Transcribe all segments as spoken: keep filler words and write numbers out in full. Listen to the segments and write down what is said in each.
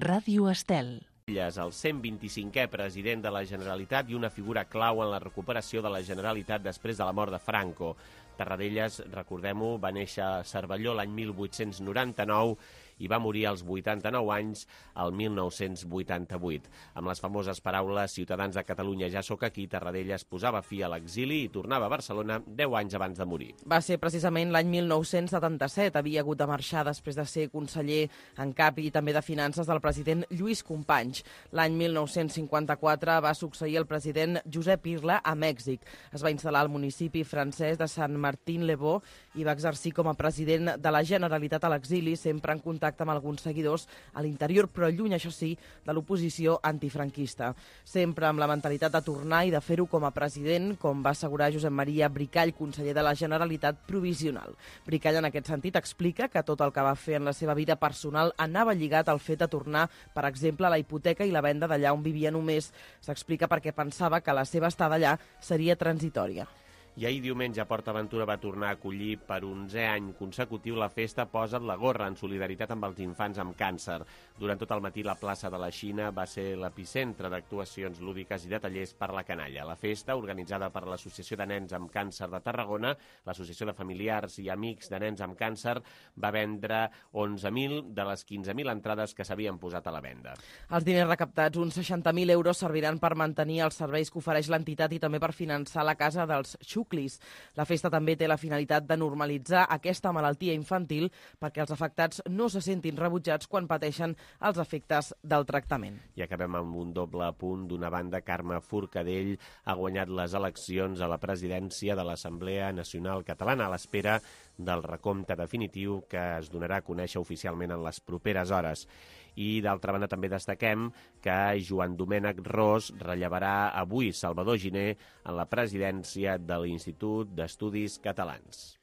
Ràdio Estel. El cent vint-i-cinquè president de la Generalitat i una figura clau en la recuperació de la Generalitat després de la mort de Franco. Tarradellas, recordem-ho, va néixer a Cervelló l'any mil vuit-cents noranta-nou i va morir als vuitanta-nou anys el mil nou-cents vuitanta-vuit. Amb les famoses paraules "Ciutadans de Catalunya, ja sóc aquí", Tarradellas posava fi a l'exili i tornava a Barcelona deu anys abans de morir. Va ser precisament l'any mil nou-cents setanta-set. Havia hagut de marxar després de ser conseller en cap i també de Finances del president Lluís Companys. L'any mil nou-cents cinquanta-quatre va succeir el president Josep Irla a Mèxic. Es va instal·lar al municipi francès de Sant Martín-le-Beau i va exercir com a president de la Generalitat a l'exili, sempre en contacte amb alguns seguidors a l'interior, però lluny, això sí, de l'oposició antifranquista. Sempre amb la mentalitat de tornar i de fer-ho com a president, com va assegurar Josep Maria Bricall, conseller de la Generalitat provisional. Bricall, en aquest sentit, explica que tot el que va fer en la seva vida personal anava lligat al fet de tornar, per exemple, a la hipoteca i la venda d'allà on vivia només. S'explica perquè pensava que la seva estada allà seria transitòria. I ahir diumenge PortAventura va tornar a acollir per onzè any consecutiu la festa Posa't la gorra, en solidaritat amb els infants amb càncer. Durant tot el matí la plaça de la Xina va ser l'epicentre d'actuacions lúdiques i de tallers per la canalla. La festa, organitzada per l'Associació de Nens amb Càncer de Tarragona, l'Associació de Familiars i Amics de Nens amb Càncer, va vendre onze mil de les quinze mil entrades que s'havien posat a la venda. Els diners recaptats, uns seixanta mil euros, serviran per mantenir els serveis que ofereix l'entitat i també per finançar la Casa dels Xuclis. La festa també té la finalitat de normalitzar aquesta malaltia infantil perquè els afectats no se sentin rebutjats quan pateixen els efectes del tractament. I acabem amb un doble apunt. D'una banda, Carme Forcadell ha guanyat les eleccions a la presidència de l'Assemblea Nacional Catalana a l'espera del recompte definitiu que es donarà a conèixer oficialment en les properes hores. I, d'altra banda, també destaquem que Joan Domènec Ros rellevarà avui Salvador Giner en la presidència de l'Institut d'Estudis Catalans.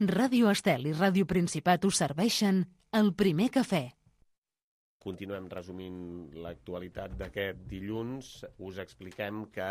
Ràdio Estel i Ràdio Principat us serveixen el primer cafè. Continuem resumint l'actualitat d'aquest dilluns. Us expliquem que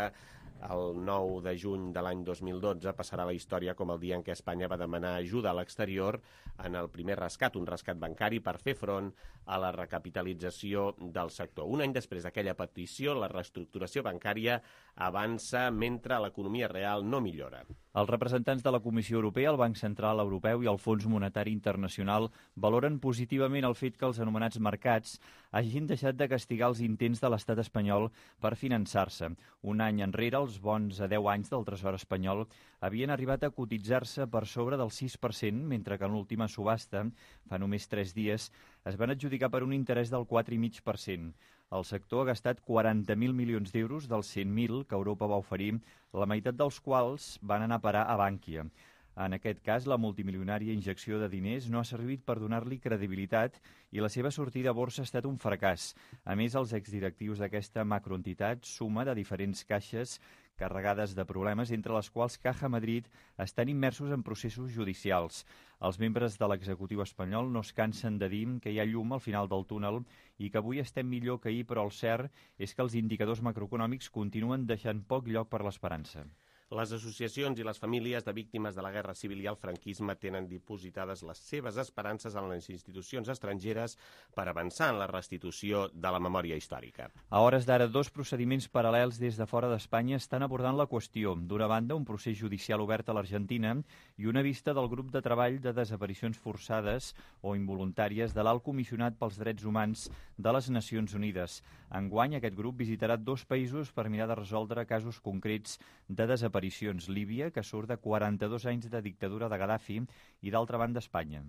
el nou de juny de l'any dos mil dotze passarà a la història com el dia en què Espanya va demanar ajuda a l'exterior en el primer rescat, un rescat bancari per fer front a la recapitalització del sector. Un any després d'aquella petició, la reestructuració bancària avança mentre l'economia real no millora. Els representants de la Comissió Europea, el Banc Central Europeu i el Fons Monetari Internacional valoren positivament el fet que els anomenats mercats hagin deixat de castigar els intents de l'estat espanyol per finançar-se. Un any enrere, els bons a deu anys del Tresor espanyol havien arribat a cotitzar-se per sobre del sis per cent, mentre que en l'última subhasta, fa només tres dies, es van adjudicar per un interès del quatre coma cinc per cent. El sector ha gastat quaranta mil milions d'euros dels cent mil que Europa va oferir, la meitat dels quals van anar a parar a Bànquia. En aquest cas, la multimilionària injecció de diners no ha servit per donar-li credibilitat i la seva sortida a borsa ha estat un fracàs. A més, els exdirectius d'aquesta macroentitat, suma de diferents caixes carregades de problemes, entre les quals Caja Madrid estan immersos en processos judicials. Els membres de l'executiu espanyol no es cansen de dir que hi ha llum al final del túnel i que avui estem millor que ahir, però el cert és que els indicadors macroeconòmics continuen deixant poc lloc per l'esperança. Les associacions i les famílies de víctimes de la Guerra Civil i el franquisme tenen dipositades les seves esperances en les institucions estrangeres per avançar en la restitució de la memòria històrica. A hores d'ara, dos procediments paral·lels des de fora d'Espanya estan abordant la qüestió. D'una banda, un procés judicial obert a l'Argentina i una vista del grup de treball de desaparicions forçades o involuntàries de l'Alt Comissionat pels Drets Humans de les Nacions Unides. Enguany, aquest grup visitarà dos països per mirar de resoldre casos concrets de desaparicions. Líbia, que surt de quaranta-dos anys de dictadura de Gaddafi, i d'altra banda Espanya.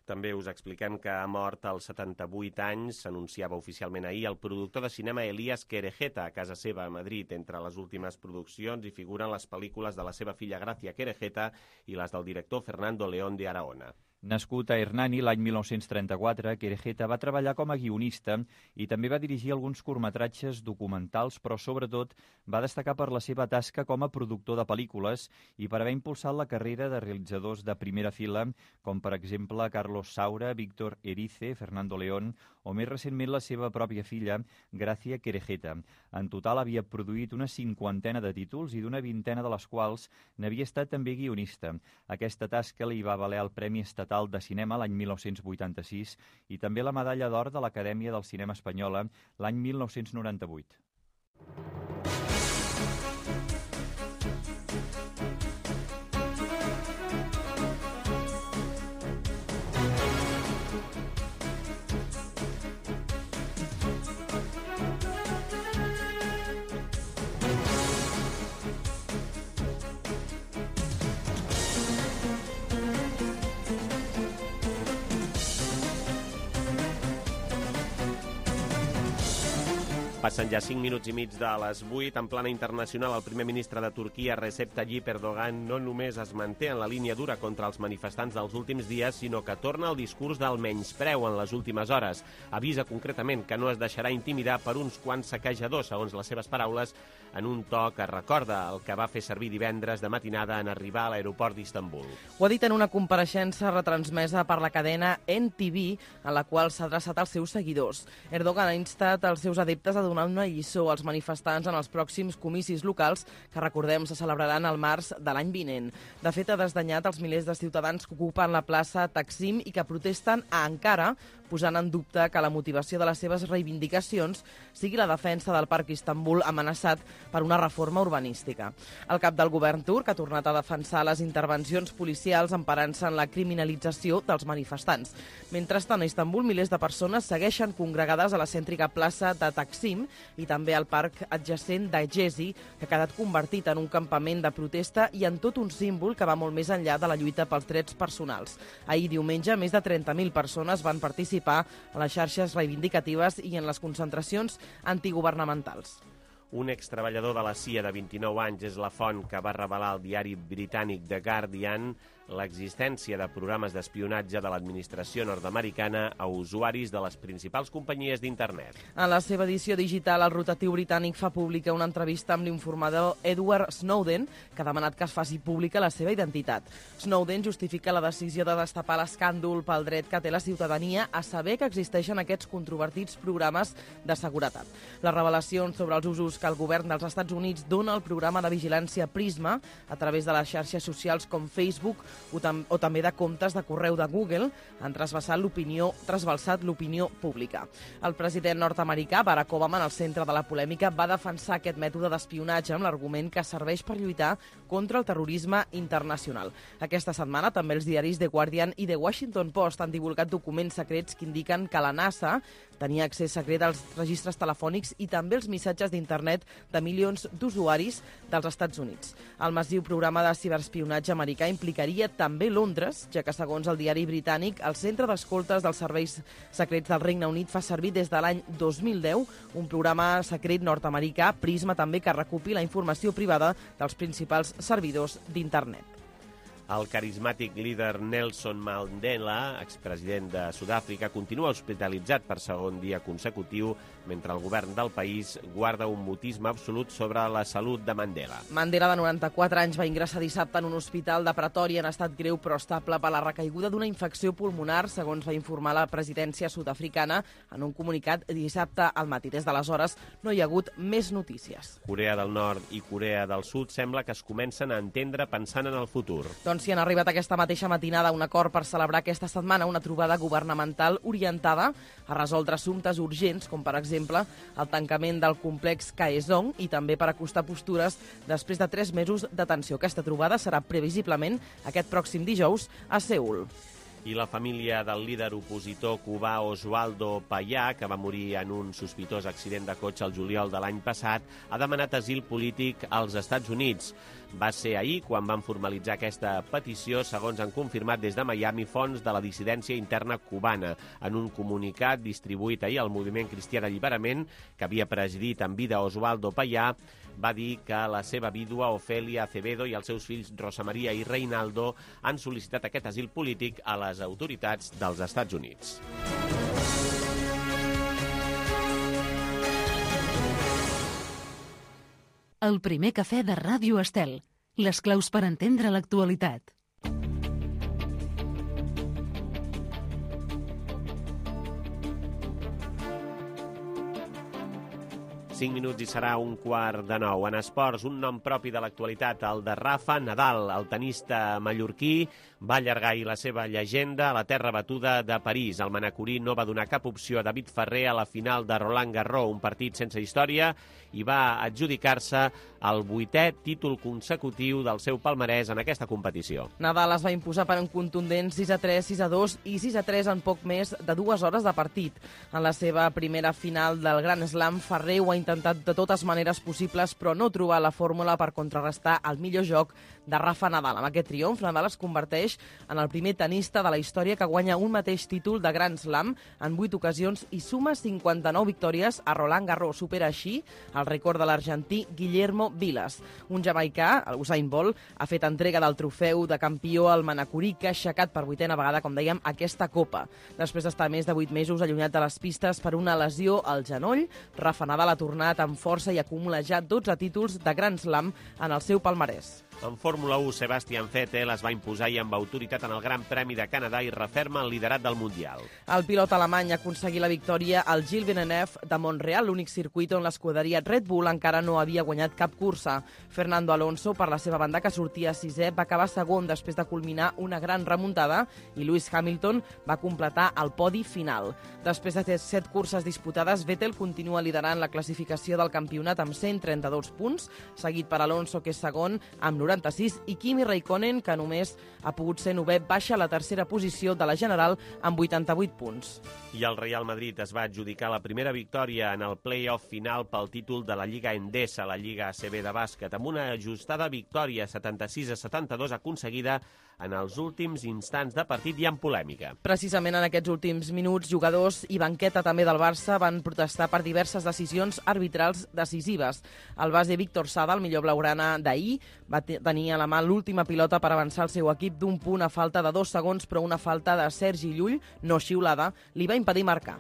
També us expliquem que ha mort als setanta-vuit anys, s'anunciava oficialment ahir, el productor de cinema Elías Querejeta a casa seva a Madrid. Entre les últimes produccions hi figuren les pel·lícules de la seva filla Gracia Querejeta i les del director Fernando León de Arahona. Nascut a Hernani l'any mil nou-cents trenta-quatre, Querejeta va treballar com a guionista i també va dirigir alguns curtmetratges documentals, però sobretot va destacar per la seva tasca com a productor de pel·lícules i per haver impulsat la carrera de realitzadors de primera fila, com per exemple Carlos Saura, Víctor Erice, Fernando León o més recentment la seva pròpia filla, Gracia Querejeta. En total havia produït una cinquantena de títols i d'una vintena de les quals n'havia estat també guionista. Aquesta tasca li va valer el Premi Estatal de Cinema l'any mil nou-cents vuitanta-sis i també la Medalla d'Or de l'Acadèmia del Cinema Espanyola l'any mil nou-cents noranta-vuit. Passen ja cinc minuts i mig de les vuit. En plana internacional, el primer ministre de Turquia, Recep Tayyip Erdogan, no només es manté en la línia dura contra els manifestants dels últims dies, sinó que torna al discurs del menyspreu en les últimes hores. Avisa concretament que no es deixarà intimidar per uns quants saquejadors, segons les seves paraules, en un to que recorda el que va fer servir divendres de matinada en arribar a l'aeroport d'Istanbul. Ho ha dit en una compareixença retransmesa per la cadena N T V, en la qual s'ha adreçat als seus seguidors. Erdogan ha instat els seus adeptes a donar una lliçó als manifestants en els pròxims comicis locals que, recordem, se celebraran al març de l'any vinent. De fet, ha desdanyat els milers de ciutadans que ocupen la plaça Taksim i que protesten a Ankara, posant en dubte que la motivació de les seves reivindicacions sigui la defensa del Parc Istanbul amenaçat per una reforma urbanística. El cap del govern turc ha tornat a defensar les intervencions policials emparant-se en la criminalització dels manifestants. Mentrestant, a Istanbul, milers de persones segueixen congregades a la cèntrica plaça de Taksim i també al parc adjacent d'Egezi, que ha quedat convertit en un campament de protesta i en tot un símbol que va molt més enllà de la lluita pels drets personals. Ahir, diumenge, més de trenta mil persones van participar a les xarxes reivindicatives i en les concentracions antigubernamentals. Un extreballador de la C I A de vint-i-nou anys és la font que va revelar al diari britànic The Guardian l'existència de programes d'espionatge de l'administració nord-americana a usuaris de les principals companyies d'internet. En la seva edició digital, el rotatiu britànic fa pública una entrevista amb l'informador Edward Snowden, que ha demanat que es faci pública la seva identitat. Snowden justifica la decisió de destapar l'escàndol pel dret que té la ciutadania a saber que existeixen aquests controvertits programes de seguretat. Les revelacions sobre els usos que el govern dels Estats Units dona al programa de vigilància Prisma a través de les xarxes socials com Facebook o, tam o també de comptes de correu de Google han trasbalsat l'opinió trasbalsat l'opinió pública. El president nord-americà, Barack Obama, en el centre de la polèmica, va defensar aquest mètode d'espionatge amb l'argument que serveix per lluitar contra el terrorisme internacional. Aquesta setmana també els diaris The Guardian i The Washington Post han divulgat documents secrets que indiquen que la NASA tenia accés secret als registres telefònics i també els missatges d'internet de milions d'usuaris dels Estats Units. El massiu programa de ciberespionatge americà implicaria també Londres, ja que, segons el diari britànic, el Centre d'Escoltes dels Serveis Secrets del Regne Unit fa servir des de l'any dos mil deu un programa secret nord-americà, Prisma, també, que recupi la informació privada dels principals servidors d'internet. El carismàtic líder Nelson Mandela, expresident de Sud-àfrica, continua hospitalitzat per segon dia consecutiu, mentre el govern del país guarda un mutisme absolut sobre la salut de Mandela. Mandela, de noranta-quatre anys, va ingressar dissabte en un hospital de Pretòria en estat greu però estable per la recaiguda d'una infecció pulmonar, segons va informar la presidència sud-africana en un comunicat dissabte al matí. Des d'aleshores no hi ha hagut més notícies. Corea del Nord i Corea del Sud sembla que es comencen a entendre pensant en el futur. Doncs si han arribat aquesta mateixa matinada a un acord per celebrar aquesta setmana una trobada governamental orientada a resoldre assumptes urgents, com per exemple el tancament del complex Kaesong i també per acostar postures després de tres mesos de tensió. Aquesta trobada serà previsiblement aquest pròxim dijous a Seül. I la família del líder opositor cubà Oswaldo Payá, que va morir en un sospitós accident de cotxe el juliol de l'any passat, ha demanat asil polític als Estats Units. Va ser ahir quan van formalitzar aquesta petició, segons han confirmat des de Miami fonts de la dissidència interna cubana. En un comunicat distribuït ahir al Moviment Cristià d'Alliberament, que havia presidit en vida Oswaldo Payá, va dir que la seva vídua Ofelia Acevedo i els seus fills Rosa Maria i Reinaldo han sol·licitat aquest asil polític a la les autoritats dels Estats Units. El primer cafè de Ràdio Estel. Les claus per entendre l'actualitat. cinc minuts i serà un quart de nou. En esports, un nom propi de l'actualitat, el de Rafa Nadal, el tenista mallorquí, va allargar ahir la seva llegenda a la terra batuda de París. El manacorí no va donar cap opció a David Ferrer a la final de Roland Garros, un partit sense història, i va adjudicar-se el vuitè títol consecutiu del seu palmarès en aquesta competició. Nadal es va imposar per un contundent sis a tres, sis a dos i sis a tres en poc més de dues hores de partit. En la seva primera final del Grand Slam, Ferrer ho ha intentat de totes maneres possibles, però no trobar la fórmula per contrarrestar el millor joc de Rafa Nadal. Amb aquest triomf, Nadal es converteix en el primer tenista de la història que guanya un mateix títol de Grand Slam en vuit ocasions i suma cinquanta-nou victòries a Roland Garros. Supera així el rècord de l'argentí Guillermo Vilas. Un jamaicà, el Usain Bolt, ha fet entrega del trofeu de campió al manacorí que ha aixecat per vuitena vegada, com dèiem, aquesta copa. Després d'estar més de vuit mesos allunyat de les pistes per una lesió al genoll, Rafa Nadal ha tornat amb força i acumula ja dotze títols de Grand Slam en el seu palmarès. En Fórmula u, Sebastian Vettel es va imposar i amb autoritat en el Gran Premi de Canadà i referma el liderat del Mundial. El pilot alemany ha aconseguit la victòria al Gilles Villeneuve de Montreal, l'únic circuit on l'escuderia Red Bull encara no havia guanyat cap cursa. Fernando Alonso, per la seva banda, que sortia sisè, va acabar segon després de culminar una gran remuntada i Lewis Hamilton va completar el podi final. Després de set curses disputades, Vettel continua liderant la classificació del campionat amb cent trenta-dos punts, seguit per Alonso, que és segon, amb noranta-sis, i Kimi Raikkonen, que només ha pogut ser novè, baixa a la tercera posició de la general amb vuitanta-vuit punts. I el Real Madrid es va adjudicar la primera victòria en el play-off final pel títol de la Lliga Endesa, la Lliga A C B de bàsquet, amb una ajustada victòria setanta-sis a setanta-dos aconseguida en els últims instants de partit i amb polèmica. Precisament en aquests últims minuts, jugadors i banqueta també del Barça van protestar per diverses decisions arbitrals decisives. El base Víctor Sada, el millor blaugrana d'ahir, va tenir a la mà l'última pilota per avançar el seu equip d'un punt a falta de dos segons, però una falta de Sergi Llull, no xiulada, li va impedir marcar.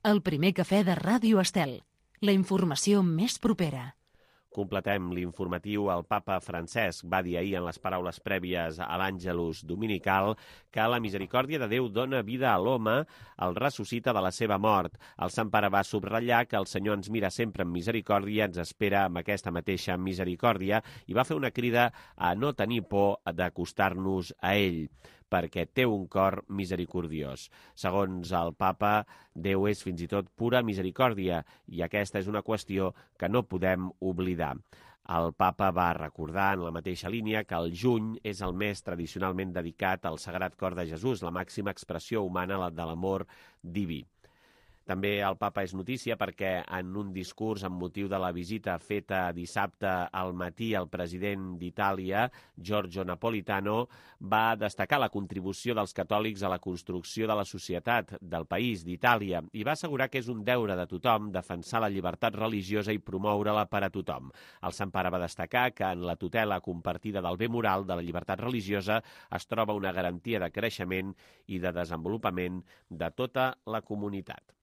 El primer cafè de Ràdio Estel. La informació més propera. Completem l'informatiu. El papa Francesc va dir ahir en les paraules prèvies a l'Àngelus dominical que la misericòrdia de Déu dona vida a l'home, el ressuscita de la seva mort. El Sant Pare va subratllar que el Senyor ens mira sempre amb misericòrdia, ens espera amb aquesta mateixa misericòrdia i va fer una crida a no tenir por d'acostar-nos a ell, perquè té un cor misericordiós. Segons el papa, Déu és fins i tot pura misericòrdia i aquesta és una qüestió que no podem oblidar. El papa va recordar en la mateixa línia que el juny és el mes tradicionalment dedicat al Sagrat Cor de Jesús, la màxima expressió humana de l'amor diví. També el papa és notícia perquè en un discurs amb motiu de la visita feta dissabte al matí al president d'Itàlia, Giorgio Napolitano, va destacar la contribució dels catòlics a la construcció de la societat del país, d'Itàlia, i va assegurar que és un deure de tothom defensar la llibertat religiosa i promoure-la per a tothom. El Sant Pare va destacar que en la tutela compartida del bé moral de la llibertat religiosa es troba una garantia de creixement i de desenvolupament de tota la comunitat.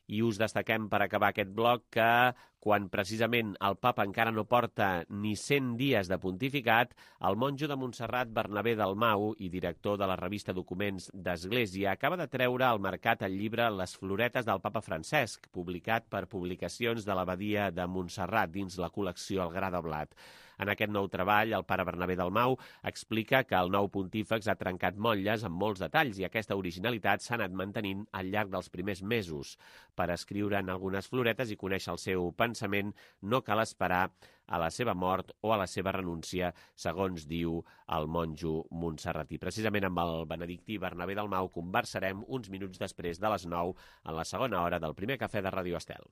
I us destaquem per acabar aquest bloc que quan precisament el papa encara no porta ni cent dies de pontificat, el monjo de Montserrat, Bernabé Dalmau, i director de la revista Documents d'Església, acaba de treure al mercat el llibre Les floretes del papa Francesc, publicat per Publicacions de l'Abadia de Montserrat dins la col·lecció El Gra de Blat. En aquest nou treball, el pare Bernabé Dalmau explica que el nou pontífex ha trencat motlles amb molts detalls i aquesta originalitat s'ha anat mantenint al llarg dels primers mesos. Per escriure'n algunes floretes i conèixer el seu pensament, no cal esperar a la seva mort o a la seva renúncia, segons diu el monjo montserratí. Precisament amb el benedictí Bernabé Dalmau conversarem uns minuts després de les nou en la segona hora del primer cafè de Ràdio Estel.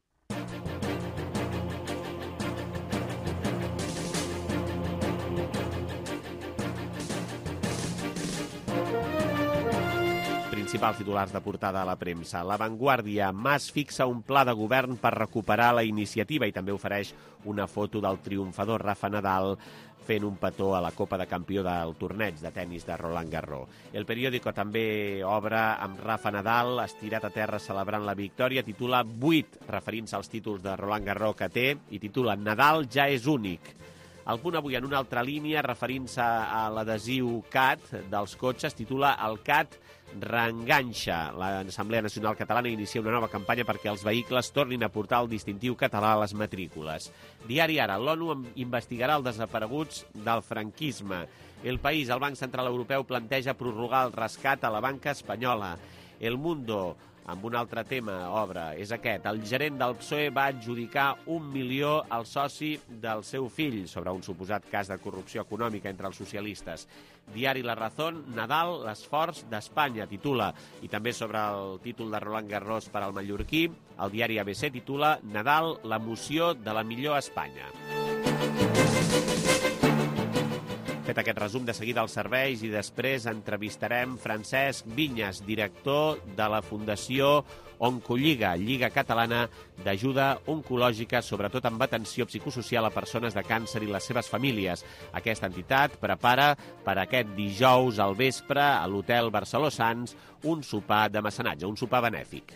principals titulars de portada a la premsa. La Vanguardia, Mas fixa un pla de govern per recuperar la iniciativa i també ofereix una foto del triomfador Rafa Nadal fent un petó a la Copa de Campió del torneig de tennis de Roland Garros. El periòdico també obre amb Rafa Nadal, estirat a terra celebrant la victòria, titula vuit, referint-se als títols de Roland Garros que té, i titula Nadal ja és únic. El Punt avui, en una altra línia, referint-se a l'adhesiu C A T dels cotxes, titula El C A T reenganxa. L'Assemblea Nacional Catalana inicia una nova campanya perquè els vehicles tornin a portar el distintiu català a les matrícules. Diari Ara, l'ONU investigarà els desapareguts del franquisme. El País, el Banc Central Europeu planteja prorrogar el rescat a la banca espanyola. El Mundo, amb un altre tema, obre, és aquest. El gerent del P S O E va adjudicar un milió al soci del seu fill sobre un suposat cas de corrupció econòmica entre els socialistes. Diari La Razón, Nadal, l'esforç d'Espanya, titula, i també sobre el títol de Roland Garros per al mallorquí, el diari A B C titula Nadal, l'emoció de la millor Espanya. Fet aquest resum, de seguida els serveis i després entrevistarem Francesc Vinyes, director de la Fundació Oncolliga, Lliga Catalana d'Ajuda Oncològica, sobretot amb atenció psicosocial a persones de càncer i les seves famílies. Aquesta entitat prepara per aquest dijous al vespre a l'Hotel Barceló Sants un sopar de mecenatge, un sopar benèfic.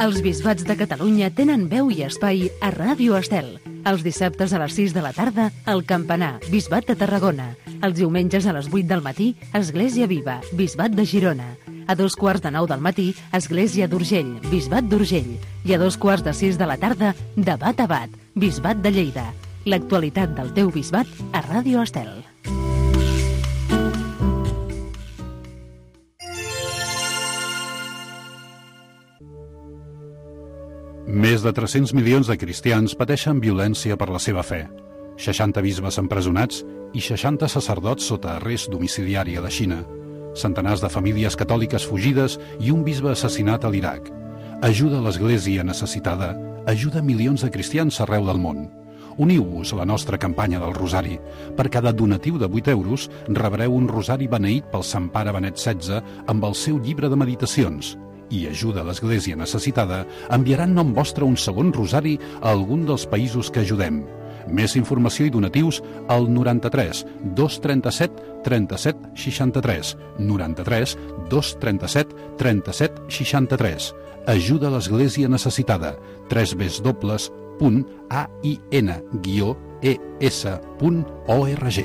Els bisbats de Catalunya tenen veu i espai a Ràdio Estel. Els dissabtes a les sis de la tarda, el Campanar, Bisbat de Tarragona. Els diumenges a les vuit del matí, Església Viva, Bisbat de Girona. A dos quarts de nou del matí, Església d'Urgell, Bisbat d'Urgell. I a dos quarts de sis de la tarda, Debat a Bat, Bisbat de Lleida. L'actualitat del teu bisbat a Ràdio Estel. Més de tres-cents milions de cristians pateixen violència per la seva fe. seixanta bisbes empresonats i seixanta sacerdots sota arrest domiciliari a la Xina. Centenars de famílies catòliques fugides i un bisbe assassinat a l'Iraq. Ajuda l'Església necessitada, ajuda milions de cristians arreu del món. Uniu-vos a la nostra campanya del Rosari. Per cada donatiu de vuit euros rebreu un rosari beneït pel Sant Pare Benet setze amb el seu llibre de meditacions. I ajuda l'Església necessitada enviaran nom vostre un segon rosari a algun dels països que ajudem. Més informació i donatius al noranta-tres dos trenta-set trenta-set seixanta-tres, noranta-tres dos trenta-set trenta-set seixanta-tres. Ajuda l'Església necessitada. tres w punt a i n guió e s punt org.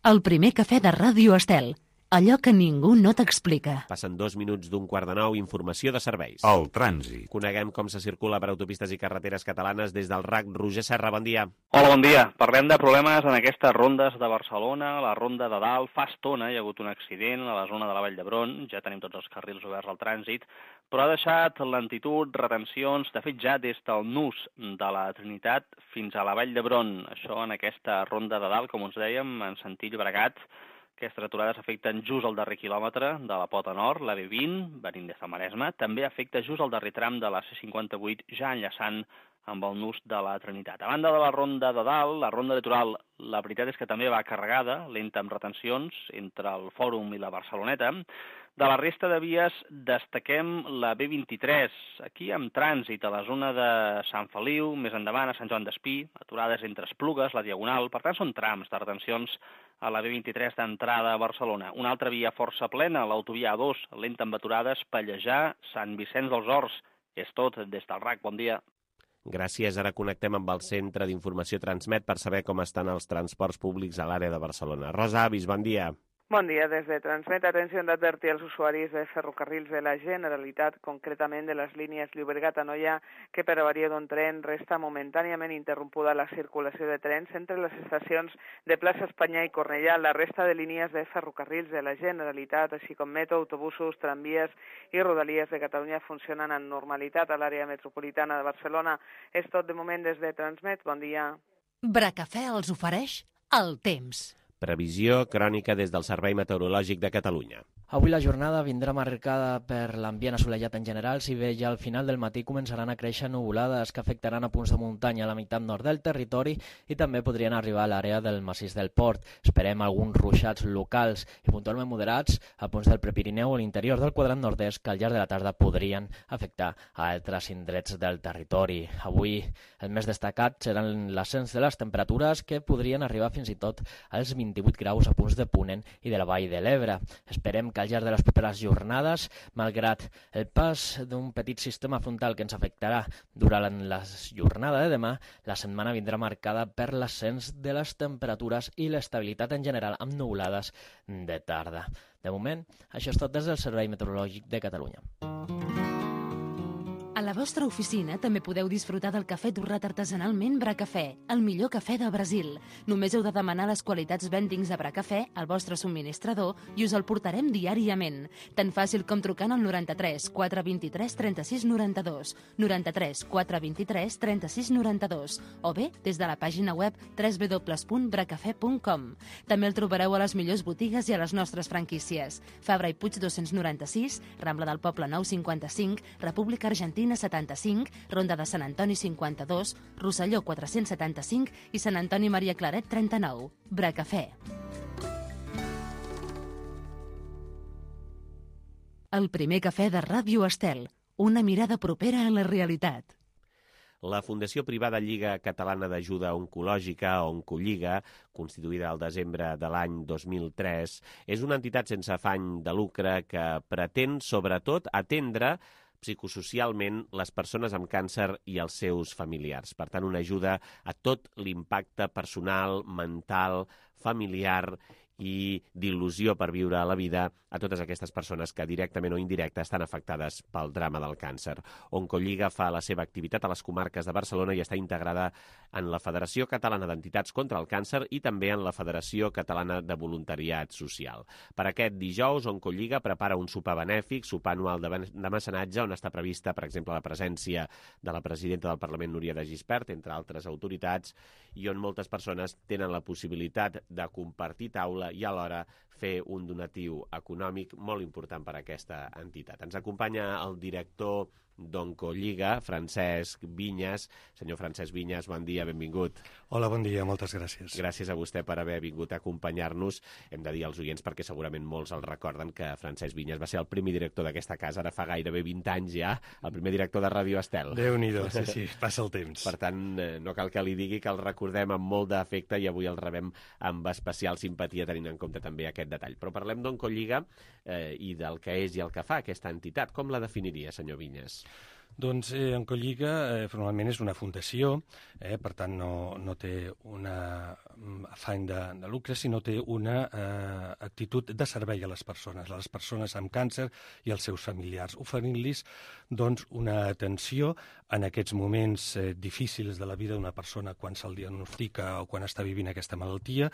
El primer cafè de Ràdio Estel. Allò que ningú no t'explica. Passen dos minuts d'un quart de nou, informació de serveis. El trànsit. Coneguem com se circula per autopistes i carreteres catalanes des del R A C. Roger Serra, bon dia. Hola, bon dia. Parlem de problemes en aquestes rondes de Barcelona. La ronda de dalt, fa estona hi ha hagut un accident a la zona de la Vall d'Hebron. Ja tenim tots els carrils oberts al trànsit, però ha deixat lentitud, retencions, de fet ja des del nus de la Trinitat fins a la Vall d'Hebron. Això en aquesta ronda de dalt, com us dèiem, en sentit Llobregat. Aquestes aturades afecten just el darrer quilòmetre de la pota nord, la B vint, venint des del Maresme. També afecta just el darrer tram de la C cinquanta vuit, ja enllaçant amb el nus de la Trinitat. A banda de la ronda de dalt, la ronda litoral, la veritat és que també va carregada, lenta amb retencions, entre el Fòrum i la Barceloneta. De la resta de vies destaquem la B vint-i-tres, aquí amb trànsit a la zona de Sant Feliu, més endavant a Sant Joan d'Espí, aturades entre Esplugues, la Diagonal, per tant són trams de retencions a la B vint-i-tres d'entrada a Barcelona. Una altra via força plena, l'autovia A dos, lenta amb aturades, Pallejà, Sant Vicenç dels Horts. És tot des del R A C, bon dia. Gràcies, ara connectem amb el Centre d'Informació Transmet per saber com estan els transports públics a l'àrea de Barcelona. Rosa Avis, bon dia. Bon dia. Des de Transmet, atenció d'advertir als usuaris de ferrocarrils de la Generalitat, concretament de les línies Llobregat-Anoia, que per avaria d'un tren resta momentàniament interrompuda la circulació de trens entre les estacions de Plaça Espanya i Cornellà. La resta de línies de ferrocarrils de la Generalitat, així com metro, autobusos, tramvies i rodalies de Catalunya funcionen amb normalitat a l'àrea metropolitana de Barcelona. És tot de moment des de Transmet. Bon dia. Bracafè els ofereix el temps. Previsió crònica des del Servei Meteorològic de Catalunya. Avui la jornada vindrà marcada per l'ambient assolellat en general, si bé ja al final del matí començaran a créixer nuvolades que afectaran a punts de muntanya a la meitat nord del territori i també podrien arribar a l'àrea del massís del Port. Esperem alguns ruixats locals i puntualment moderats a punts del Prepirineu o l'interior del quadrant nord-est que al llarg de la tarda podrien afectar a altres indrets del territori. Avui el més destacat seran l'ascens de les temperatures que podrien arribar fins i tot als vint-i-vuit graus a punts de Ponent i de la Vall de l'Ebre. Esperem que al llarg de les properes jornades, malgrat el pas d'un petit sistema frontal que ens afectarà durant la jornada de demà, la setmana vindrà marcada per l'ascens de les temperatures i l'estabilitat en general amb nuvolades de tarda. De moment, això és tot des del Servei Meteorològic de Catalunya. A la vostra oficina també podeu disfrutar del cafè torrat artesanalment Bracafè, el millor cafè del Brasil. Només heu de demanar les qualitats vendings de Bracafè al vostre subministrador i us el portarem diàriament. Tan fàcil com trucant al noranta-tres quatre vint-i-tres trenta-sis noranta-dos, noranta-tres quatre vint-i-tres trenta-sis noranta-dos o bé des de la pàgina web w w w punt bracafè punt com. També el trobareu a les millors botigues i a les nostres franquícies. Fabra i Puig dos-cents noranta-sis, Rambla del Poble nou cinquanta-cinc, República Argentina setanta-cinc, Ronda de Sant Antoni cinquanta-dos, Rosselló quatre-cents setanta-cinc i Sant Antoni Maria Claret trenta-nou. Bracafè. El primer cafè de Ràdio Estel. Una mirada propera a la realitat. La Fundació Privada Lliga Catalana d'Ajuda Oncològica, Oncolliga, constituïda al desembre de l'any dos mil tres, és una entitat sense afany de lucre que pretén, sobretot, atendre psicosocialment les persones amb càncer i els seus familiars. Per tant, una ajuda a tot l'impacte personal, mental, familiar i d'il·lusió per viure la vida a totes aquestes persones que directament o indirecta estan afectades pel drama del càncer. Oncolliga fa la seva activitat a les comarques de Barcelona i està integrada en la Federació Catalana d'Entitats contra el Càncer i també en la Federació Catalana de Voluntariat Social. Per aquest dijous, Oncolliga prepara un sopar benèfic, sopar anual de, de mecenatge, on està prevista, per exemple, la presència de la presidenta del Parlament, Núria de Gispert, entre altres autoritats, i on moltes persones tenen la possibilitat de compartir taula i alhora fer un donatiu econòmic molt important per a aquesta entitat. Ens acompanya el director d'Oncolliga, Francesc Vinyes. Senyor Francesc Vinyes, bon dia, benvingut. Hola, bon dia, moltes gràcies. Gràcies a vostè per haver vingut a acompanyar-nos. Hem de dir als oients, perquè segurament molts el recorden, que Francesc Vinyes va ser el primer director d'aquesta casa, ara fa gairebé vint anys ja, el primer director de Ràdio Estel. Déu-n'hi-do, sí, sí, passa el temps. Per tant, no cal que li digui que el recordem amb molt d'afecte i avui el rebem amb especial simpatia, tenint en compte també aquest detall. Però parlem d'Oncolliga eh, i del que és i el que fa aquesta entitat. Com la definiria, senyor Vinyes? Doncs eh, Oncolliga eh, formalment és una fundació, eh, per tant no, no té un afany de, de lucre, sinó té una eh, actitud de servei a les persones, a les persones amb càncer i als seus familiars, oferint-los doncs, una atenció en aquests moments eh, difícils de la vida d'una persona quan se'l diagnostica o quan està vivint aquesta malaltia,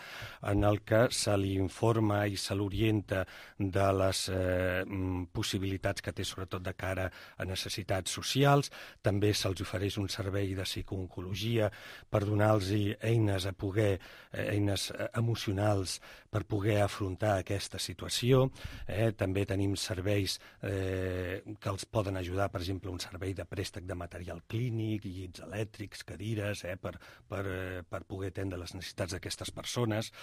en el que se li informa i se l'orienta de les eh, possibilitats que té, sobretot de cara a necessitats socials. Socials. També se'ls ofereix un servei de psicooncologia per donar-los eines a poder, eh, eines emocionals per poder afrontar aquesta situació. Eh, també tenim serveis eh, que els poden ajudar, per exemple, un servei de préstec de material clínic, llits elèctrics, cadires, eh, per, per, eh, per poder atendre les necessitats d'aquestes persones.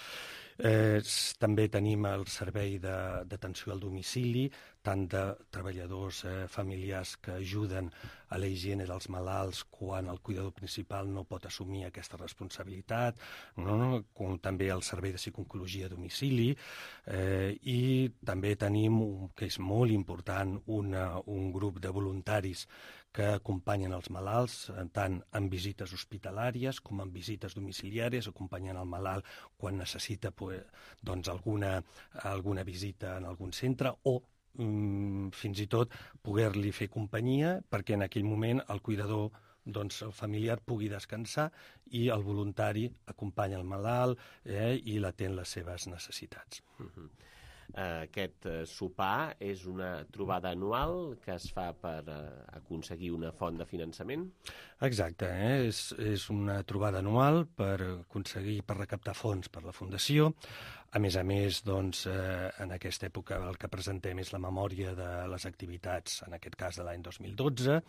Eh, també tenim el servei d'atenció al domicili, tant de treballadors eh, familiars que ajuden a la higiene dels malalts quan el cuidador principal no pot assumir aquesta responsabilitat, no? Com també el servei de psicooncologia a domicili, eh, i també tenim, que és molt important, una, un grup de voluntaris que acompanyen els malalts, tant en visites hospitalàries com en visites domiciliàries, acompanyen el malalt quan necessita pues, doncs, alguna, alguna visita en algun centre o fins i tot poder-li fer companyia perquè en aquell moment el cuidador, doncs, el familiar pugui descansar i el voluntari acompanya el malalt eh, i l'atén les seves necessitats. Uh-huh. Aquest sopar és una trobada anual que es fa per aconseguir una font de finançament? Exacte, eh? és, és una trobada anual per aconseguir, per recaptar fons per la Fundació. A més a més, doncs, eh, en aquesta època el que presentem és la memòria de les activitats, en aquest cas de l'any dos mil dotze,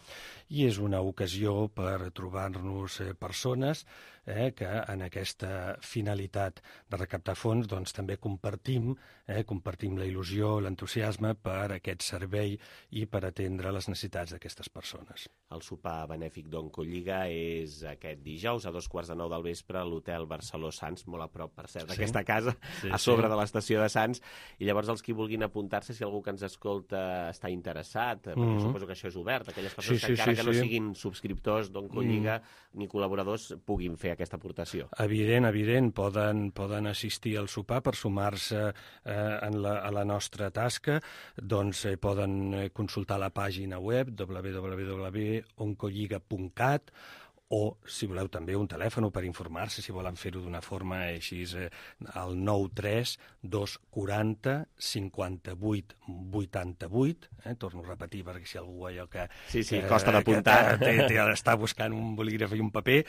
i és una ocasió per trobar-nos eh, persones eh, que en aquesta finalitat de recaptar fons doncs, també compartim, eh, compartim la il·lusió, l'entusiasme per aquest servei i per atendre les necessitats d'aquestes persones. El sopar benèfic d'Oncolliga és aquest dijous a dos quarts de nou del vespre a l'Hotel Barceló Sants, molt a prop, per cert, d'aquesta sí. casa, sí, a sobre sí. de l'estació de Sants. I llavors els qui vulguin apuntar-se, si algú que ens escolta està interessat, perquè mm-hmm. suposo que això és obert, aquelles persones sí, sí, que encara sí, que no sí. siguin subscriptors d'Oncolliga mm. ni col·laboradors puguin fer aquesta aportació. Evident, evident, poden, poden assistir al sopar per sumar-se eh, en la, a la nostra tasca, doncs eh, poden consultar la pàgina web w w w punt oncolliga punt cat o, si voleu, també un telèfon per informar-se, si volen fer-ho d'una forma així, eh, al nou tres dos quaranta cinquanta-vuit vuitanta-vuit, eh, torno a repetir perquè si algú allò que... Sí, sí, que, costa d'apuntar. Que té, té, està buscant un bolígraf i un paper,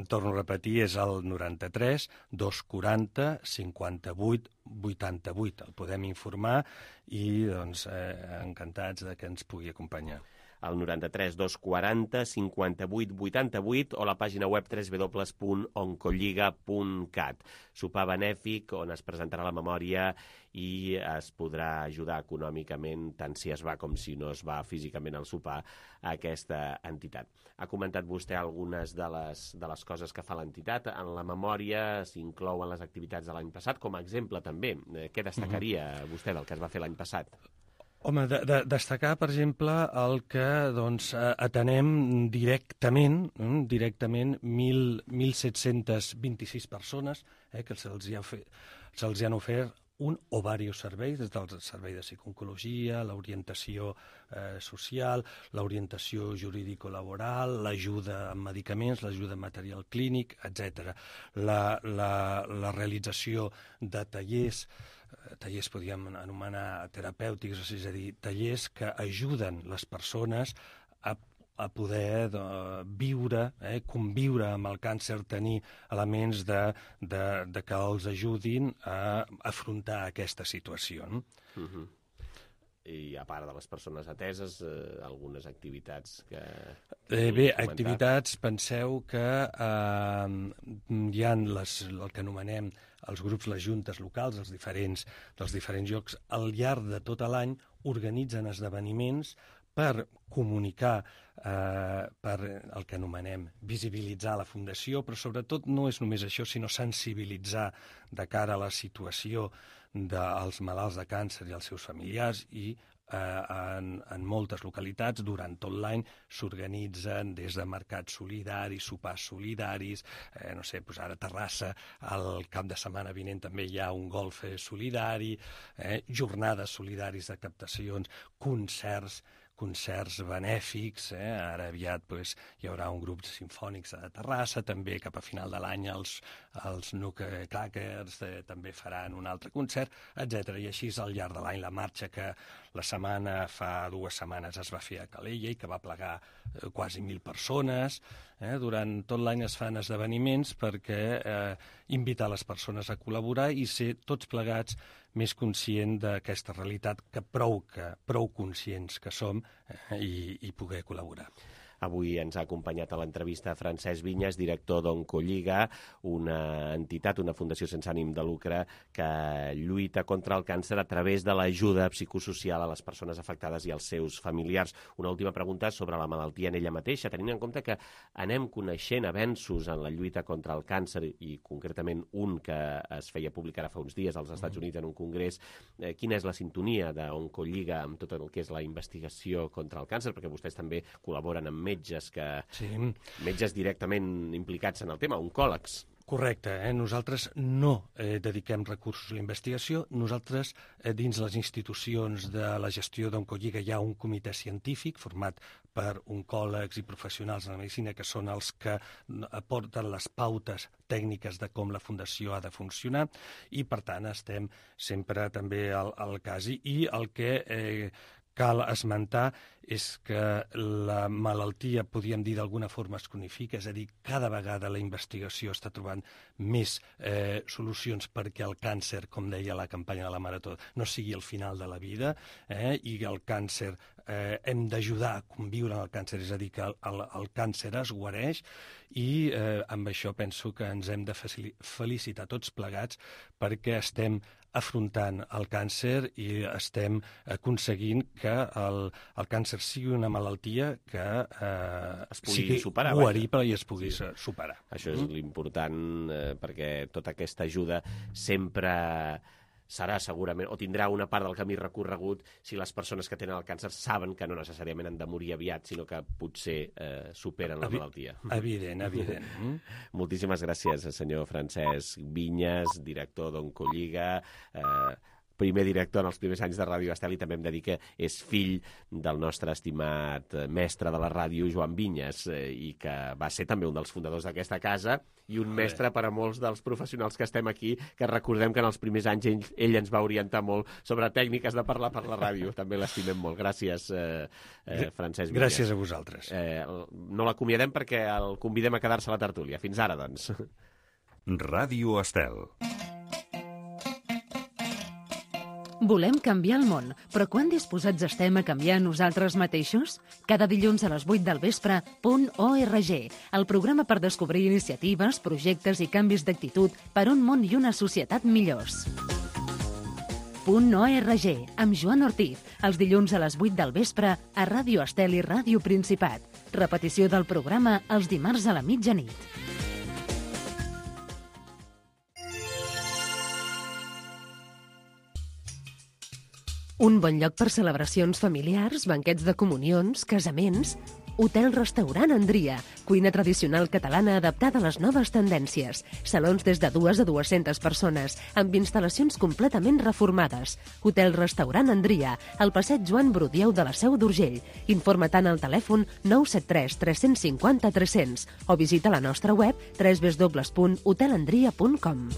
torno a repetir, és el noranta-tres dos quaranta cinquanta-vuit vuitanta-vuit. El podem informar i, doncs, eh, encantats de que ens pugui acompanyar. El noranta-tres dos quaranta cinquanta-vuit vuitanta-vuit o la pàgina web w w w punt oncolliga punt cat. Sopar benèfic on es presentarà la memòria i es podrà ajudar econòmicament, tant si es va com si no es va físicament al sopar, a aquesta entitat. Ha comentat vostè algunes de les, de les coses que fa l'entitat. En la memòria s'inclouen les activitats de l'any passat, com a exemple també. Què destacaria mm-hmm. vostè del que es va fer l'any passat? Home, de, de, destacar, per exemple, el que doncs, atenem directament, eh, directament mil set-cents vint-i-sis persones eh, que se'ls ha fe, se'ls han ofert un o diversos serveis, des del servei de psicooncologia, l'orientació eh, social, l'orientació jurídico-laboral, l'ajuda amb medicaments, l'ajuda en material clínic, etcètera. La, la, la realització de tallers, tallers podríem anomenar terapèutics, és a dir, tallers que ajuden les persones a, a poder de, viure, eh, conviure amb el càncer, tenir elements de, de, de que els ajudin a afrontar aquesta situació. No? Uh-huh. I a part de les persones ateses, eh, algunes activitats que... Eh, bé, activitats, penseu que eh, hi ha les, el que anomenem els grups, les juntes locals, els diferents, dels diferents llocs, al llarg de tot l'any organitzen esdeveniments per comunicar, eh, per el que anomenem visibilitzar la Fundació, però sobretot no és només això, sinó sensibilitzar de cara a la situació dels malalts de càncer i els seus familiars i eh, en, en moltes localitats durant tot l'any s'organitzen des de mercats solidaris, sopars solidaris, eh, no sé, doncs ara a Terrassa el cap de setmana vinent també hi ha un golf solidari, eh, jornades solidaris de captacions, concerts, concerts benèfics, eh? Ara aviat pues, hi haurà un grup simfònics a Terrassa, també cap a final de l'any els, els Nuke Crackers eh, també faran un altre concert, etcètera. I així és al llarg de l'any la marxa que la setmana, fa dues setmanes es va fer a Calella i que va plegar eh, quasi mil persones. Eh? Durant tot l'any es fan esdeveniments perquè eh, invitar les persones a col·laborar i ser tots plegats més conscient d'aquesta realitat que prou, que prou conscients que som eh, i, i poder col·laborar. Avui ens ha acompanyat a l'entrevista Francesc Vinyes, director d'Oncolliga, una entitat, una fundació sense ànim de lucre que lluita contra el càncer a través de l'ajuda psicosocial a les persones afectades i als seus familiars. Una última pregunta sobre la malaltia en ella mateixa, tenint en compte que anem coneixent avenços en la lluita contra el càncer i concretament un que es feia públic ara fa uns dies als Estats Units en un congrés. Eh, quina és la sintonia d'Oncolliga amb tot el que és la investigació contra el càncer? Perquè vostès també col·laboren amb metges que sí. metges directament implicats en el tema, oncòlegs. Correcte, eh? Nosaltres no eh, dediquem recursos a la investigació, nosaltres eh, dins les institucions de la gestió d'Oncolliga hi ha un comitè científic format per oncòlegs i professionals de la medicina que són els que aporten les pautes tècniques de com la Fundació ha de funcionar i per tant estem sempre també al, al cas i, i el que eh, cal esmentar és que la malaltia, podríem dir d'alguna forma, es cronifica, és a dir, cada vegada la investigació està trobant més eh, solucions perquè el càncer, com deia la campanya de la Marató, no sigui el final de la vida, eh, i el càncer, eh, hem d'ajudar a conviure amb el càncer, és a dir, que el, el, el càncer es guareix, i eh, amb això penso que ens hem de felicitar tots plegats perquè estem afrontant el càncer i estem aconseguint que el, el càncer sigui una malaltia que eh, es pugui sigui superar, guarible i es pugui sí. superar. Això és mm. l'important, eh, perquè tota aquesta ajuda sempre serà segurament, o tindrà una part del camí recorregut si les persones que tenen el càncer saben que no necessàriament han de morir aviat, sinó que potser eh, superen la Evi malaltia. Evident, evident. Mm? Moltíssimes gràcies, senyor Francesc Vinyes, director d'Oncolliga, eh, primer director en els primers anys de Ràdio Estel, i també hem de dir que és fill del nostre estimat mestre de la ràdio, Joan Vinyes, eh, i que va ser també un dels fundadors d'aquesta casa i un mestre per a molts dels professionals que estem aquí, que recordem que en els primers anys ell, ell ens va orientar molt sobre tècniques de parlar per la ràdio. També l'estimem molt. Gràcies, eh, eh, Francesc Vinyes. Gràcies a vosaltres. Eh, no l'acomiadem perquè el convidem a quedar-se a la tertúlia. Fins ara, doncs. Ràdio Estel. Volem canviar el món, però quan disposats estem a canviar nosaltres mateixos? Cada dilluns a les vuit del vespre, Punt Org, el programa per descobrir iniciatives, projectes i canvis d'actitud per un món i una societat millors. Punt Org, amb Joan Ortiz, els dilluns a les vuit del vespre a Ràdio Estel i Ràdio Principat. Repetició del programa els dimarts a la mitjanit. Un bon lloc per celebracions familiars, banquets de comunions, casaments... Hotel-restaurant Andria, cuina tradicional catalana adaptada a les noves tendències. Salons des de dues a dues-centes persones, amb instal·lacions completament reformades. Hotel-restaurant Andria, al passeig Joan Brudieu de la Seu d'Urgell. Informa tant al telèfon nou set tres tres cinc zero tres cents o visita la nostra web w w w punt hotelandria punt com.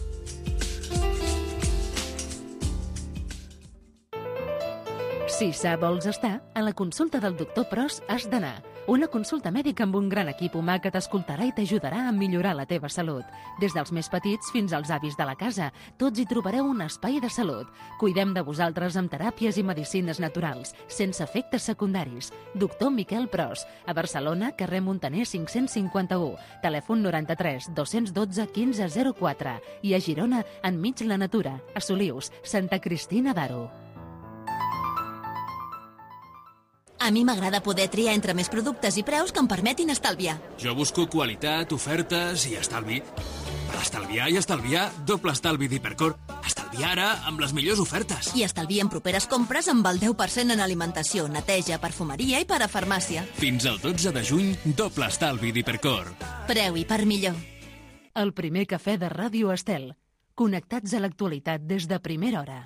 Si sa vols estar, a la consulta del doctor Pros has d'anar. Una consulta mèdica amb un gran equip humà que t'escoltarà i t'ajudarà a millorar la teva salut. Des dels més petits fins als avis de la casa, tots hi trobareu un espai de salut. Cuidem de vosaltres amb teràpies i medicines naturals, sense efectes secundaris. Doctor Miquel Pros, a Barcelona, carrer Montaner cinc-cents cinquanta-u, telèfon noranta-tres dos-cents dotze quinze zero quatre, i a Girona, enmig la natura, a Solius, Santa Cristina d'Aro. A mi m'agrada poder triar entre més productes i preus que em permetin estalviar. Jo busco qualitat, ofertes i estalvi. Per estalviar i estalviar, doble estalvi d'Hipercor. Estalviar ara amb les millors ofertes. I estalviar en properes compres amb el deu per cent en alimentació, neteja, perfumeria i parafarmàcia. Fins al dotze de juny, doble estalvi d'Hipercor. Preu i per millor. El primer cafè de Ràdio Estel. Connectats a l'actualitat des de primera hora.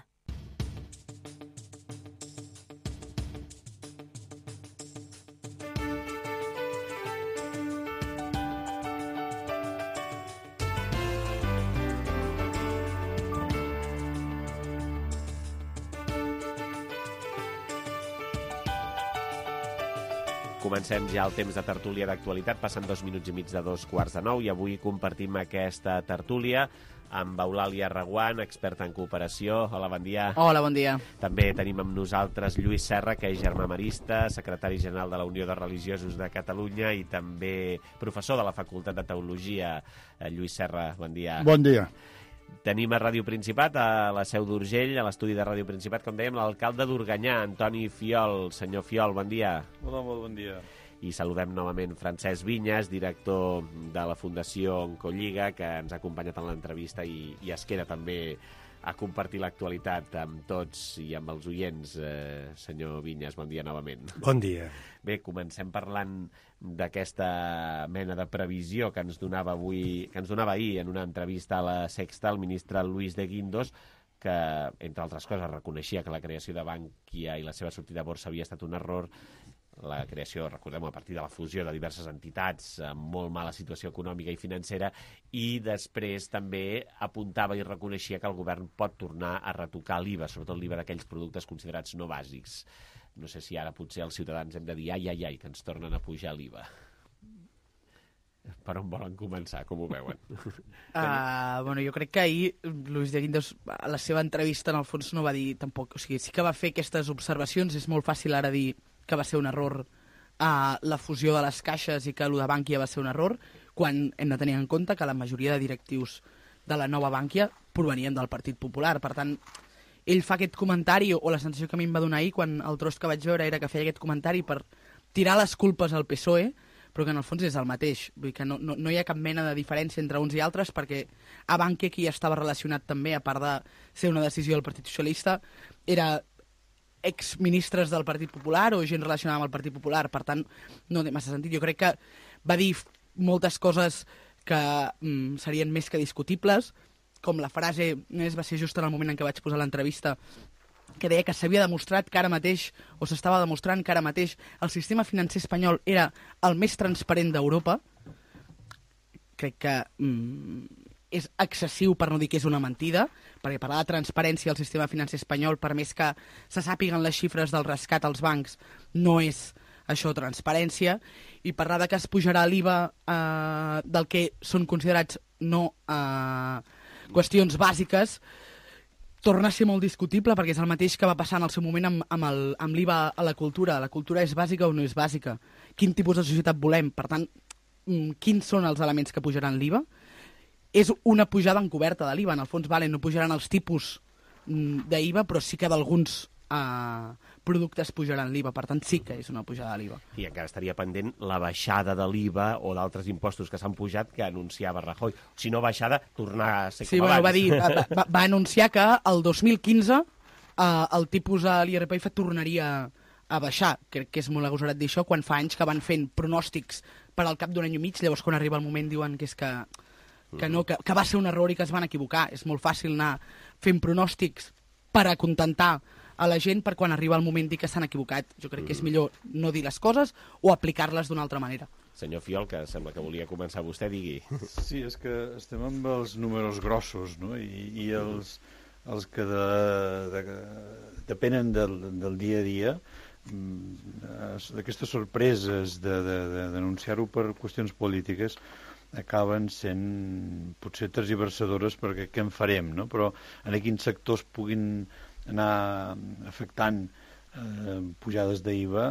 Comencem ja el temps de tertúlia d'actualitat, passen dos minuts i mig de dos quarts de nou, i avui compartim aquesta tertúlia amb Eulàlia Reguant, experta en cooperació. Hola, bon dia. Hola, bon dia. També tenim amb nosaltres Lluís Serra, que és germà marista, secretari general de la Unió de Religiosos de Catalunya i també professor de la Facultat de Teologia. Lluís Serra, bon dia. Bon dia. Tenim a Ràdio Principat, a la Seu d'Urgell, a l'estudi de Ràdio Principat, com dèiem, l'alcalde d'Organyà, Antoni Fiol. Senyor Fiol, bon dia. Hola, molt bon dia. I saludem novament Francesc Vinyes, director de la Fundació Oncolliga, que ens ha acompanyat en l'entrevista i, i es queda també a compartir l'actualitat amb tots i amb els oients. Eh, senyor Vinyes, bon dia novament. Bon dia. Bé, comencem parlant d'aquesta mena de previsió que ens donava avui, que ens donava ahir en una entrevista a la Sexta el ministre Luis de Guindos, que, entre altres coses, reconeixia que la creació de Bankia i la seva sortida a borsa havia estat un error. La creació, recordem, a partir de la fusió de diverses entitats amb molt mala situació econòmica i financera, i després també apuntava i reconeixia que el govern pot tornar a retocar l'I V A, sobretot l'I V A d'aquells productes considerats no bàsics. no sé si ara potser els ciutadans hem de dir ai, ai, ai, que ens tornen a pujar l'I V A. Per on volen començar, com ho veuen? Uh, bueno, jo crec que ahir Luis de Guindos, a la seva entrevista, en el fons no va dir tampoc... O sigui, sí que va fer aquestes observacions, és molt fàcil ara dir que va ser un error uh, la fusió de les caixes i que el de Bànquia va ser un error, quan hem de tenir en compte que la majoria de directius de la nova Bànquia provenien del Partit Popular. Per tant, ell fa aquest comentari, o la sensació que a mi em va donar ahir quan el tros que vaig veure era que feia aquest comentari per tirar les culpes al P S O E, però que en el fons és el mateix. Vull dir que no, no, no hi ha cap mena de diferència entre uns i altres, perquè a Bànquia qui estava relacionat també, a part de ser una decisió del Partit Socialista, era exministres del Partit Popular o gent relacionada amb el Partit Popular. Per tant, no té massa sentit. Jo crec que va dir moltes coses que mm, serien més que discutibles, com la frase, només va ser just en el moment en què vaig posar l'entrevista, que deia que s'havia demostrat que ara mateix, o s'estava demostrant que ara mateix, el sistema financer espanyol era el més transparent d'Europa. Crec que mm, és excessiu, per no dir que és una mentida, perquè parlar de transparència al sistema financer espanyol, per més que se sàpiguen les xifres del rescat als bancs, no és això transparència, i parlar de que es pujarà l'I V A eh, del que són considerats no eh, qüestions bàsiques, torna a ser molt discutible, perquè és el mateix que va passar en el seu moment amb, amb, el, amb l'I V A a la cultura. La cultura és bàsica o no és bàsica? Quin tipus de societat volem? Per tant, quins són els elements que pujaran l'I V A? És una pujada encoberta de l'I V A. En el fons, vale, no pujaran els tipus d'I V A, però sí que d'alguns Uh, productes pujaran l'I V A, per tant sí que és una pujada de l'I V A. I encara estaria pendent la baixada de l'I V A o d'altres impostos que s'han pujat que anunciava Rajoy. Si no baixada, tornar a ser sí, com bueno, abans. Va, dir, va, va anunciar que el dos mil quinze uh, el tipus a l'I R P F tornaria a baixar. Crec que és molt agosarat dir això quan fa anys que van fent pronòstics per al cap d'un any i mig, llavors quan arriba el moment diuen que és que, que, no, que, que va ser un error i que es van equivocar. És molt fàcil anar fent pronòstics per acontentar a la gent per quan arriba el moment dir que s'han equivocat. Jo crec que és millor no dir les coses o aplicar-les d'una altra manera. Senyor Fiol, que sembla que volia començar vostè, digui. Sí, és que estem amb els números grossos, no? I, i els, els que de, de, depenen del, del dia a dia, d'aquestes sorpreses d'anunciar-ho per qüestions polítiques acaben sent potser tergiversadores perquè què en farem, no? Però en quins sectors puguin anar afectant eh, pujades d'I V A,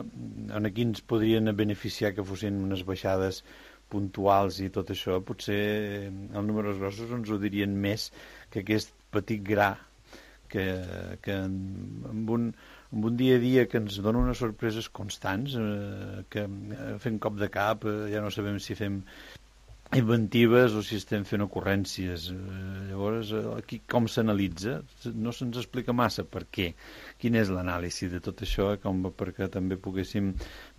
en quins podrien beneficiar que fossin unes baixades puntuals i tot això, potser els números grossos ens ho dirien més que aquest petit gra que, que amb, un, amb un dia a dia que ens dona unes sorpreses constants, eh, que fem cop de cap, eh, ja no sabem si fem inventives o si estem fent ocurrències. Llavors, aquí com s'analitza? No se'ns explica massa per què. Quin és l'anàlisi de tot això, com perquè també poguéssim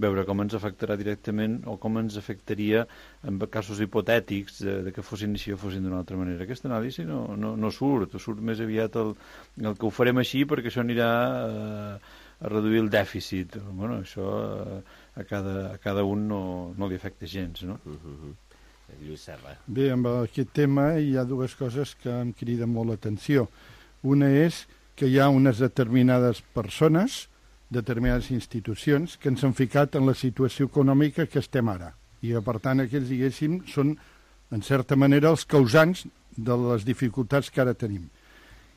veure com ens afectarà directament o com ens afectaria en casos hipotètics de, de que fossin així o fossin d'una altra manera. Aquesta anàlisi no, no, no surt, surt més aviat el, el que ho farem així perquè això anirà a, a reduir el dèficit. Bueno, això a cada, a cada un no, no li afecta gens, no? Uh-huh. Lluís Serra. Bé, amb aquest tema hi ha dues coses que em criden molt l'atenció. Una és que hi ha unes determinades persones, determinades institucions, que ens han ficat en la situació econòmica que estem ara. I, per tant, aquells, diguéssim, són, en certa manera, els causants de les dificultats que ara tenim.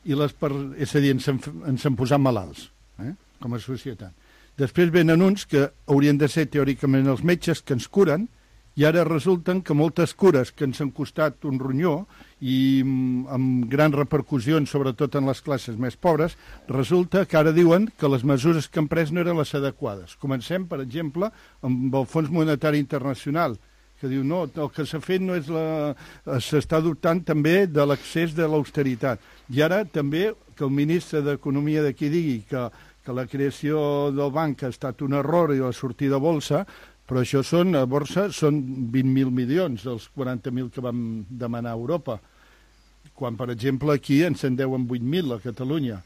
I les per... És a dir, ens han, ens han posat malalts, eh? Com a societat. Després venen uns que haurien de ser, teòricament, els metges que ens curen, i ara resulten que moltes cures que ens han costat un ronyó i amb grans repercussions, sobretot en les classes més pobres, resulta que ara diuen que les mesures que han pres no eren les adequades. Comencem, per exemple, amb el Fons Monetari Internacional, que diu no, el que s'ha fet no és la... s'està dubtant també de l'accés de l'austeritat. I ara també que el ministre d'Economia d'aquí digui que, que la creació del banc ha estat un error i la sortida a bolsa, però això són, a borsa, són vint mil milions dels quaranta mil que vam demanar a Europa, quan, per exemple, aquí ens en deuen vuit mil a Catalunya.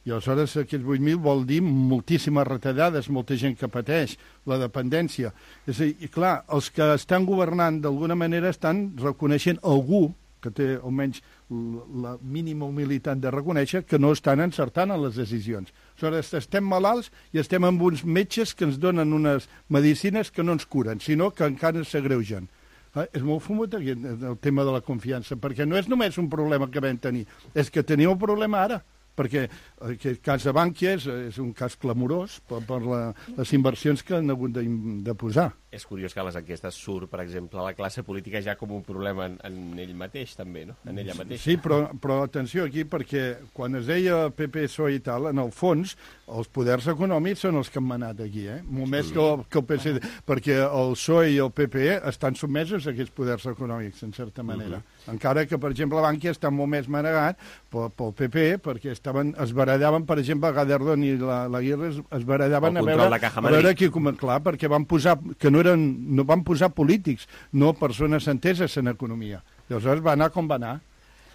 I aleshores aquests vuit mil vol dir moltíssimes retallades, molta gent que pateix la dependència. És a dir, clar, els que estan governant d'alguna manera estan reconeixent algú, que té almenys la mínima humilitat de reconèixer que no estan encertant en les decisions. Aleshores, estem malalts i estem amb uns metges que ens donen unes medicines que no ens curen, sinó que encara s'agreugen. Eh, és molt fumut aquí el tema de la confiança, perquè no és només un problema que vam tenir, és que tenim un problema ara, perquè aquest cas de Bankia és, és un cas clamorós per, per la, les inversions que han hagut de, de posar. És curiós que a les enquestes surt, per exemple, la classe política ja com un problema en, en ell mateix, també, no? En ella mateixa. Sí, però, però atenció aquí, perquè quan es deia P P, P S O E i tal, en el fons, els poders econòmics són els que han manat aquí, eh? Molt més que el, que el P S D, perquè el P S O E i el P P E estan sotmesos a aquests poders econòmics, en certa manera. Uh -huh. Encara que, per exemple, Bankia està molt més manegat pel, pel P P E, perquè estaven, es barallaven, per exemple, Gaderdon i la, la Guirre es, es barallaven a veure, a veure qui, com, clar, perquè van posar, que no eren, no van posar polítics, no persones enteses en economia. Llavors va anar com va anar.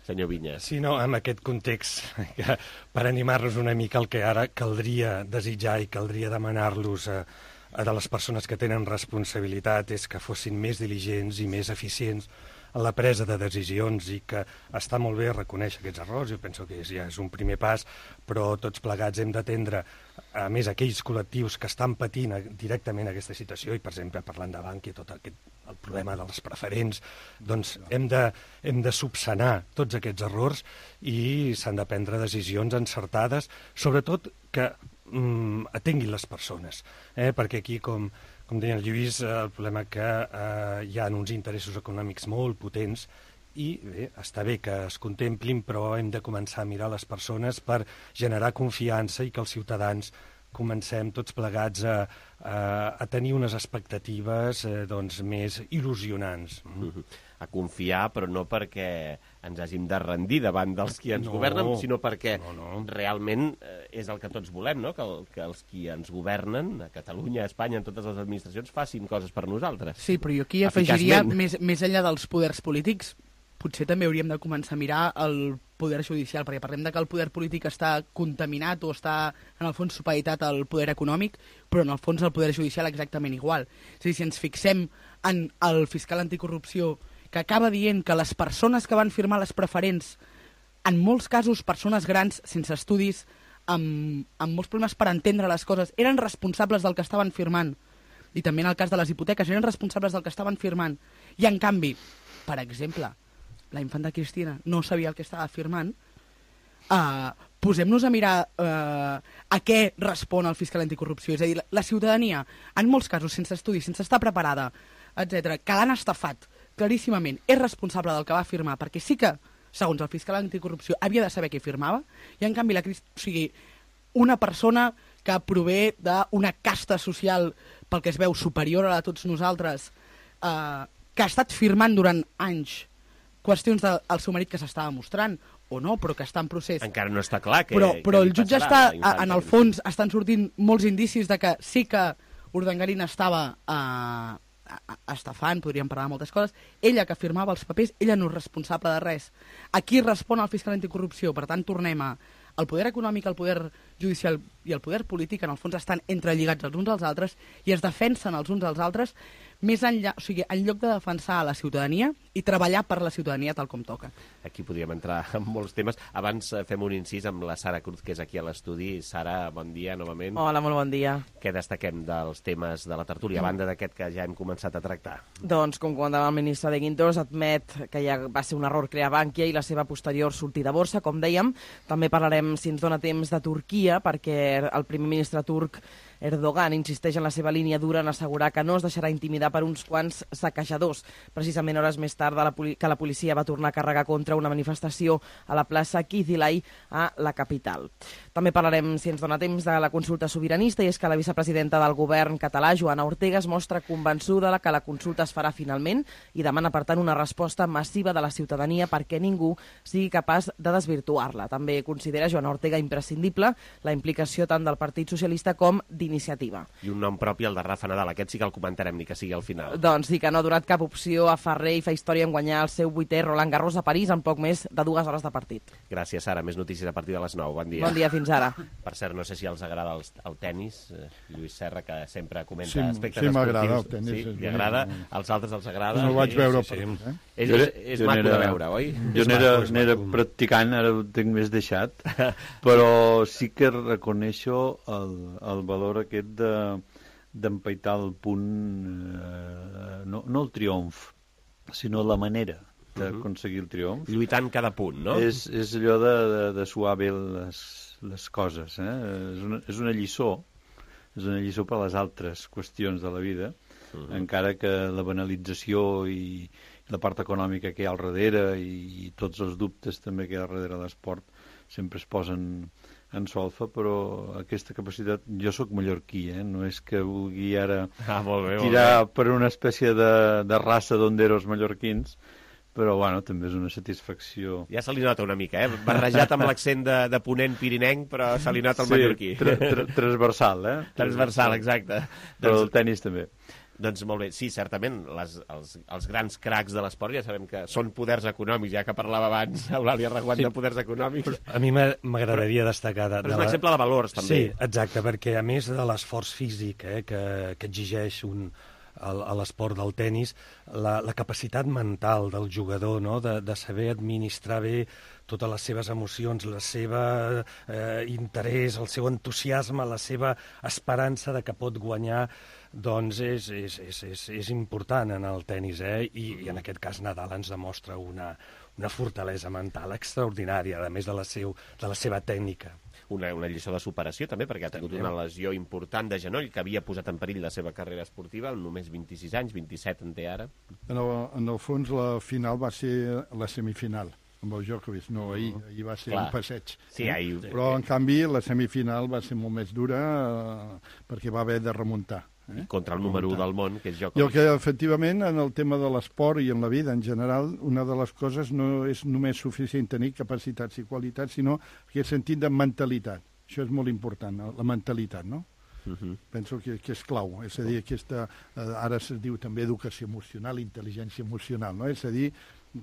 Senyor Vinyes. Sí, no, en aquest context, que per animar-nos una mica el que ara caldria desitjar i caldria demanar-los a, a de les persones que tenen responsabilitat és que fossin més diligents i més eficients en la presa de decisions i que està molt bé reconèixer aquests errors, jo penso que és, ja és un primer pas, però tots plegats hem d'atendre, a més, aquells col·lectius que estan patint directament aquesta situació, i per exemple, parlant de Bankia, tot aquest, el problema de les preferents, doncs hem de, hem de subsanar tots aquests errors i s'han de prendre decisions encertades, sobretot que mm, atenguin les persones, eh? Perquè aquí, com Com deia el Lluís, el problema que eh, hi ha uns interessos econòmics molt potents i bé, està bé que es contemplin, però hem de començar a mirar les persones per generar confiança i que els ciutadans comencem tots plegats a, a, a tenir unes expectatives eh, doncs, més il·lusionants. Mm-hmm. A confiar, però no perquè ens hàgim de rendir davant dels qui ens no, governen, sinó perquè no, no. realment eh, és el que tots volem, no? que, el, que els qui ens governen, a Catalunya, a Espanya, en totes les administracions, facin coses per nosaltres. Sí, però jo aquí afegiria, més, més enllà dels poders polítics, potser també hauríem de començar a mirar el poder judicial, perquè parlem de que el poder polític està contaminat o està, en el fons, supeditat al poder econòmic, però en el fons el poder judicial exactament igual. És a dir, si ens fixem en el fiscal anticorrupció, que acaba dient que les persones que van firmar les preferents, en molts casos persones grans, sense estudis, amb, amb molts problemes per entendre les coses, eren responsables del que estaven firmant, i també en el cas de les hipoteques, eren responsables del que estaven firmant, i en canvi, per exemple, la infanta Cristina no sabia el que estava firmant, uh, posem-nos a mirar uh, a què respon el fiscal anticorrupció, és a dir, la, la ciutadania, en molts casos, sense estudis, sense estar preparada, etcètera, que l'han estafat, claríssimament, és responsable del que va firmar, perquè sí que, segons el fiscal anticorrupció, havia de saber què firmava, i en canvi, la, o sigui, una persona que prové d'una casta social, pel que es veu, superior a la de tots nosaltres, eh, que ha estat firmant durant anys qüestions del de, seu marit que s'estava mostrant, o no, però que està en procés. Encara no està clar que... Però, però que el jutge està, en el fons, estan sortint molts indicis de que sí que Urdangarín estava... Eh, estafant, podríem parlar de moltes coses, ella que firmava els papers, ella no és responsable de res. Aquí respon el fiscal anticorrupció, per tant tornem a... El poder econòmic, el poder judicial i el poder polític en el fons estan entrelligats els uns als altres i es defensen els uns als altres més enllà, o sigui, en lloc de defensar a la ciutadania i treballar per la ciutadania tal com toca. Aquí podríem entrar en molts temes. Abans fem un incís amb la Sara Cruz, que és aquí a l'estudi. Sara, bon dia novament. Hola, molt bon dia. Què destaquem dels temes de la tertúlia, a banda d'aquest que ja hem començat a tractar? Doncs, com comentava el ministre de Guindos, admet que ja va ser un error crear Bankia i la seva posterior sortida a borsa, com dèiem. També parlarem, si ens dona temps, de Turquia, perquè el primer ministre turc Erdogan insisteix en la seva línia dura en assegurar que no es deixarà intimidar per uns quants saquejadors. Precisament hores més tard de la que la policia va tornar a carregar contra una manifestació a la plaça Kizilay a la capital. També parlarem, si ens dona temps, de la consulta sobiranista, i és que la vicepresidenta del govern català, Joana Ortega, es mostra convençuda que la consulta es farà finalment i demana, per tant, una resposta massiva de la ciutadania perquè ningú sigui capaç de desvirtuar-la. També considera Joana Ortega imprescindible la implicació tant del Partit Socialista com d'Iniciativa iniciativa. I un nom propi, el de Rafa Nadal. Aquest sí que el comentarem, ni que sigui al final. Doncs sí, que no ha donat cap opció a Ferrer i fa història en guanyar el seu vuitè Roland Garros a París en poc més de dues hores de partit. Gràcies, Sara. Més notícies a partir de les nou. Bon dia. Bon dia, fins ara. Per cert, no sé si els agrada el, el tennis. Eh, Lluís Serra, que sempre comenta sí, aspectes sí, esportius. Sí, m'agrada el tennis. Sí, li agrada. Als altres els agrada. No ho vaig veure sí, per sí. eh? És, és, és maco de veure, oi? Jo n'era practicant, ara ho tinc més deixat, però sí que reconeixo el, el valor aquest de, d'empaitar el punt, eh, no, no el triomf, sinó la manera d'aconseguir el triomf. Lluitant cada punt, no? És, és allò de, de, de suar bé les, les coses. Eh? És, una, és una lliçó, és una lliçó per a les altres qüestions de la vida, uh -huh. encara que la banalització i la part econòmica que hi ha al darrere i, i tots els dubtes també que hi ha al darrere de l'esport sempre es posen en solfa, però aquesta capacitat... Jo sóc mallorquí, eh? No és que vulgui ara ah, molt bé, tirar molt bé. per una espècie de, de raça d'onderos mallorquins, però, bueno, també és una satisfacció. Ja se li nota una mica, eh? Barrejat amb l'accent de, de ponent pirinenc, però se li nota el sí, mallorquí. Tra tra transversal, eh? Transversal, exacte. Però doncs, el tennis també. Doncs molt bé, sí, certament, les, els, els grans cracs de l'esport ja sabem que són poders econòmics, ja que parlava abans Eulàlia Reguant sí. de poders econòmics. Però a mi m'agradaria destacar... De, però és un un exemple de valors, també. Sí, exacte, perquè a més de l'esforç físic eh, que, que exigeix un... a l'esport del tennis, la, la capacitat mental del jugador, no? de, de saber administrar bé totes les seves emocions, la seva eh, interès, el seu entusiasme, la seva esperança de que pot guanyar, doncs és, és, és, és, és important en el tennis, eh? I, i en aquest cas Nadal ens demostra una, una fortalesa mental extraordinària, a més de la, seu, de la seva tècnica. Una, una lliçó de superació també, perquè ha tingut també una lesió important de genoll que havia posat en perill la seva carrera esportiva, amb només vint-i-sis anys, vint-i-set en té ara. En el, en el fons la final va ser la semifinal amb el Djokovic, no, ahir, ahir va ser Clar. un passeig. Sí, ahir... Però, en canvi, la semifinal va ser molt més dura eh, perquè va haver de remuntar. Eh? Contra el número u del món, que és Djokovic. I el que, efectivament, en el tema de l'esport i en la vida en general, una de les coses no és només suficient tenir capacitats i qualitats, sinó aquest sentit de mentalitat. Això és molt important, la mentalitat, no? Uh-huh. Penso que, que és clau. És a dir, aquesta, ara es diu també educació emocional, intel·ligència emocional, no? És a dir,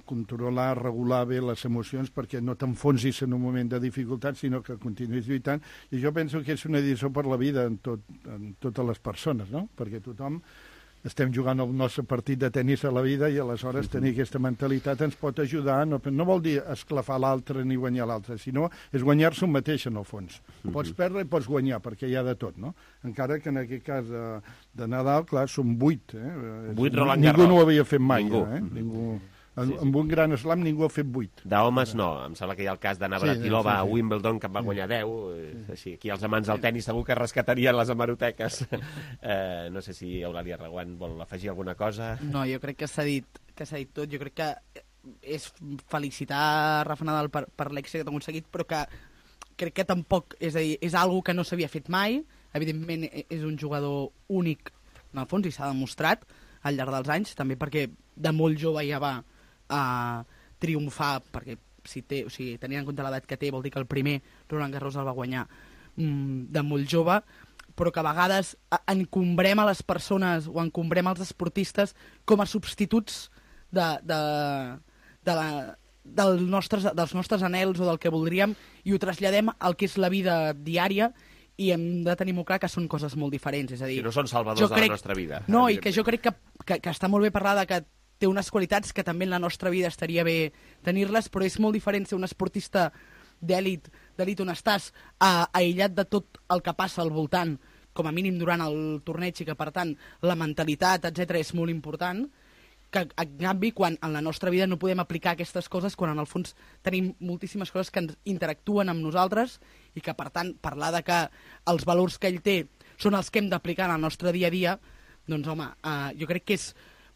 controlar, regular bé les emocions perquè no t'enfonsis en un moment de dificultat, sinó que continuïs lluitant. I jo penso que és una lliçó per la vida en, tot, en totes les persones, no? Perquè tothom estem jugant el nostre partit de tennis a la vida i aleshores uh-huh. tenir aquesta mentalitat ens pot ajudar. No, no vol dir esclafar l'altre ni guanyar l'altre, sinó és guanyar-se un mateix, en el fons. Uh-huh. Pots perdre i pots guanyar, perquè hi ha de tot, no? Encara que en aquest cas de, de Nadal, clar, són vuit. Eh? Vuit Roland Ningú Garros. no ho havia fet mai. Ningú. Eh? Ningú... En, sí, sí. Amb un gran slam ningú ha fet vuit. D'homes no, em sembla que hi ha el cas de Navratilova sí, sí, sí. a Wimbledon, que en va guanyar deu. Sí. Així, aquí els amants del tennis segur que rescatarien les hemeroteques. eh, no sé si Eulàlia Reguant vol afegir alguna cosa. No, jo crec que s'ha dit, que s'ha dit tot. Jo crec que és felicitar Rafa Nadal per, per l'èxit que ha aconseguit, però que crec que tampoc, és a dir, és algo que no s'havia fet mai. Evidentment és un jugador únic, en el fons, i s'ha demostrat al llarg dels anys, també perquè de molt jove ja va a triomfar, perquè si té, o sigui, tenint en compte l'edat que té, vol dir que el primer Roland Garros el va guanyar mm, de molt jove, però que a vegades encombrem a les persones o encombrem als esportistes com a substituts de, de, de la, del nostres, dels nostres anhels o del que voldríem i ho traslladem al que és la vida diària i hem de tenir molt clar que són coses molt diferents. És a dir, que no són salvadors crec, de la nostra vida. No, i que jo crec que, que, que està molt bé parlar de que té unes qualitats que també en la nostra vida estaria bé tenir-les, però és molt diferent ser un esportista d'èlit, d'èlit on estàs uh, aïllat de tot el que passa al voltant, com a mínim durant el torneig, i que, per tant, la mentalitat, etcètera, és molt important, que, en canvi, quan en la nostra vida no podem aplicar aquestes coses, quan en el fons tenim moltíssimes coses que ens interactuen amb nosaltres i que, per tant, parlar de que els valors que ell té són els que hem d'aplicar en el nostre dia a dia, doncs, home, uh, jo crec que és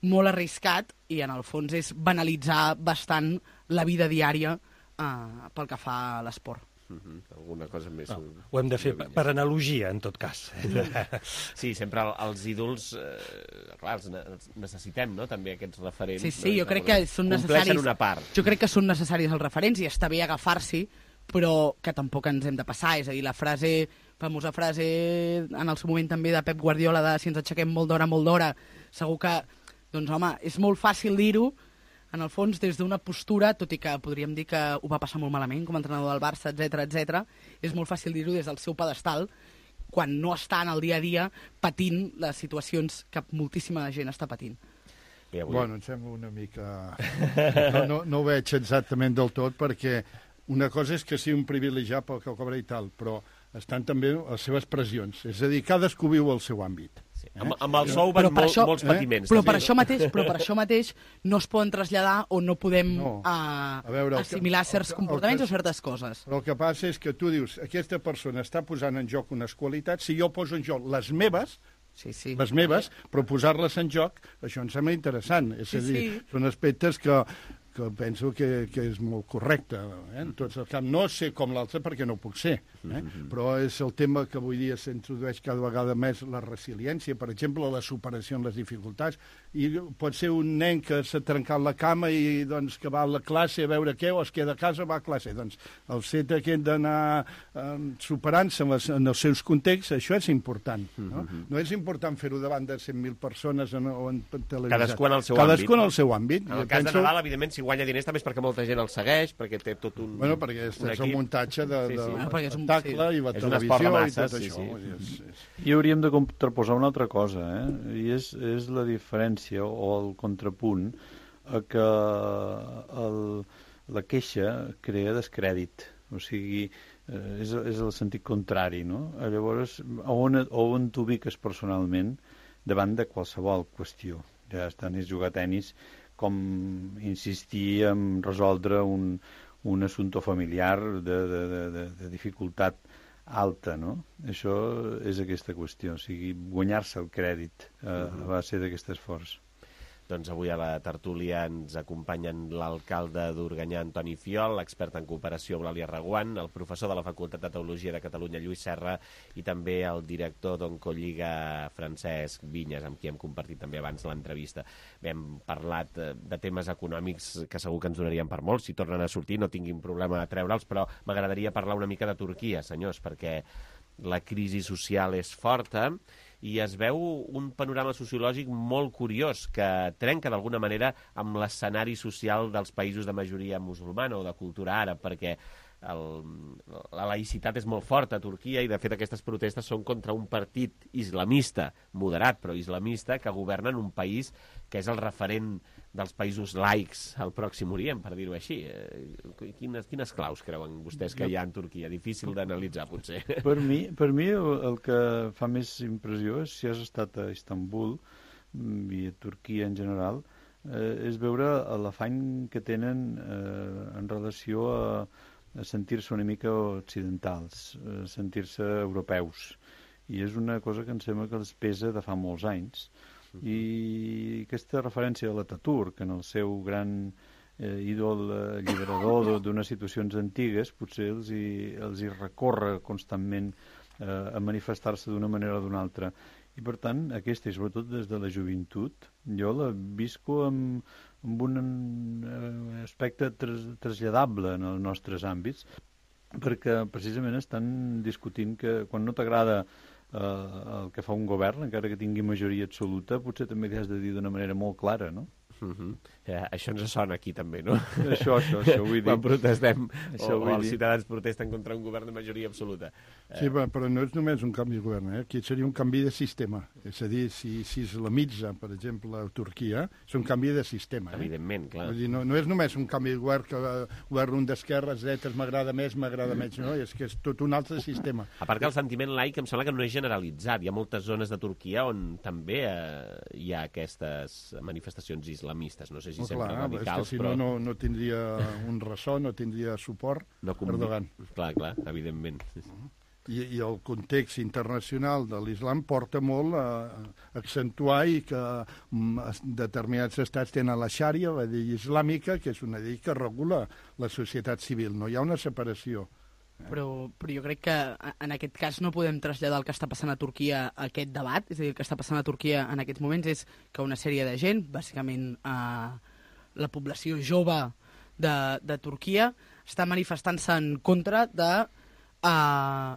molt arriscat i, en el fons, és banalitzar bastant la vida diària uh, pel que fa a l'esport. Uh-huh. Alguna cosa més... No, ho hem de fer per, per analogia, en tot cas. Sí, sempre els ídols, eh, clar, els necessitem, no?, també aquests referents. Sí, sí, no? jo crec que són necessaris... Compleixen una part. Jo crec que són necessaris els referents i està bé agafar-s'hi, però que tampoc ens hem de passar. És a dir, la frase famosa frase en el seu moment també de Pep Guardiola de si ens aixequem molt d'hora, molt d'hora, segur que, doncs home, és molt fàcil dir-ho, en el fons, des d'una postura, tot i que podríem dir que ho va passar molt malament com a entrenador del Barça, etcètera, etcètera, és molt fàcil dir-ho des del seu pedestal, quan no està en el dia a dia patint les situacions que moltíssima gent està patint. Bé, avui... Bueno, em sembla una mica... No, no, no ho veig exactament del tot, perquè una cosa és que sigui un privilegiat pel que cobra i tal, però estan també les seves pressions. És a dir, cadascú viu el seu àmbit. Sí. Eh? Amb, amb el sou van molt, això, molts patiments. Eh? Però, també, per això mateix, però per això mateix no es poden traslladar o no podem no. Uh, a veure, assimilar que, certs el, comportaments el que, o certes coses. Però el que passa és que tu dius, aquesta persona està posant en joc unes qualitats, si jo poso en joc les meves, sí, sí. les meves, però posar-les en joc, això em sembla interessant. És sí, a dir, sí. són aspectes que, que penso que, que és molt correcte. Eh? En tots els camps. No sé com l'altre perquè no puc ser, eh? Mm-hmm. però és el tema que avui dia s'introdueix cada vegada més la resiliència, per exemple, la superació en les dificultats. I pot ser un nen que s'ha trencat la cama i doncs, que va a la classe a veure què, o es queda a casa, va a classe. Doncs el fet aquest d'anar eh, superant-se en, les, en els seus contexts, això és important. No, mm-hmm. no és important fer-ho davant de cent mil persones en, o en televisió. Cadascú en el seu Cadascú àmbit. en el seu àmbit. En el cas penso... de Nadal, evidentment, si guanya diners també és perquè molta gent el segueix, perquè té tot un... Bueno, perquè és, és el muntatge de, sí, sí. de Ah, l'espectacle sí. i la és televisió masses, i tot sí, això. Sí. És, és... I hauríem de contraposar una altra cosa, eh? I és, és la diferència o el contrapunt a que el, la queixa crea descrèdit. O sigui, eh, és, és el sentit contrari, no? Llavors, on, on t'ubiques personalment davant de qualsevol qüestió? Ja estan és jugar a tenis com insistir en resoldre un, un assumpte familiar de, de, de, de dificultat alta, no? Això és aquesta qüestió, o sigui, guanyar-se el crèdit eh, a base d'aquest esforç. Doncs avui a la tertúlia ens acompanyen l'alcalde d'Organyà, Antoni Fiol, l'expert en cooperació, Eulàlia Reguant, el professor de la Facultat de Teologia de Catalunya, Lluís Serra, i també el director d'Oncolliga, Francesc Vinyes, amb qui hem compartit també abans l'entrevista. Bé, hem parlat de temes econòmics que segur que ens donarien per molts. Si tornen a sortir no tinguin problema a treure'ls, però m'agradaria parlar una mica de Turquia, senyors, perquè la crisi social és forta i es veu un panorama sociològic molt curiós que trenca d'alguna manera amb l'escenari social dels països de majoria musulmana o de cultura àrab, perquè el, la laïcitat és molt forta a Turquia i de fet aquestes protestes són contra un partit islamista, moderat però islamista, que governa en un país que és el referent dels països laics al Pròxim Orient, per dir-ho així. Quines, quines claus creuen vostès que hi ha en Turquia? Difícil d'analitzar, potser. Per mi, per mi el, el que fa més impressió és, si has estat a Istanbul i a Turquia en general, eh, és veure l'afany que tenen eh, en relació a, a sentir-se una mica occidentals, a sentir-se europeus. I és una cosa que em sembla que els pesa de fa molts anys. I aquesta referència a l'Ataturk, en el seu gran eh, ídol alliberador d'unes situacions antigues, potser els hi, els hi recorre constantment eh, a manifestar-se d'una manera o d'una altra. I per tant, aquesta, i sobretot des de la joventut, jo la visco amb, amb un eh, aspecte tras, traslladable en els nostres àmbits, perquè precisament estan discutint que quan no t'agrada Uh, el que fa un govern, encara que tingui majoria absoluta, potser també li has de dir d'una manera molt clara, no? Uh-huh. Ja, això ens sona aquí també, no? Això, això, això vull dir. Quan protestem això o, o els ciutadans protesten contra un govern de majoria absoluta. Sí, eh... però no és només un canvi de govern, eh? Aquí seria un canvi de sistema. És a dir, si, si islamitza, per exemple, a Turquia, és un canvi de sistema. Eh? Evidentment, clar. Vull dir, no, no és només un canvi de govern que govern un d'esquerres, dretes, m'agrada més, m'agrada menys, no? És que és tot un altre sistema. A part que el sentiment laic em sembla que no és generalitzat. Hi ha moltes zones de Turquia on també eh, hi ha aquestes manifestacions islamistes. No sé si oh, sempre clar, radicals, és que si però... no, no, no tindria un ressò, no tindria suport no convi... Erdogan. Clar, clar, evidentment. I, I el context internacional de l'islam porta molt a accentuar i que determinats estats tenen la xària, la llei islàmica, que és una llei que regula la societat civil. No hi ha una separació. Però, però jo crec que en aquest cas no podem traslladar el que està passant a Turquia a aquest debat. És a dir, el que està passant a Turquia en aquests moments és que una sèrie de gent, bàsicament eh, la població jove de, de Turquia, està manifestant-se en contra de eh,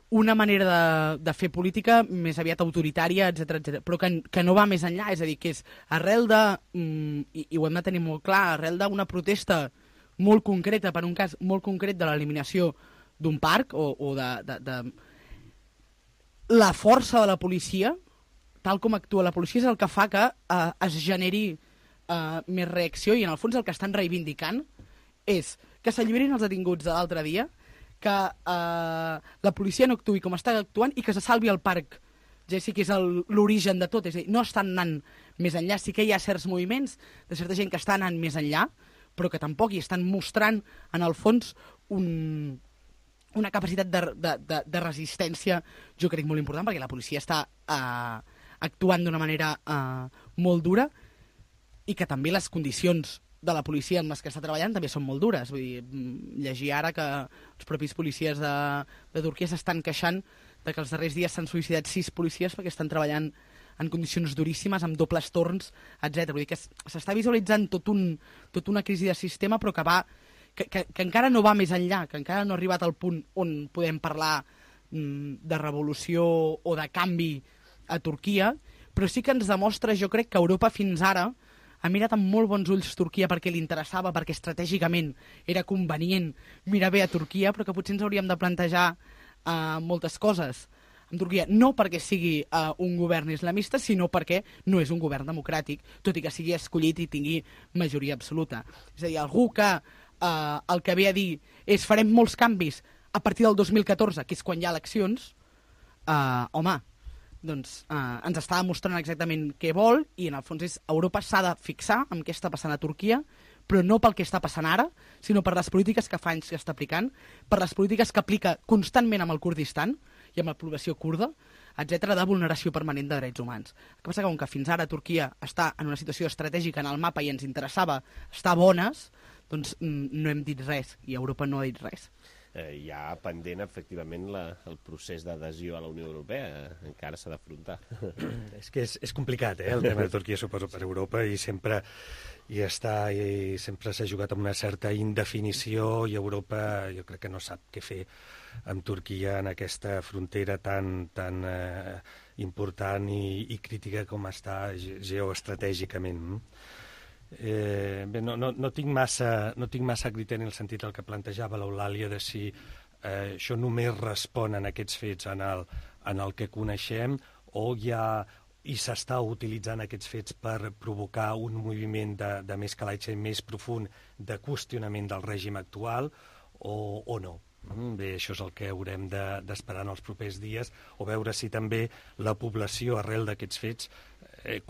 una manera de, de fer política més aviat autoritària, etcètera, etcètera, però que, que no va més enllà, és a dir, que és arrel de, mm, i, i ho hem de tenir molt clar, arrel d'una protesta molt concreta, per un cas molt concret de l'eliminació d'un parc o, o de, de, de... La força de la policia, tal com actua la policia, és el que fa que eh, es generi eh, més reacció, i en el fons el que estan reivindicant és que s'alliberin els detinguts de l'altre dia, que eh, la policia no actuï com està actuant i que se salvi el parc. Ja sí que és l'origen de tot, és a dir, no estan anant més enllà, sí que hi ha certs moviments de certa gent que està anant més enllà, però que tampoc hi estan mostrant, en el fons, un, una capacitat de, de, de, de resistència, jo crec, molt important, perquè la policia està eh, actuant d'una manera eh, molt dura, i que també les condicions de la policia amb les que està treballant també són molt dures. Vull dir, llegir ara que els propis policies de, de Turquia s'estan queixant de que els darrers dies s'han suïcidat sis policies perquè estan treballant en condicions duríssimes, amb dobles torns, etcètera. Vull dir que s'està visualitzant tot un, tot una crisi de sistema, però que, va, que, que, que encara no va més enllà, que encara no ha arribat al punt on podem parlar mm, de revolució o de canvi a Turquia, però sí que ens demostra, jo crec, que Europa fins ara ha mirat amb molt bons ulls Turquia perquè li interessava, perquè estratègicament era convenient mirar bé a Turquia, però que potser ens hauríem de plantejar uh, moltes coses amb Turquia, no perquè sigui uh, un govern islamista, sinó perquè no és un govern democràtic, tot i que sigui escollit i tingui majoria absoluta. És a dir, algú que uh, el que ve a dir és farem molts canvis a partir del dos mil catorze, que és quan hi ha eleccions, uh, home, doncs eh, ens està demostrant exactament què vol, i en el fons és Europa s'ha de fixar en què està passant a Turquia, però no pel que està passant ara, sinó per les polítiques que fa anys que està aplicant, per les polítiques que aplica constantment amb el Kurdistan i amb la població kurda, etcètera, de vulneració permanent de drets humans. El que passa que, com que fins ara Turquia està en una situació estratègica en el mapa i ens interessava estar bones, doncs no hem dit res, i Europa no ha dit res. Eh, hi ha pendent, efectivament, la, el procés d'adhesió a la Unió Europea. Eh, encara s'ha d'afrontar. És que és, és complicat, eh, el tema de Turquia, suposo, per Europa, i sempre hi està, i sempre s'ha jugat amb una certa indefinició, i Europa jo crec que no sap què fer amb Turquia en aquesta frontera tan, tan eh, important i, i crítica com està geoestratègicament. Eh, bé, no, no, no, tinc massa, no tinc massa criteri en el sentit del que plantejava l'Eulàlia de si eh, això només respon en aquests fets en el, en el que coneixem, o hi ha i s'està utilitzant aquests fets per provocar un moviment de, de més calatge més profund de qüestionament del règim actual, o, o no. Bé, això és el que haurem d'esperar en els propers dies, o veure si també la població, arrel d'aquests fets, eh,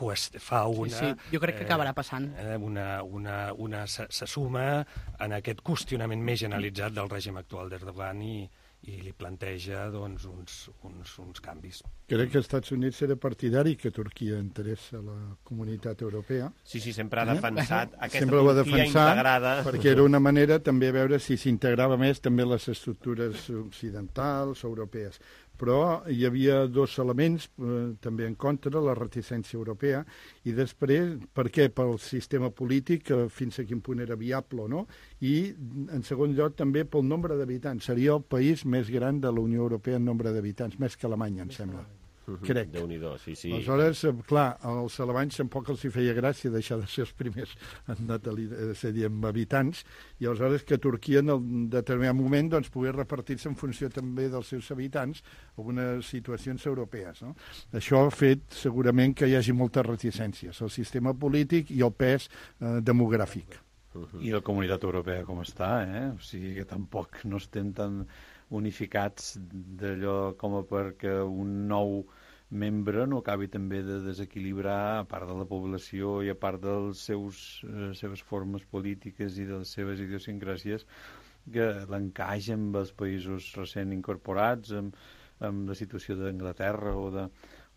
fa una... Sí, sí, jo crec que acabarà passant. Eh, una, una, una, se, se suma en aquest qüestionament més generalitzat del règim actual d'Erdogan i, i li planteja doncs, uns, uns, uns canvis. Crec que els Estats Units era partidari que Turquia interessa a la comunitat europea. Sí, sí, sempre ha defensat eh? aquesta sempre Turquia defensar, integrada. Perquè era una manera també a veure si s'integrava més també les estructures occidentals, europees. Però hi havia dos elements eh, també en contra, la reticència europea, i després, per què? Pel sistema polític, eh, fins a quin punt era viable o no, i, en segon lloc, també pel nombre d'habitants. Seria el país més gran de la Unió Europea en nombre d'habitants, més que Alemanya, em sembla. Crec. Déu-n'hi-do, sí, sí. Aleshores, clar, als alemanys tampoc els hi feia gràcia deixar de ser els primers en natalitat, amb habitants, i aleshores que Turquia en un determinat moment doncs, pogués repartir-se en funció també dels seus habitants algunes situacions europees. No? Això ha fet segurament que hi hagi moltes reticències, el sistema polític i el pes eh, demogràfic. Uh-huh. I la comunitat europea com està, eh? O sigui que tampoc no estem tan unificats d'allò com a perquè un nou membre no acabi també de desequilibrar a part de la població i a part de les seus, eh, seves formes polítiques i de les seves idiosincràsies, que l'encaix amb els països recent incorporats, amb, amb la situació d'Anglaterra o de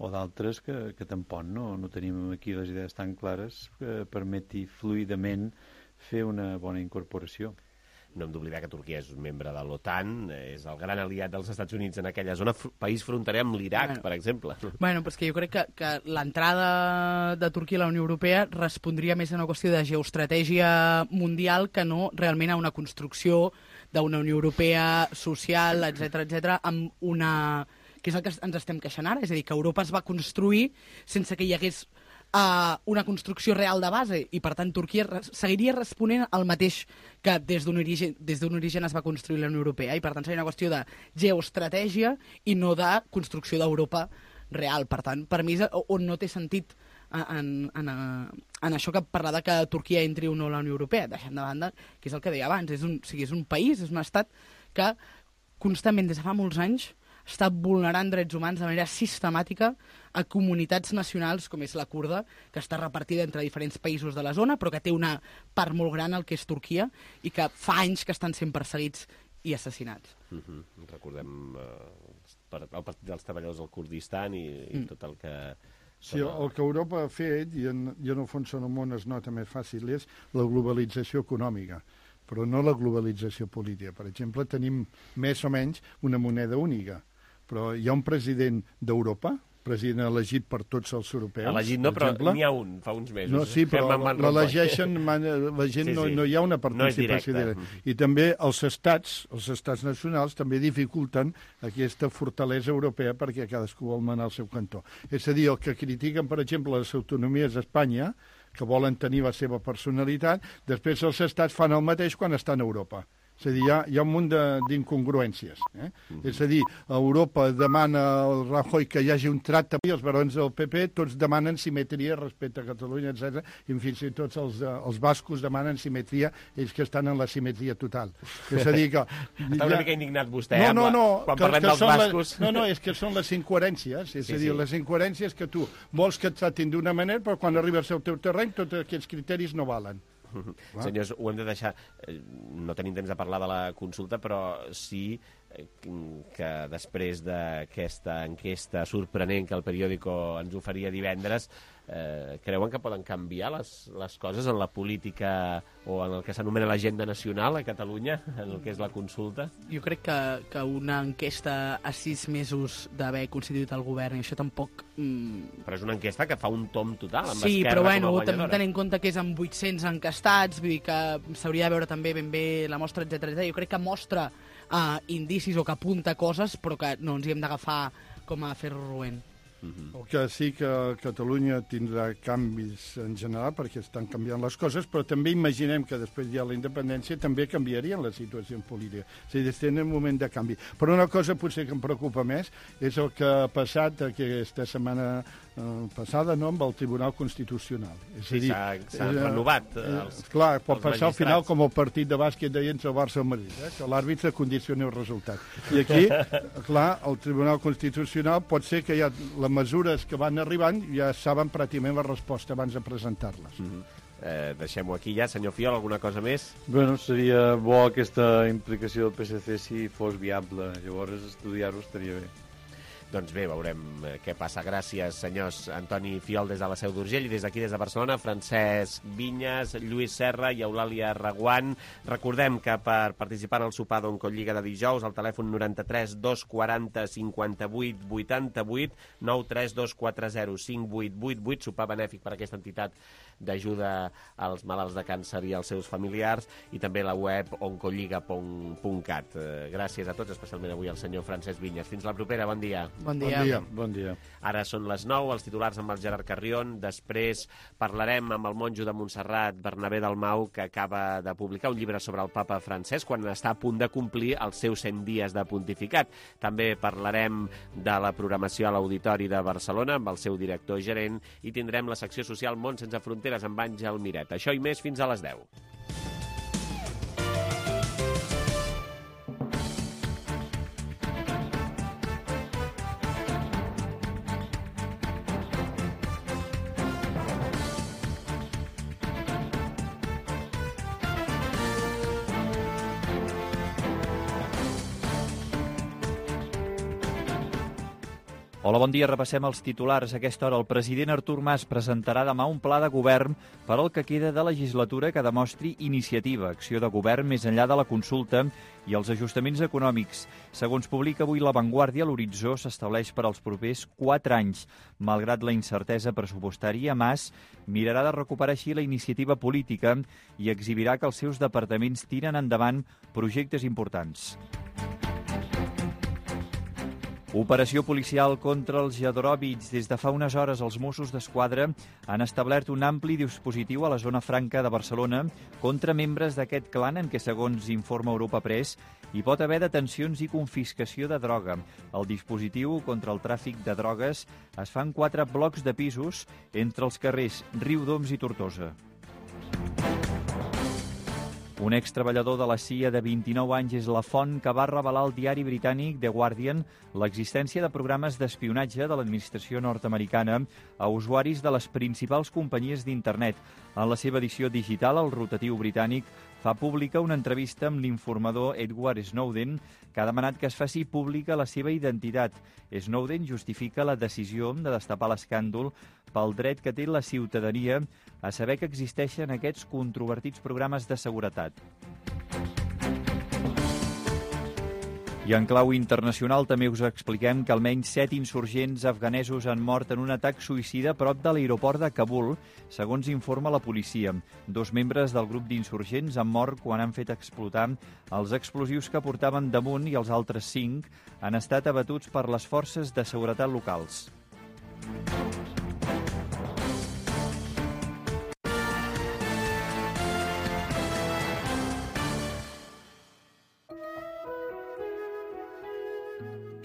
o d'altres que, que tampoc no, no tenim aquí les idees tan clares que permeti fluidament fer una bona incorporació. No hem d'oblidar que Turquia és un membre de l'OTAN, és el gran aliat dels Estats Units en aquella zona, país fronterer amb l'Iraq, bueno, per exemple. Bueno, però és que jo crec que, que l'entrada de Turquia a la Unió Europea respondria més a una qüestió de geoestratègia mundial que no realment a una construcció d'una Unió Europea social, etcètera, etcètera, amb una... que és el que ens estem queixant ara, és a dir, que Europa es va construir sense que hi hagués uh, una construcció real de base, i per tant Turquia res seguiria responent al mateix que des d'un origen, des d'un origen es va construir la Unió Europea, i per tant seria una qüestió de geoestratègia i no de construcció d'Europa real. Per tant, per mi és on no té sentit en, en, en això que parlar de que Turquia entri o no a la Unió Europea, deixant de banda, que és el que deia abans, és un, o sigui, és un país, és un estat que constantment, des de fa molts anys, està vulnerant drets humans de manera sistemàtica a comunitats nacionals, com és la kurda, que està repartida entre diferents països de la zona, però que té una part molt gran al que és Turquia, i que fa anys que estan sent perseguits i assassinats. Mm-hmm. Recordem eh, el Partit dels Treballadors del Kurdistan i, i mm. tot el que... Sí, el que Europa ha fet, i en, i en el fons en el món es nota més fàcil, és la globalització econòmica, però no la globalització política. Per exemple, tenim més o menys una moneda única, però hi ha un president d'Europa, president elegit per tots els europeus. Elegit no, però n'hi ha un, fa uns mesos. No, sí, però l'elegeixen, la gent sí, sí. No, no hi ha una participació no directa. I també els estats, els estats nacionals també dificulten aquesta fortalesa europea perquè cadascú vol manar al seu cantó. És a dir, el que critiquen, per exemple, les autonomies d'Espanya, que volen tenir la seva personalitat, després els estats fan el mateix quan estan a Europa. És a dir, hi ha, hi ha un munt d'incongruències. Eh? Mm-hmm. És a dir, Europa demana al Rajoy que hi hagi un tracte, i els barons del P P tots demanen simetria respecte a Catalunya, etcètera. I fins i tot els, els bascos demanen simetria, ells que estan en la simetria total. És a dir que... Està una mica indignat vostè, no, no, no, quan que, parlem que dels bascos. Les, no, no, és que són les incoherències. És sí, a dir, sí. Les incoherències que tu vols que et tractin d'una manera, però quan arribes al teu terreny tots aquests criteris no valen. Senyors, ho hem de deixar... No tenim temps de parlar de la consulta, però sí que després d'aquesta enquesta sorprenent que el periòdico ens oferia divendres, eh, creuen que poden canviar les, les coses en la política o en el que s'anomena l'agenda nacional a Catalunya, en el que és la consulta? Jo crec que, que una enquesta a sis mesos d'haver constituït el govern, i això tampoc... Mm... Però és una enquesta que fa un tom total, amb sí, Esquerra però bueno, com a guanyadora. Tenint en compte que és amb vuit-cents encastats, vull dir que s'hauria de veure també ben bé la mostra, etcètera, etcètera. Jo crec que mostra uh, indicis o que apunta coses, però que no ens hi hem d'agafar com a ferro roent. Uh-huh. El que sí que Catalunya tindrà canvis en general perquè estan canviant les coses, però també imaginem que després hi ha la independència també canviarien la situació política. És a dir, estem en un moment de canvi. Però una cosa potser que em preocupa més és el que ha passat aquesta setmana eh, passada, no?, amb el Tribunal Constitucional. És sí, s'ha renovat. Eh, els, clar, pot passar al final com el partit de bàsquet deien el Barça o Madrid, eh, que l'àrbitre condicioni el resultat. I aquí, clar, el Tribunal Constitucional pot ser que hi ha la mesures que van arribant ja saben pràcticament la resposta abans de presentar-les. Mm-hmm. eh, Deixem-ho aquí ja. Senyor Fiol, alguna cosa més? Bueno, seria bo aquesta implicació del P S C si fos viable. Llavors estudiar-ho estaria bé. Doncs bé, veurem què passa. Gràcies, senyors. Antoni Fiol des de la Seu d'Urgell, i des d'aquí, des de Barcelona, Francesc Vinyes, Lluís Serra i Eulàlia Reguant. Recordem que per participar en el sopar d'Oncolliga de dijous, al telèfon noranta-tres dos quaranta cinquanta-vuit vuitanta-vuit, nou tres dos quatre zero cinc vuit vuit vuit, sopar benèfic per aquesta entitat d'ajuda als malalts de càncer i als seus familiars, i també la web oncolliga punt cat. Gràcies a tots, especialment avui al senyor Francesc Vinyes. Fins la propera, bon dia. Bon dia. Bon dia. Bon dia. Ara són les nou, els titulars amb el Gerard Carrion. Després parlarem amb el monjo de Montserrat, Bernabé Dalmau, que acaba de publicar un llibre sobre el papa Francesc quan està a punt de complir els seus cent dies de pontificat. També parlarem de la programació a l'Auditori de Barcelona amb el seu director gerent, i tindrem la secció social Món sense fronteres amb Àngel Miret. Això i més fins a les deu. Hola, bon dia. Repassem els titulars. A aquesta hora el president Artur Mas presentarà demà un pla de govern per al que queda de legislatura que demostri iniciativa, acció de govern més enllà de la consulta i els ajustaments econòmics. Segons publica avui La Vanguardia, l'horitzó s'estableix per als propers quatre anys. Malgrat la incertesa pressupostària, Mas mirarà de recuperar així la iniciativa política i exhibirà que els seus departaments tiren endavant projectes importants. Operació policial contra els jadròbits. Des de fa unes hores els Mossos d'Esquadra han establert un ampli dispositiu a la zona franca de Barcelona contra membres d'aquest clan en què, segons informa Europa Press, hi pot haver detencions i confiscació de droga. El dispositiu contra el tràfic de drogues es fa en quatre blocs de pisos entre els carrers Riudoms i Tortosa. Un extreballador de la C I A de vint-i-nou anys és la font que va revelar al diari britànic The Guardian l'existència de programes d'espionatge de l'administració nord-americana a usuaris de les principals companyies d'internet. En la seva edició digital, el rotatiu britànic fa pública una entrevista amb l'informador Edward Snowden, que ha demanat que es faci pública la seva identitat. Snowden justifica la decisió de destapar l'escàndol pel dret que té la ciutadania a saber que existeixen aquests controvertits programes de seguretat. I en clau internacional també us expliquem que almenys set insurgents afganesos han mort en un atac suïcida a prop de l'aeroport de Kabul, segons informa la policia. Dos membres del grup d'insurgents han mort quan han fet explotar els explosius que portaven damunt i els altres cinc han estat abatuts per les forces de seguretat locals.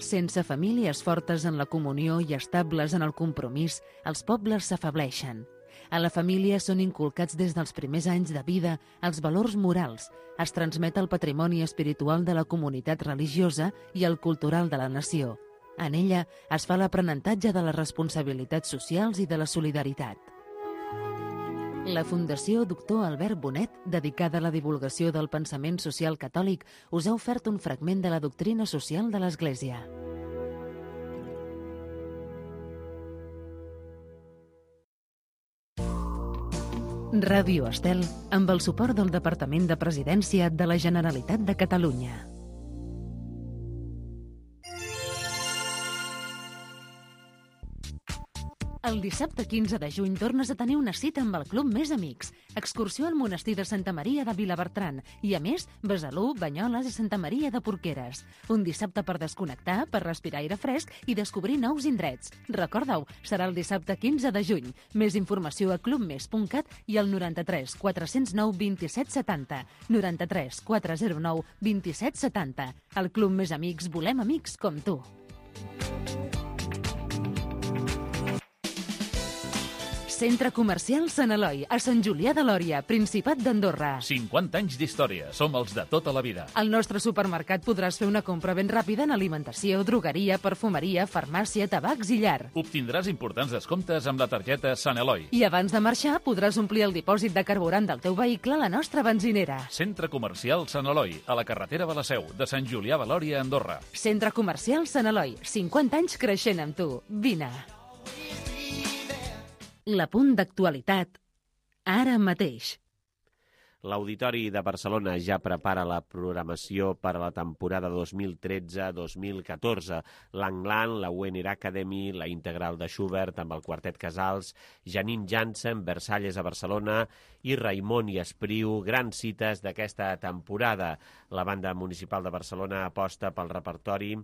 Sense famílies fortes en la comunió i estables en el compromís, els pobles s'afebleixen. A la família són inculcats des dels primers anys de vida els valors morals, es transmet el patrimoni espiritual de la comunitat religiosa i el cultural de la nació. En ella es fa l'aprenentatge de les responsabilitats socials i de la solidaritat. La Fundació Doctor Albert Bonet, dedicada a la divulgació del pensament social catòlic, us ha ofert un fragment de la doctrina social de l'Església. Ràdio Estel, amb el suport del Departament de Presidència de la Generalitat de Catalunya. El dissabte quinze de juny tornes a tenir una cita amb el Club Més Amics. Excursió al monestir de Santa Maria de Vilabertran i, a més, Besalú, Banyoles i Santa Maria de Porqueres. Un dissabte per desconnectar, per respirar aire fresc i descobrir nous indrets. Recorda-ho, serà el dissabte quinze de juny. Més informació a club mes punt cat i al noranta-tres quatre zero nou vint-i-set setanta. noranta-tres quatre zero nou vint-i-set setanta. Al Club Més Amics volem amics com tu. Centre Comercial Sant Eloi, a Sant Julià de Lòria, Principat d'Andorra. cinquanta anys d'història. Som els de tota la vida. Al nostre supermercat podràs fer una compra ben ràpida en alimentació, drogueria, perfumeria, farmàcia, tabacs i llar. Obtindràs importants descomptes amb la targeta Sant Eloi. I abans de marxar podràs omplir el dipòsit de carburant del teu vehicle a la nostra benzinera. Centre Comercial Sant Eloi, a la carretera de la Seu, de Sant Julià de Lòria, Andorra. Centre Comercial Sant Eloi, cinquanta anys creixent amb tu. Vine. L'apunt d'actualitat, ara mateix. L'Auditori de Barcelona ja prepara la programació per a la temporada dos mil tretze dos mil catorze. L'Anglan, la U N R Academy, la Integral de Schubert amb el Quartet Casals, Janine Jansen, Versalles a Barcelona i Raimon i Espriu, grans cites d'aquesta temporada. La Banda Municipal de Barcelona aposta pel repertori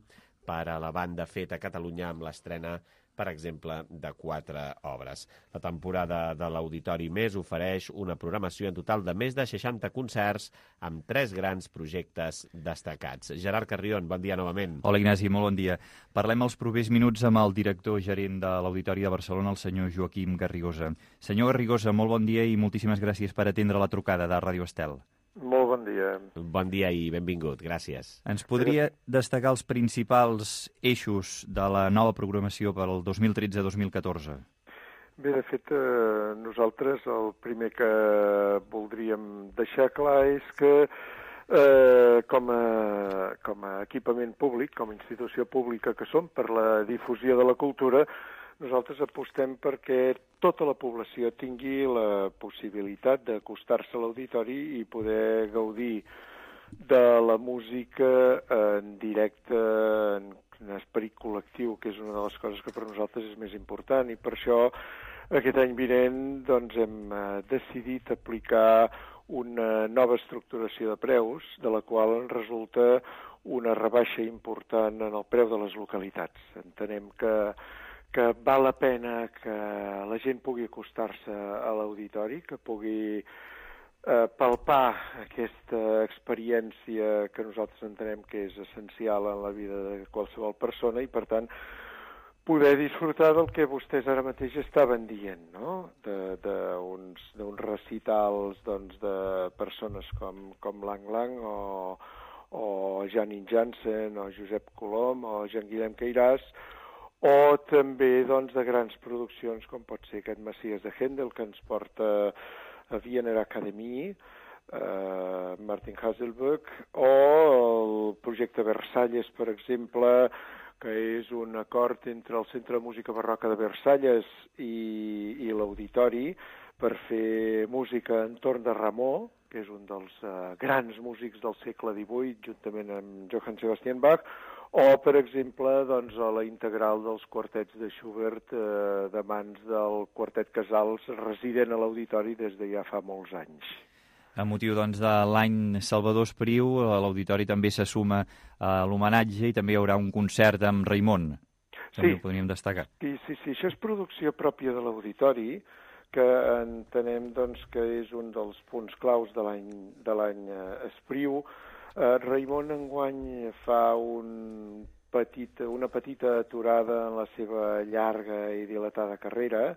per a la banda feta a Catalunya amb l'estrena, per exemple, de quatre obres. La temporada de l'Auditori Més ofereix una programació en total de més de seixanta concerts amb tres grans projectes destacats. Gerard Carrion, bon dia novament. Hola, Ignasi, molt bon dia. Parlem els propers minuts amb el director gerent de l'Auditori de Barcelona, el senyor Joaquim Garrigosa. Senyor Garrigosa, molt bon dia i moltíssimes gràcies per atendre la trucada de Ràdio Estel. Molt bon dia. Bon dia i benvingut, gràcies. Ens podria destacar els principals eixos de la nova programació per al dos mil tretze dos mil catorze? Bé, de fet, eh, nosaltres el primer que voldríem deixar clar és que eh, com, a, com a equipament públic, com a institució pública que som, per la difusió de la cultura, nosaltres apostem perquè tota la població tingui la possibilitat d'acostar-se a l'auditori i poder gaudir de la música en directe, en, en esperit col·lectiu, que és una de les coses que per nosaltres és més important, i per això aquest any vinent doncs, hem eh, decidit aplicar una nova estructuració de preus, de la qual en resulta una rebaixa important en el preu de les localitats. Entenem que, que val la pena que la gent pugui acostar-se a l'auditori, que pugui Eh, palpar aquesta experiència que nosaltres entenem que és essencial en la vida de qualsevol persona i, per tant, poder disfrutar del que vostès ara mateix estaven dient, no? D'uns recitals doncs, de persones com, com Lang Lang o, o Janine Jansen o Josep Colom o Jean-Guillem Queiràs, o també doncs, de grans produccions com pot ser aquest Messies de Händel, que ens porta a Wiener Academy, eh, Martin Haselböck, o el projecte Versalles, per exemple, que és un acord entre el Centre de Música Barroca de Versalles i, i l'Auditori per fer música entorn de Rameau, que és un dels eh, grans músics del segle divuit, juntament amb Johann Sebastian Bach, o, per exemple, doncs, a la integral dels quartets de Schubert eh, de mans del quartet Casals, resident a l'Auditori des de ja fa molts anys. A motiu doncs, de l'any Salvador Espriu, l'Auditori també se suma a l'homenatge i també hi haurà un concert amb Raimon. També sí. Ho podríem destacar. Sí, sí, sí, això és producció pròpia de l'Auditori, que entenem doncs, que és un dels punts claus de l'any de l'any Espriu. Uh, Raimon enguany fa un petit, una petita aturada en la seva llarga i dilatada carrera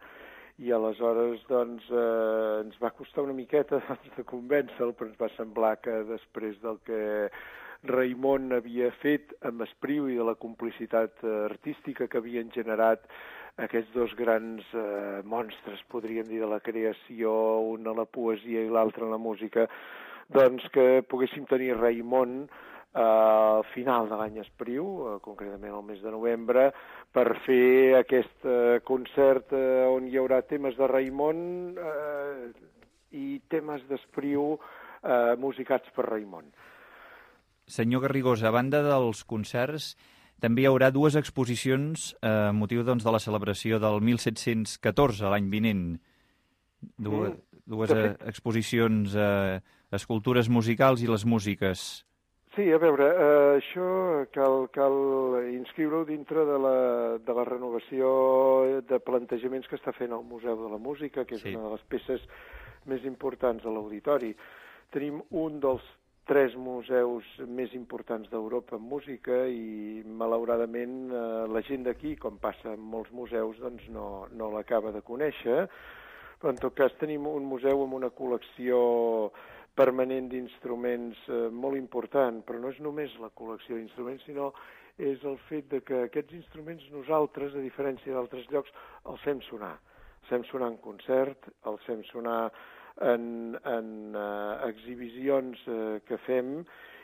i aleshores doncs, eh, ens va costar una miqueta doncs, de convèncer-lo, però ens va semblar que després del que Raimon havia fet amb Espriu i de la complicitat eh, artística que havien generat aquests dos grans eh, monstres, podríem dir, de la creació, un a la poesia i l'altre a la música, doncs que poguéssim tenir Raimon eh, al final de l'any Espriu, eh, concretament el mes de novembre, per fer aquest eh, concert eh, on hi haurà temes de Raimon eh, i temes d'Espriu eh, musicats per Raimon. Senyor Garrigós, a banda dels concerts, també hi haurà dues exposicions a eh, motiu doncs, de la celebració del mil set-cents catorze, l'any vinent. Dues, mm. dues eh, exposicions, eh, escultures musicals i les músiques. Sí, a veure, eh, això cal, cal inscriure-ho dintre de la, de la renovació de plantejaments que està fent el Museu de la Música, que és sí. una de les peces més importants de l'Auditori. Tenim un dels tres museus més importants d'Europa en música i, malauradament, eh, la gent d'aquí, com passa en molts museus, doncs no, no l'acaba de conèixer. Però, en tot cas, tenim un museu amb una col·lecció permanent d'instruments eh, molt important, però no és només la col·lecció d'instruments, sinó és el fet de que aquests instruments nosaltres, a diferència d'altres llocs, els fem sonar. Els fem sonar en concert, els fem sonar en, en uh, exhibicions uh, que fem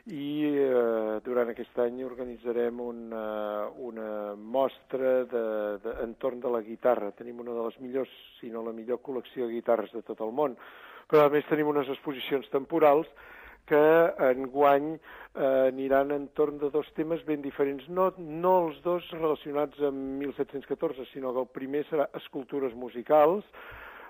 i uh, durant aquest any organitzarem una, una mostra de, de, entorn de la guitarra. Tenim una de les millors, si no la millor col·lecció de guitarres de tot el món, però a més tenim unes exposicions temporals que enguany eh, aniran entorn de dos temes ben diferents, no, no els dos relacionats amb mil set-cents catorze, sinó que el primer serà escultures musicals,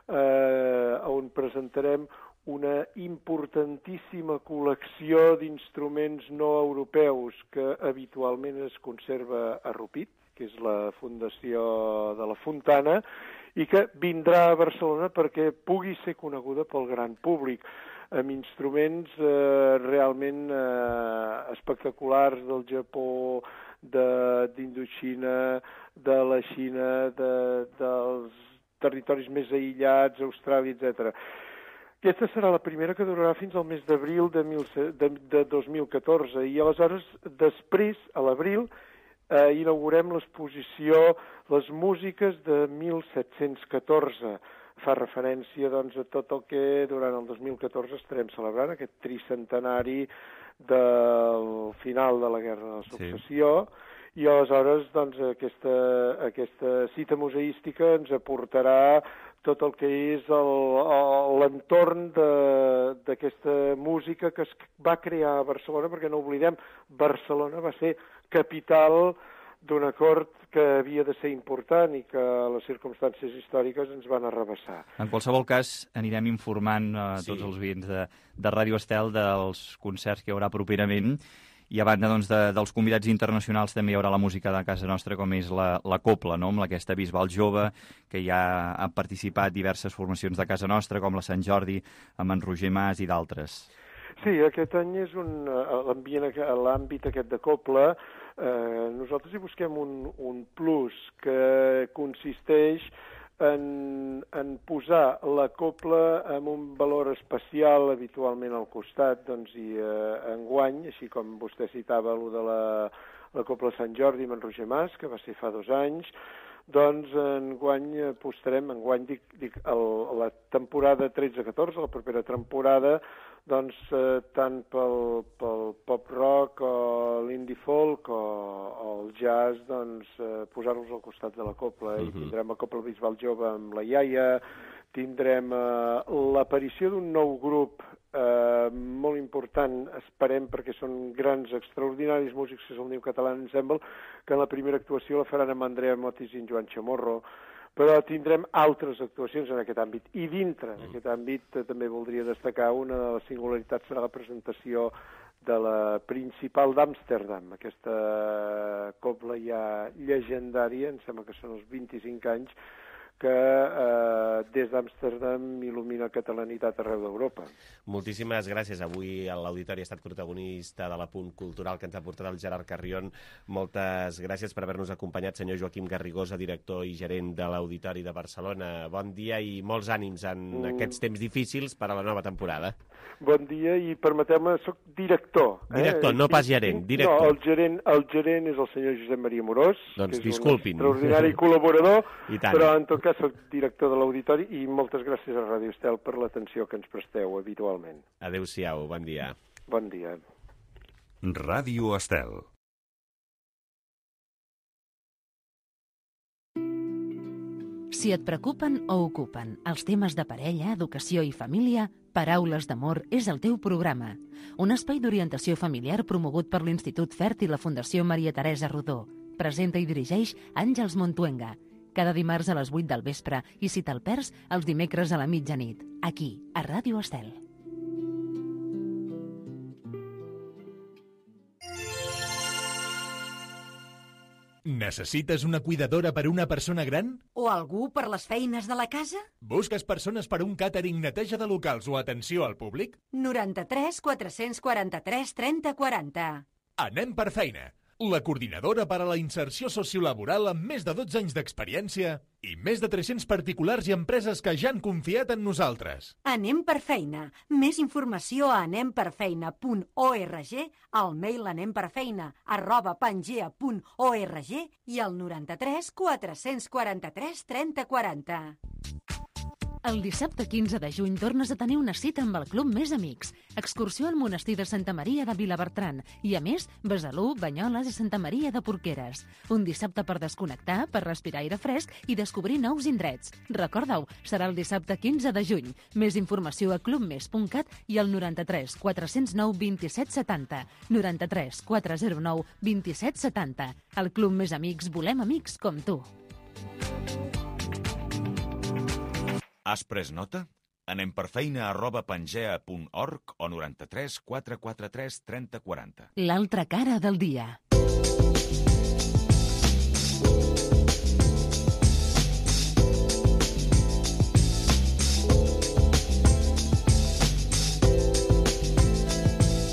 eh, on presentarem una importantíssima col·lecció d'instruments no europeus que habitualment es conserva a Rupit, que és la fundació de la Fontana, i que vindrà a Barcelona perquè pugui ser coneguda pel gran públic, amb instruments eh, realment eh, espectaculars del Japó, d'Indoxina, de, de la Xina, de, dels territoris més aïllats, Austràlia, etcètera. Aquesta serà la primera que durarà fins al mes d'abril de, de, de dos mil catorze i aleshores, després, a l'abril, eh, inaugurem l'exposició Les músiques de mil set-cents catorze. Fa referència doncs, a tot el que durant el dos mil catorze estarem celebrant, aquest tricentenari del final de la Guerra de la Successió, sí. I aleshores doncs, aquesta, aquesta cita museística ens aportarà tot el que és l'entorn d'aquesta música que es va crear a Barcelona, perquè no oblidem, Barcelona va ser capital d'un acord que havia de ser important i que les circumstàncies històriques ens van arrabassar. En qualsevol cas, anirem informant a sí. tots els oients de, de Ràdio Estel dels concerts que hi haurà properament. I a banda doncs, de, dels convidats internacionals també hi haurà la música de casa nostra, com és la, la Copla, no? Amb aquesta Bisbal Jove, que ja han participat diverses formacions de casa nostra, com la Sant Jordi, amb en Roger Mas i d'altres. Sí, aquest any és un l'àmbit aquest de Copla. Eh, nosaltres hi busquem un, un plus que consisteix en, en posar la copla amb un valor especial habitualment al costat, doncs, i eh, enguany, així com vostè citava allò de la, la Copla Sant Jordi amb en Roger Mas, que va ser fa dos anys, doncs enguany apostarem, enguany dic, dic el, la temporada tretze catorze, la propera temporada, doncs eh, tant pel, pel pop-rock o l'indie folk o, o el jazz, doncs eh, posar-los al costat de la copla. Uh-huh. I tindrem la Copla Bisbal Jove amb la iaia, tindrem eh, l'aparició d'un nou grup eh, molt important, esperem, perquè són grans, extraordinaris músics, que és el Niu Català Ensemble, que en la primera actuació la faran amb Andrea Motis i en Joan Chamorro, però tindrem altres actuacions en aquest àmbit. I dintre d'aquest àmbit eh, també voldria destacar una de les singularitats serà la presentació de la Principal d'Amsterdam, aquesta copla ja llegendària, em sembla que són els vint-i-cinc anys, que eh, des d'Amsterdam il·lumina catalanitat arreu d'Europa. Moltíssimes gràcies. Avui l'Auditori ha estat protagonista de l'Apunt Cultural que ens ha portat el Gerard Carrion. Moltes gràcies per haver-nos acompanyat, senyor Joaquim Garrigosa, director i gerent de l'Auditori de Barcelona. Bon dia i molts ànims en mm. aquests temps difícils per a la nova temporada. Bon dia i permeteu-me, soc director. Director, eh? no pas gerent, director. No, el gerent, el gerent és el senyor Josep Maria Morós, doncs que és disculpin. un extraordinari col·laborador, I tant. Però en tot cas soc director de l'Auditori i moltes gràcies a Ràdio Estel per l'atenció que ens presteu habitualment. Adéu-siau, bon dia. Bon dia. Ràdio Estel. Si et preocupen o ocupen els temes de parella, educació i família, Paraules d'Amor és el teu programa. Un espai d'orientació familiar promogut per l'Institut Fert i la Fundació Maria Teresa Rodó. Presenta i dirigeix Àngels Montuenga. Cada dimarts a les vuit del vespre i si te'l perds, els dimecres a la mitjanit. Aquí, a Ràdio Estel. Necessites una cuidadora per una persona gran? O algú per les feines de la casa? Busques persones per un càtering, neteja de locals o atenció al públic? noranta-tres quatre-cents quaranta-tres trenta quaranta. Anem per feina. La coordinadora per a la inserció sociolaboral amb més de dotze anys d'experiència i més de tres-cents particulars i empreses que ja han confiat en nosaltres. Anem per feina. Més informació a anem per feina punt org, al mail anemperfeina arroba pangea punt org i al noranta-tres quatre-cents quaranta-tres trenta quaranta. El dissabte quinze de juny tornes a tenir una cita amb el Club Més Amics. Excursió al monestir de Santa Maria de Vilabertran i, a més, Besalú, Banyoles i Santa Maria de Porqueres. Un dissabte per desconnectar, per respirar aire fresc i descobrir nous indrets. Recorda-ho, serà el dissabte quinze de juny. Més informació a clubmes punt cat i al noranta-tres quatre-cents nou vint-i-set setanta. noranta-tres quatre-cents nou vint-i-set setanta. Al Club Més Amics volem amics com tu. Has pres nota? Anem per feina arroba pangea punt org o noranta-tres quatre quatre tres trenta quaranta. L'altra cara del dia.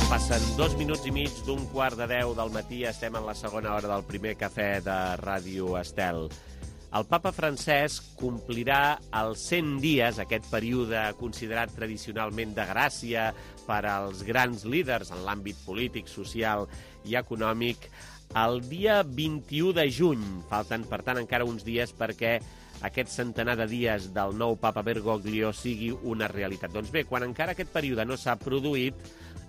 Passen dos minuts i mig d'un quart de deu del matí. Estem en la segona hora del primer cafè de Ràdio Estel. El papa Francesc complirà els cent dies, aquest període considerat tradicionalment de gràcia per als grans líders en l'àmbit polític, social i econòmic, el dia vint-i-u de juny. Falten, per tant, encara uns dies perquè aquest centenar de dies del nou papa Bergoglio sigui una realitat. Doncs bé, quan encara aquest període no s'ha produït,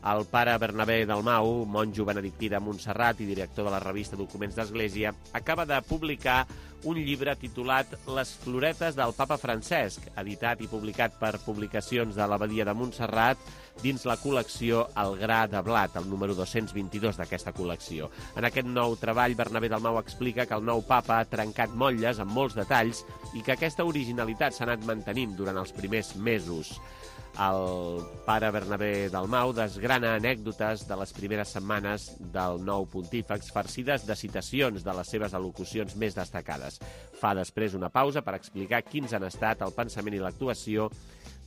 El pare Bernabé Dalmau, monjo benedictí de Montserrat i director de la revista Documents d'Església, acaba de publicar un llibre titulat Les floretes del papa Francesc, editat i publicat per Publicacions de l'Abadia de Montserrat dins la col·lecció El gra de blat, el número dos-cents vint-i-dos d'aquesta col·lecció. En aquest nou treball, Bernabé Dalmau explica que el nou papa ha trencat motlles amb molts detalls i que aquesta originalitat s'ha anat mantenint durant els primers mesos. El pare Bernabé Dalmau desgrana anècdotes de les primeres setmanes del nou pontífex farcides de citacions de les seves al·locucions més destacades. Fa després una pausa per explicar quins han estat el pensament i l'actuació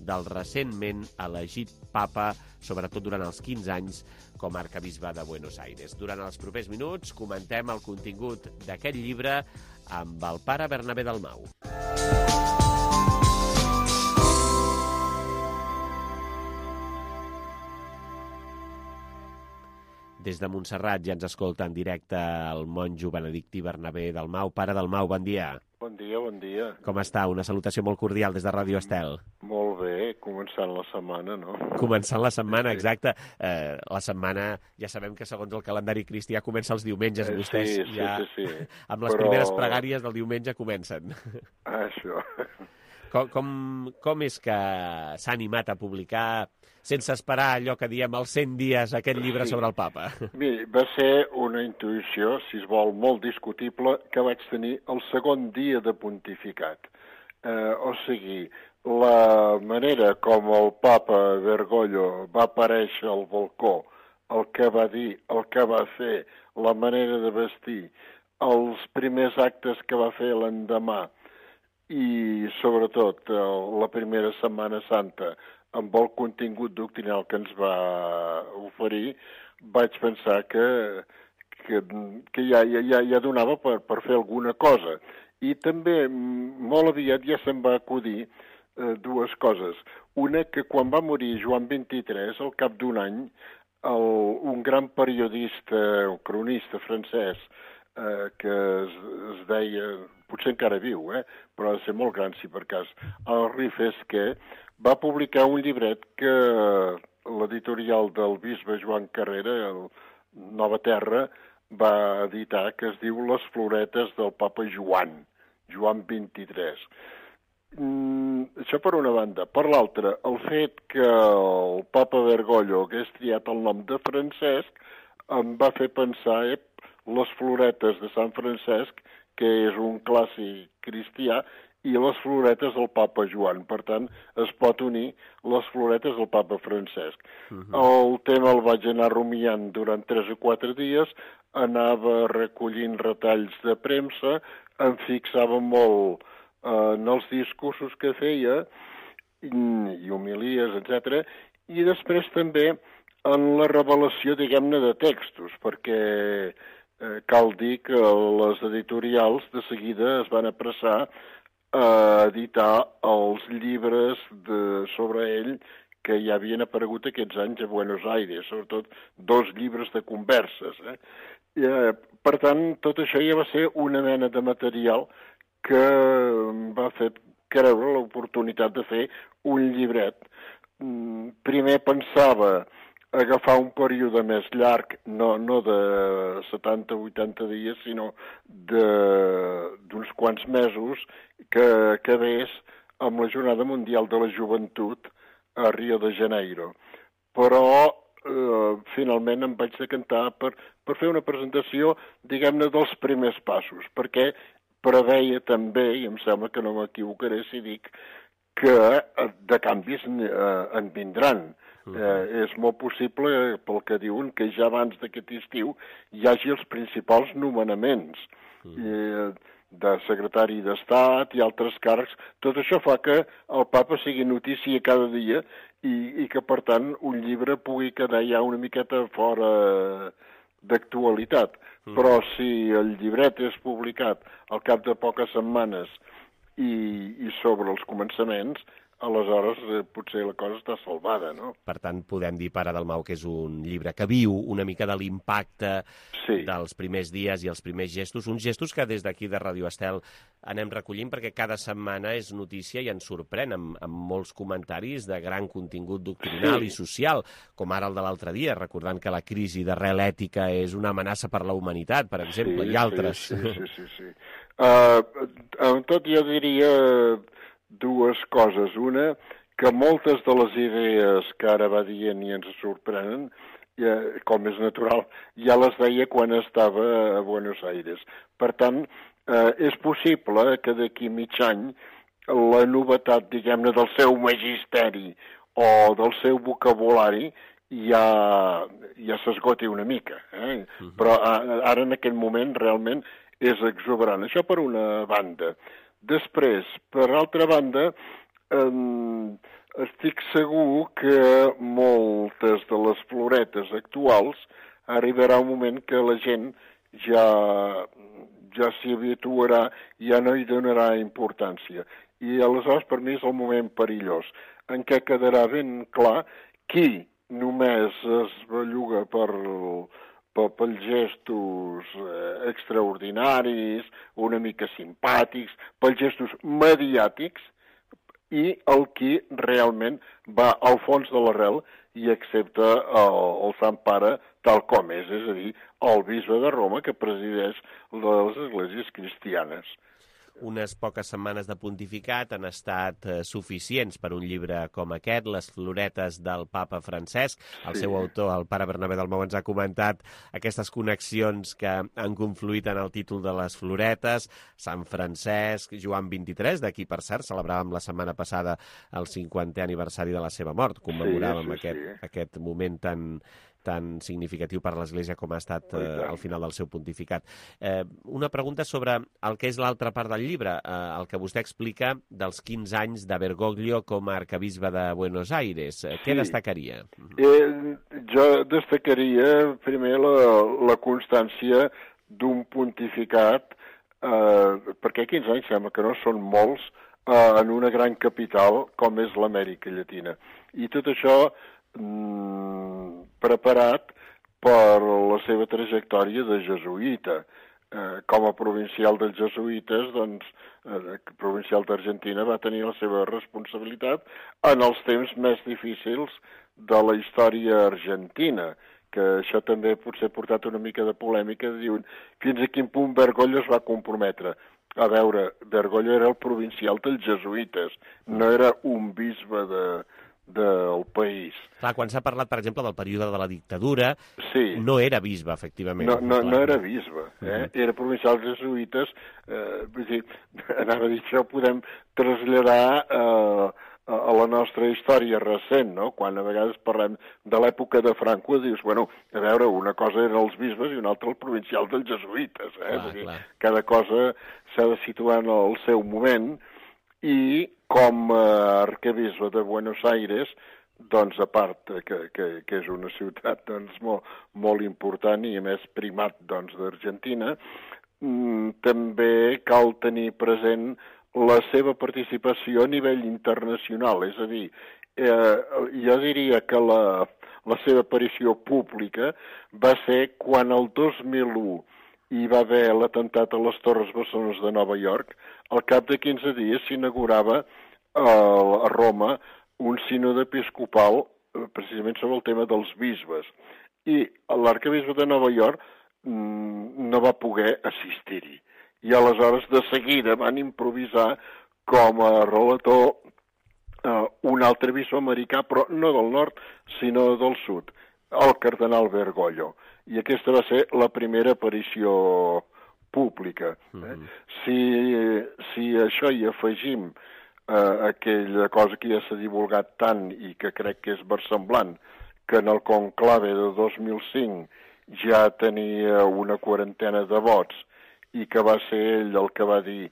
del recentment elegit papa, sobretot durant els quinze anys com a arcabisbe de Buenos Aires. Durant els propers minuts comentem el contingut d'aquest llibre amb el pare Bernabé Dalmau. Des de Montserrat ja ens escolta en directe el monjo benedictí Bernabé Dalmau. Pare Dalmau, bon dia. Bon dia, bon dia. Com està? Una salutació molt cordial des de Ràdio Estel. Molt bé, començant la setmana, no? Començant la setmana, exacte. Eh, la setmana, ja sabem que segons el calendari cristià comença els diumenges. Eh, Vostès sí, sí, ja, sí, sí. amb les Però... primeres pregàries del diumenge comencen. Això. Com, com, com és que s'ha animat a publicar, sense esperar allò que diem els cent dies, aquest llibre sí. sobre el papa? Miri, va ser una intuïció, si es vol, molt discutible, que vaig tenir el segon dia de pontificat. Eh, o sigui, la manera com el papa Bergoglio va aparèixer al balcó, el que va dir, el que va fer, la manera de vestir, els primers actes que va fer l'endemà, i sobretot la primera Setmana Santa amb el contingut doctrinal que ens va oferir, vaig pensar que, que, que ja, ja, ja donava per, per fer alguna cosa. I també molt aviat ja se'm va acudir eh, dues coses. Una, que quan va morir Joan vint-i-tres, al cap d'un any, el, un gran periodista, un cronista francès, eh, que es, es deia... potser encara viu, eh? però ha de ser molt gran, si per cas, Henri Fesquet, va publicar un llibret que l'editorial del bisbe Joan Carrera, el Nova Terra, va editar, que es diu Les floretes del papa Joan, Joan vint-i-tres. Mm, això per una banda. Per l'altra, el fet que el papa Bergoglio hagués triat el nom de Francesc em va fer pensar, eh, les floretes de Sant Francesc, que és un clàssic cristià, i les floretes del papa Joan. Per tant, es pot unir les floretes del papa Francesc. Uh-huh. El tema el vaig anar rumiant durant tres o quatre dies, anava recollint retalls de premsa, em fixava molt eh, en els discursos que feia, i, i homilies, etcètera, i després també en la revelació, diguem-ne, de textos, perquè eh, cal dir que les editorials de seguida es van apressar a editar els llibres de, sobre ell que ja havien aparegut aquests anys a Buenos Aires, sobretot dos llibres de converses. Eh? I, eh, per tant, tot això ja va ser una mena de material que va fer creure l'oportunitat de fer un llibret. Primer pensava agafar un període més llarg, no, no de setanta o vuitanta dies, sinó d'uns quants mesos, que acabés amb la Jornada Mundial de la Joventut a Rio de Janeiro. Però eh, finalment em vaig decantar per, per fer una presentació, diguem-ne, dels primers passos, perquè preveia també, i em sembla que no m'equivocaré si dic, que de canvis eh, en vindran. Eh, és molt possible, pel que diuen, que ja abans d'aquest estiu hi hagi els principals nomenaments eh, de secretari d'Estat i altres càrrecs. Tot això fa que el papa sigui notícia cada dia i, i que, per tant, un llibre pugui quedar ja una miqueta fora d'actualitat. Mm. Però si el llibret és publicat al cap de poques setmanes i, i sobre els començaments, aleshores eh, potser la cosa està salvada, no? Per tant, podem dir, Pare Dalmau, que és un llibre que viu una mica de l'impacte sí. dels primers dies i els primers gestos, uns gestos que des d'aquí de Radio Estel anem recollint perquè cada setmana és notícia i ens sorprèn amb, amb molts comentaris de gran contingut doctrinal sí. i social, com ara el de l'altre dia, recordant que la crisi d'arrel ètica és una amenaça per la humanitat, per exemple, sí, i altres. Sí, sí, sí. sí, sí. Uh, amb tot jo diria dues coses. Una, que moltes de les idees que ara va dient i ens sorprenen, ja, com és natural, ja les deia quan estava a Buenos Aires. Per tant, eh, és possible que d'aquí mig any la novetat, diguem-ne, del seu magisteri o del seu vocabulari ja, ja s'esgoti una mica. Eh? Uh-huh. Però ara, en aquest moment, realment és exuberant. Això per una banda. Després, per altra banda, eh, estic segur que moltes de les floretes actuals arribarà un moment que la gent ja, ja s'hi habituarà, ja no hi donarà importància. I aleshores per mi és el moment perillós, en què quedarà ben clar qui només es belluga per... pels gestos extraordinaris, una mica simpàtics, pels gestos mediàtics, i el qui realment va al fons de l'arrel i accepta el, el Sant Pare tal com és, és a dir, el bisbe de Roma que presideix les esglésies cristianes. Unes poques setmanes de pontificat han estat eh, suficients per un llibre com aquest, Les floretes del papa Francesc. El sí. seu autor, el pare Bernabé Dalmau, ens ha comentat aquestes connexions que han confluït en el títol de les floretes. Sant Francesc, Joan vint-i-tres, d'aquí, per cert, celebràvem la setmana passada el cinquantè aniversari de la seva mort. Commemoràvem sí, sí, aquest, sí. aquest moment tan... tan significatiu per l'Església com ha estat eh, al final del seu pontificat. Eh, una pregunta sobre el que és l'altra part del llibre, eh, el que vostè explica dels quinze anys de Bergoglio com a arcabisbe de Buenos Aires. Eh, què sí. destacaria? Eh, jo destacaria primer la, la constància d'un pontificat, eh, perquè quinze anys sembla que no són molts, eh, en una gran capital com és l'Amèrica Llatina. I tot això preparat per la seva trajectòria de jesuïta. Eh, com a provincial dels jesuïtes, doncs, eh, provincial d'Argentina va tenir la seva responsabilitat en els temps més difícils de la història argentina, que això també potser ha portat una mica de polèmica, diuen fins a quin punt Bergoglio es va comprometre. A veure, Bergoglio era el provincial dels jesuïtes, no era un bisbe de... del país. Clar, quan s'ha parlat, per exemple, del període de la dictadura, sí. no era bisbe, efectivament. No, no, no era bisbe, eh? Uh-huh. Era provincial jesuïtes, eh, vull dir, anava a dir, això ho podem traslladar eh, a la nostra història recent, no? Quan a vegades parlem de l'època de Franco, dius, bueno, a veure, una cosa eren els bisbes i una altra el provincial dels jesuïtes, eh? Clar, dir, cada cosa s'ha de situar en el seu moment, i com a arquebisbe de Buenos Aires, doncs a part que, que, que és una ciutat doncs, molt, molt important i a més primat doncs, d'Argentina, mm, també cal tenir present la seva participació a nivell internacional, és a dir, eh, jo diria que la, la seva aparició pública va ser quan el dos mil u hi va haver l'atemptat a les Torres Bessones de Nova York. Al cap de quinze dies s'inaugurava eh, a Roma un sínode episcopal eh, precisament sobre el tema dels bisbes. I l'arquebisbe de Nova York mm, no va poder assistir-hi. I aleshores de seguida van improvisar com a relator eh, un altre bisbe americà, però no del nord, sinó del sud, el cardenal Bergoglio. I aquesta va ser la primera aparició pública. Eh? Mm-hmm. Si, si això hi afegim eh, aquella cosa que ja s'ha divulgat tant i que crec que és versemblant, que en el conclave de dos mil cinc ja tenia una quarantena de vots i que va ser ell el que va dir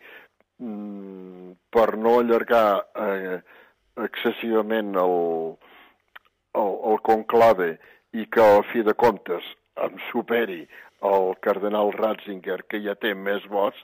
mm, per no allargar eh, excessivament el, el, el conclave i que al fi de comptes em superi el cardenal Ratzinger, que ja té més vots,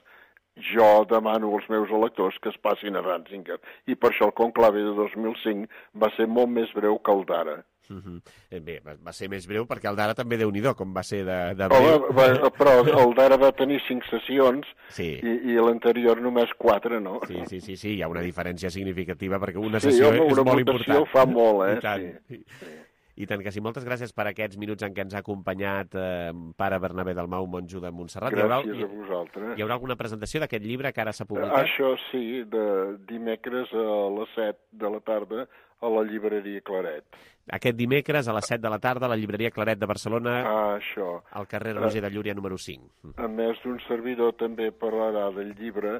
jo demano als meus electors que es passin a Ratzinger. I per això el conclave de dos mil cinc va ser molt més breu que el d'ara. Uh-huh. Bé, va ser més breu perquè el d'ara també Déu-n'hi-do, com va ser de, de breu. Home, però el d'ara va tenir cinc sessions sí. i, i l'anterior només quatre, no? Sí, sí, sí, sí, hi ha una diferència significativa perquè una sí, sessió home, és una molt important. Una votació fa molt, eh? I tant. Sí. Sí. I tant que sí. Moltes gràcies per aquests minuts en què ens ha acompanyat eh, pare Bernabé Dalmau, monjo de Montserrat. Gràcies hi haurà, a vosaltres. Hi haurà alguna presentació d'aquest llibre que ara s'ha publicat? Això sí, de dimecres a les set de la tarda a la llibreria Claret. Aquest dimecres a les set de la tarda a la llibreria Claret de Barcelona, ah, això. al carrer Roger de Llúria número cinc. A més d'un servidor també parlarà del llibre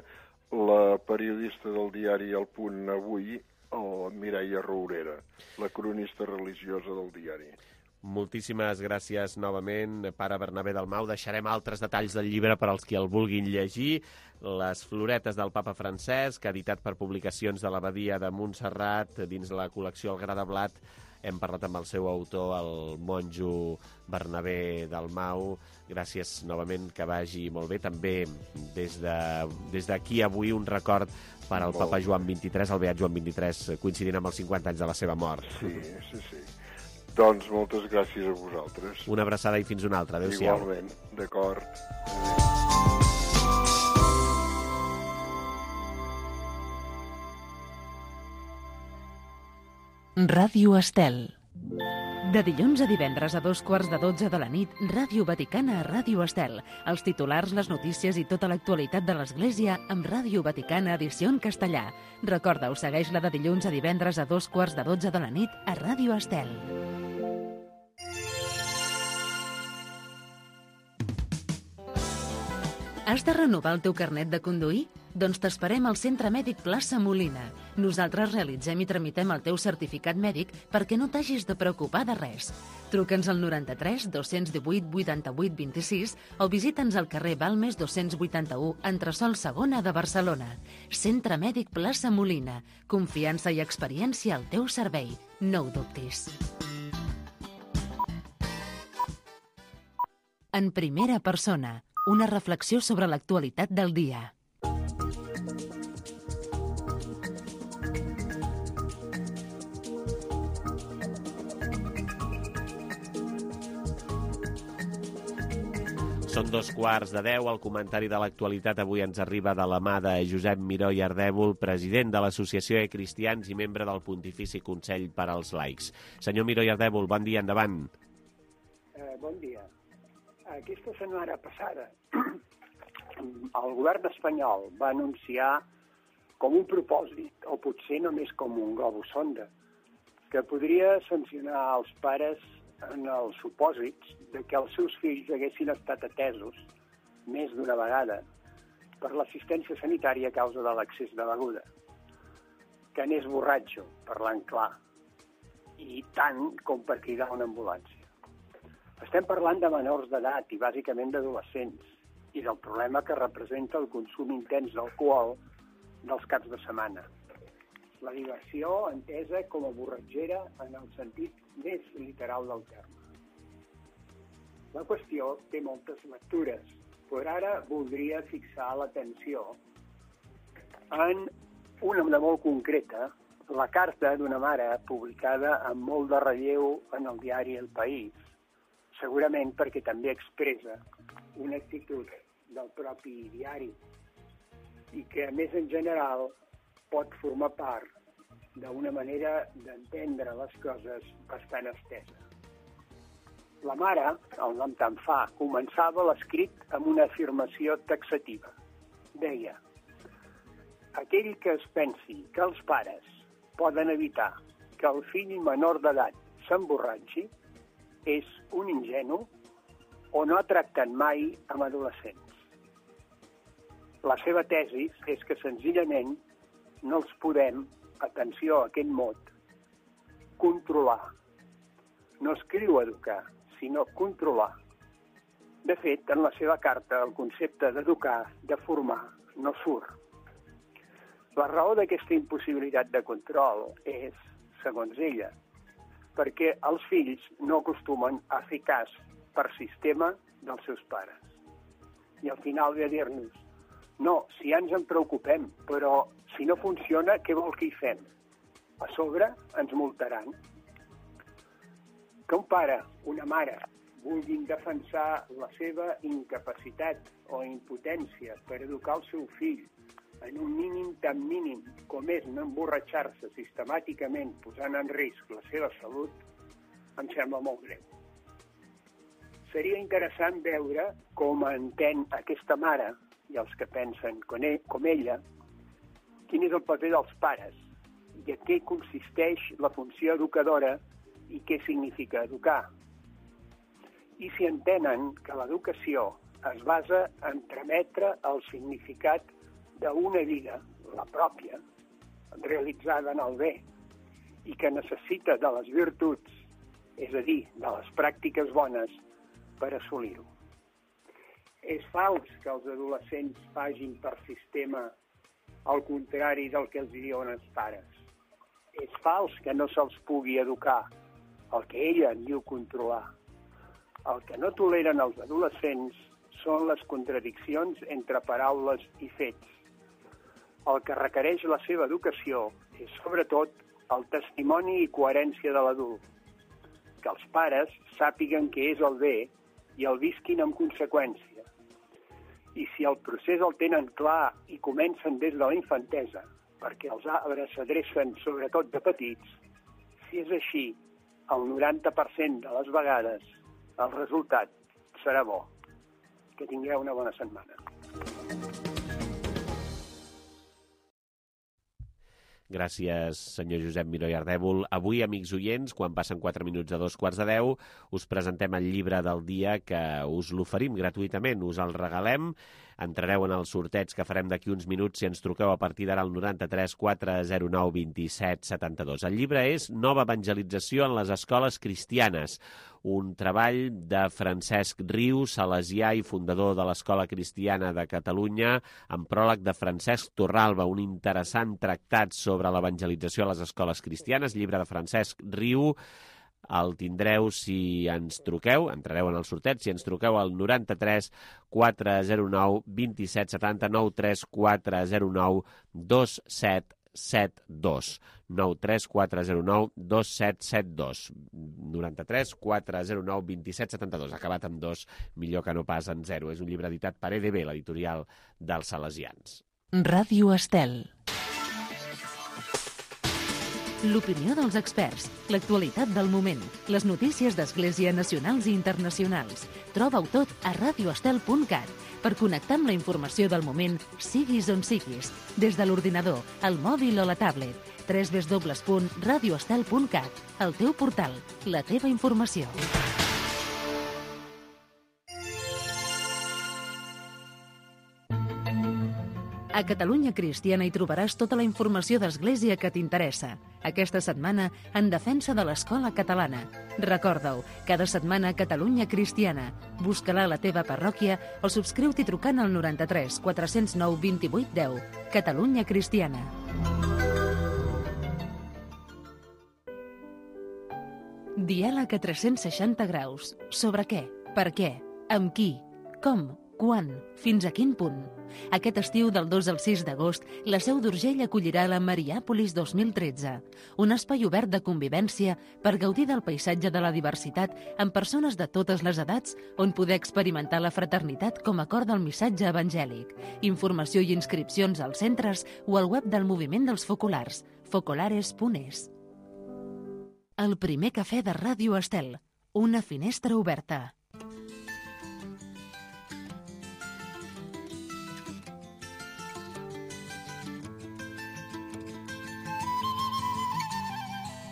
la periodista del diari El Punt avui, o Mireia Rourera, la cronista religiosa del diari. Moltíssimes gràcies novament, pare Bernabé Dalmau. Deixarem altres detalls del llibre per als qui el vulguin llegir. Les floretes del papa Francesc, editat per Publicacions de l'Abadia de Montserrat, dins la col·lecció El Gra de Blat. Hem parlat amb el seu autor, el monjo Bernabé Dalmau. Gràcies novament, que vagi molt bé. També des d'aquí de, avui un record per al papa Joan vint-i-tres, el beat Joan vint-i-tres, coincidint amb els cinquanta anys de la seva mort. Sí, sí, sí. Doncs moltes gràcies a vosaltres. Una abraçada i fins una altra. Adéu-siau. Igualment, d'acord. Ràdio Estel. De dilluns a divendres a dos quarts de dotze de la nit, Ràdio Vaticana a Ràdio Estel. Els titulars, les notícies i tota l'actualitat de l'Església amb Ràdio Vaticana edició en castellà. Recorda-ho, segueix-la de dilluns a divendres a dos quarts de dotze de la nit a Ràdio Estel. Has de renovar el teu carnet de conduir? Doncs t'esperem al Centre Mèdic Plaça Molina. Nosaltres realitzem i tramitem el teu certificat mèdic perquè no t'hagis de preocupar de res. Truca'ns al noranta-tres dos-cents divuit vuitanta-vuit vint-i-sis o visita'ns al carrer Balmes dos-cents vuitanta-u, entresòl segona de Barcelona. Centre Mèdic Plaça Molina. Confiança i experiència al teu servei. No ho dubtis. En primera persona, una reflexió sobre l'actualitat del dia. Són dos quarts de deu. El comentari de l'actualitat avui ens arriba de la mà de Josep Miró i Ardèvol, president de l'Associació de Cristians i membre del Pontifici Consell per als Laics. Senyor Miró i Ardèvol, bon dia, endavant. Eh, bon dia. Aquesta setmana passada el govern espanyol va anunciar com un propòsit, o potser només com un globus sonda, que podria sancionar els pares en els supòsits de que els seus fills haguessin estat atesos més d'una vegada per l'assistència sanitària a causa de l'excés de beguda, que n'és borratxo, parlant clar, i tant com per cridar una ambulància. Estem parlant de menors d'edat i bàsicament d'adolescents i del problema que representa el consum intens d'alcohol dels caps de setmana. La diversió entesa com a borratxera en el sentit més literal del terme. La qüestió té moltes lectures, però ara voldria fixar l'atenció en una de molt concreta, la carta d'una mare publicada amb molt de relleu en el diari El País, segurament perquè també expressa una actitud del propi diari i que, a més en general, pot formar part d'una manera d'entendre les coses bastant estesa. La mare, el nom tan fa, començava l'escrit amb una afirmació taxativa. Deia: aquell que es pensi que els pares poden evitar que el fill menor d'edat s'emborratxi és un ingenu o no ha tractat mai amb adolescents. La seva tesi és que senzillament no els podem, atenció a aquest mot, controlar. No escriu educar, sinó controlar. De fet, en la seva carta, el concepte d'educar, de formar, no surt. La raó d'aquesta impossibilitat de control és, segons ella, perquè els fills no acostumen a fer cas per sistema dels seus pares. I al final ve a dir-nos: No, si ja ens en preocupem, però si no funciona, què vol que hi fem? A sobre ens multaran. Que un pare, una mare, vulguin defensar la seva incapacitat o impotència per educar el seu fill en un mínim tan mínim com és no emborratxar-se sistemàticament posant en risc la seva salut, em sembla molt greu. Seria interessant veure com entén aquesta mare i els que pensen com ella, quin és el paper dels pares i en què consisteix la funció educadora i què significa educar. I si entenen que l'educació es basa en trametre el significat d'una vida, la pròpia, realitzada en el bé, i que necessita de les virtuts, és a dir, de les pràctiques bones, per assolir-ho. És fals que els adolescents facin per sistema el contrari del que els diuen els pares. És fals que no se'ls pugui educar el que ella en diu controlar. El que no toleren els adolescents són les contradiccions entre paraules i fets. El que requereix la seva educació és, sobretot, el testimoni i coherència de l'adult. Que els pares sàpiguen què és el bé i el visquin en conseqüència. I si el procés el tenen clar i comencen des de la infantesa, perquè els arbres s'adrecen sobretot de petits, si és així, el noranta per cent de les vegades el resultat serà bo. Que tingueu una bona setmana. Gràcies, senyor Josep Miró i Ardèvol. Avui, amics oients, quan passen quatre minuts a dos quarts de deu, us presentem el llibre del dia que us l'oferim gratuïtament, us el regalem. Entrareu en el sorteig que farem d'aquí uns minuts si ens truqueu a partir d'ara al noranta-tres quatre zero nou vint set setanta-dos. El llibre és Nova evangelització en les escoles cristianes, un treball de Francesc Riu, salesià i fundador de l'Escola Cristiana de Catalunya, amb pròleg de Francesc Torralba, un interessant tractat sobre l'evangelització a les escoles cristianes, llibre de Francesc Riu. El tindreu si ens truqueu, entrareu en el sorteig, si ens truqueu al noranta-tres quatre zero nou vint set setanta, noranta-tres quatre zero nou dos set set dos. nou tres quatre zero nou dos set set dos. noranta-tres quatre zero nou vint set setanta-dos. Acabat amb dos, millor que no pas en zero. És un llibre editat per E D B, l'editorial dels salesians. Ràdio Estel. L'opinió dels experts, l'actualitat del moment, les notícies d'Església nacionals i internacionals. Troba-ho tot a radio estel punt cat per connectar amb la informació del moment, siguis on siguis, des de l'ordinador, el mòbil o la tablet. w w w punt radio estel punt cat, el teu portal, la teva informació. A Catalunya Cristiana hi trobaràs tota la informació d'Església que t'interessa. Aquesta setmana, en defensa de l'escola catalana. Recorda-ho, cada setmana Catalunya Cristiana. Busca-la a la teva parròquia o subscriu-t'hi trucant al noranta-tres quatre zero nou vint vuit deu. Catalunya Cristiana. Diàleg a tres-cents seixanta graus. Sobre què? Per què? Amb qui? Com? Quan? Fins a quin punt? Aquest estiu del dos al sis d'agost, la Seu d'Urgell acollirà la Mariàpolis dos mil tretze, un espai obert de convivència per gaudir del paisatge de la diversitat amb persones de totes les edats on poder experimentar la fraternitat com a cor del missatge evangèlic. Informació i inscripcions als centres o al web del Moviment dels Focolars, focolares punt es. El primer cafè de Ràdio Estel, una finestra oberta.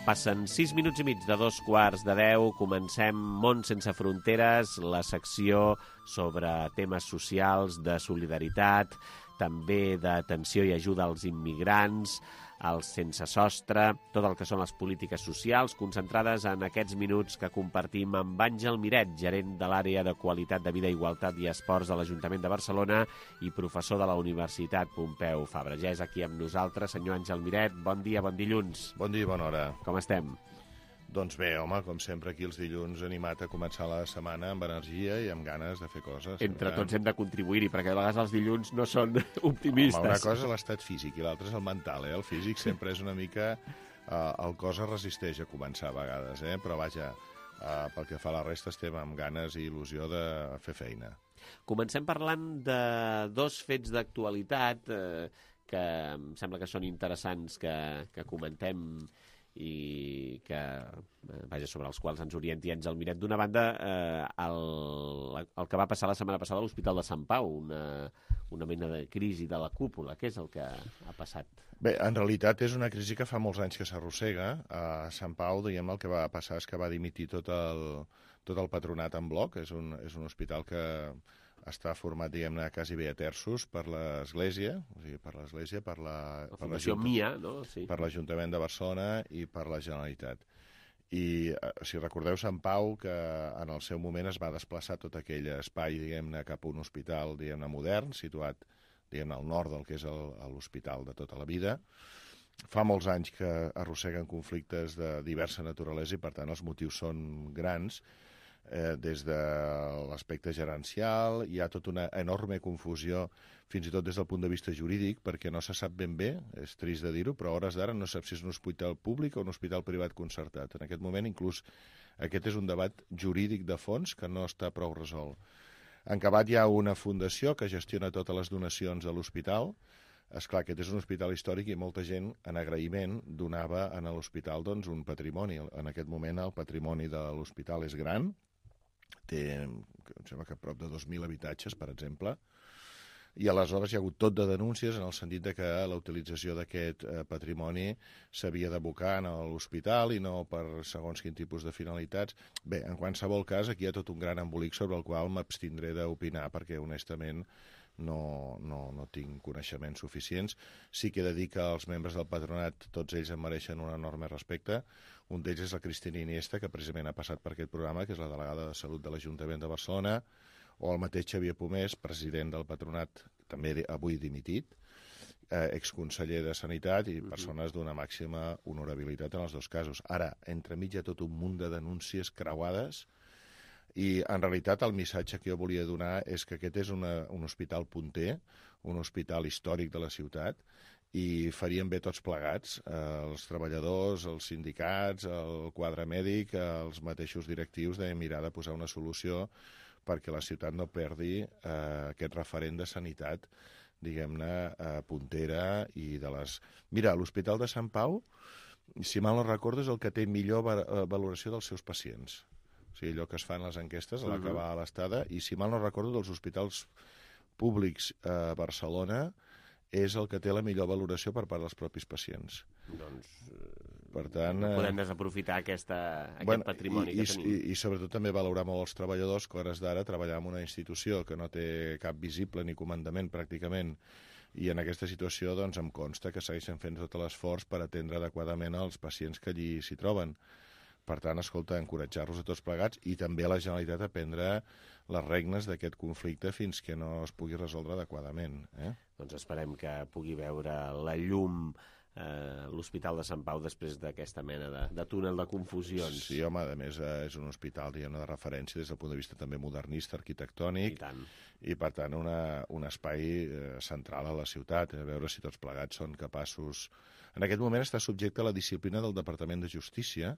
Passen sis minuts i mig de dos quarts de deu. Comencem Món sense fronteres, la secció sobre temes socials, de solidaritat, també d'atenció i ajuda als immigrants, als sense sostre, tot el que són les polítiques socials, concentrades en aquests minuts que compartim amb Àngel Miret, gerent de l'àrea de qualitat de vida, igualtat i esports de l'Ajuntament de Barcelona i professor de la Universitat Pompeu Fabra. Ja és aquí amb nosaltres, senyor Àngel Miret. Bon dia, bon dilluns. Bon dia i bona hora. Com estem? Doncs bé, home, com sempre aquí els dilluns animat a començar la setmana amb energia i amb ganes de fer coses. Entre tots hem de contribuir-hi, perquè a vegades els dilluns no són optimistes. Home, una cosa és l'estat físic i l'altra és el mental, eh? El físic sempre és una mica... Eh, el cos es resisteix a començar a vegades, eh? Però vaja, eh, pel que fa a la resta estem amb ganes i il·lusió de fer feina. Comencem parlant de dos fets d'actualitat eh, que em sembla que són interessants que, que comentem i que, vaja, sobre els quals ens orienti Àngel Miret. D'una banda, eh, el, el que va passar la setmana passada a l'Hospital de Sant Pau, una, una mena de crisi de la cúpula. Què és el que ha passat? Bé, en realitat és una crisi que fa molts anys que s'arrossega. A Sant Pau, diguem, el que va passar és que va dimitir tot el, tot el patronat en bloc. És un, és un hospital que està format, diguem-ne, quasi bé a terços per l'Església, o sigui, per l'Església, per la... La Fundació per Mia, no? Sí. Per l'Ajuntament de Barcelona i per la Generalitat. I, si recordeu, Sant Pau, que en el seu moment es va desplaçar tot aquell espai, diguem-ne, cap a un hospital, diguem-ne, modern, situat, diguem-ne, al nord del que és l'hospital de tota la vida. Fa molts anys que arrosseguen conflictes de diversa naturalesa i, per tant, els motius són grans. Eh, des de l'aspecte gerencial, hi ha tota una enorme confusió, fins i tot des del punt de vista jurídic, perquè no se sap ben bé, és trist de dir-ho, però a hores d'ara no sap si és un hospital públic o un hospital privat concertat. En aquest moment, inclús, aquest és un debat jurídic de fons que no està prou resolt. En acabat hi ha una fundació que gestiona totes les donacions de l'hospital. Esclar, aquest és un hospital històric i molta gent, en agraïment, donava a l'hospital doncs, un patrimoni. En aquest moment el patrimoni de l'hospital és gran, té, em sembla que prop de dos mil habitatges, per exemple, i aleshores hi ha hagut tot de denúncies en el sentit de que la utilització d'aquest eh, patrimoni s'havia d'abocar a l'hospital i no per segons quin tipus de finalitats. Bé, en qualsevol cas, aquí hi ha tot un gran embolic sobre el qual m'abstindré d'opinar perquè, honestament, no, no, no tinc coneixements suficients. Sí que he de dir que els membres del patronat, tots ells em mereixen un enorme respecte. Un d'ells és la Cristina Iniesta, que precisament ha passat per aquest programa, que és la delegada de Salut de l'Ajuntament de Barcelona, o el mateix Xavier Pomés, president del patronat, també avui dimitit, eh, exconseller de Sanitat i persones d'una màxima honorabilitat en els dos casos. Ara, entremig hi ha tot un munt de denúncies creuades i, en realitat, el missatge que jo volia donar és que aquest és una, un hospital punter, un hospital històric de la ciutat, i faríem bé tots plegats, eh, els treballadors, els sindicats, el quadre mèdic, els mateixos directius, de mirar de posar una solució perquè la ciutat no perdi eh, aquest referent de sanitat, diguem-ne, eh, puntera i de les... Mira, l'Hospital de Sant Pau, si mal no recordo, és el que té millor va valoració dels seus pacients. O sigui, allò que es fan les enquestes a l'acabar a l'estada, i si mal no recordo, dels hospitals públics a Barcelona, és el que té la millor valoració per part dels propis pacients. Doncs per tant, no podem desaprofitar aquesta, aquest bueno, patrimoni i, que i, tenim. I, I sobretot també valorar molt els treballadors que a hores d'ara treballar en una institució que no té cap visible ni comandament pràcticament, i en aquesta situació doncs, em consta que segueixen fent tot l'esforç per atendre adequadament els pacients que allí s'hi troben. Per tant, escolta, encoratjar-los a tots plegats i també a la Generalitat a prendre les regnes d'aquest conflicte fins que no es pugui resoldre adequadament. Eh? Doncs esperem que pugui veure la llum eh, l'Hospital de Sant Pau després d'aquesta mena de, de túnel de confusions. Sí, home, a més eh, és un hospital, diguem-ne, de referència des del punt de vista també modernista, arquitectònic, i, i per tant una, un espai eh, central a la ciutat, a veure si tots plegats són capaços... En aquest moment està subjecte a la disciplina del Departament de Justícia,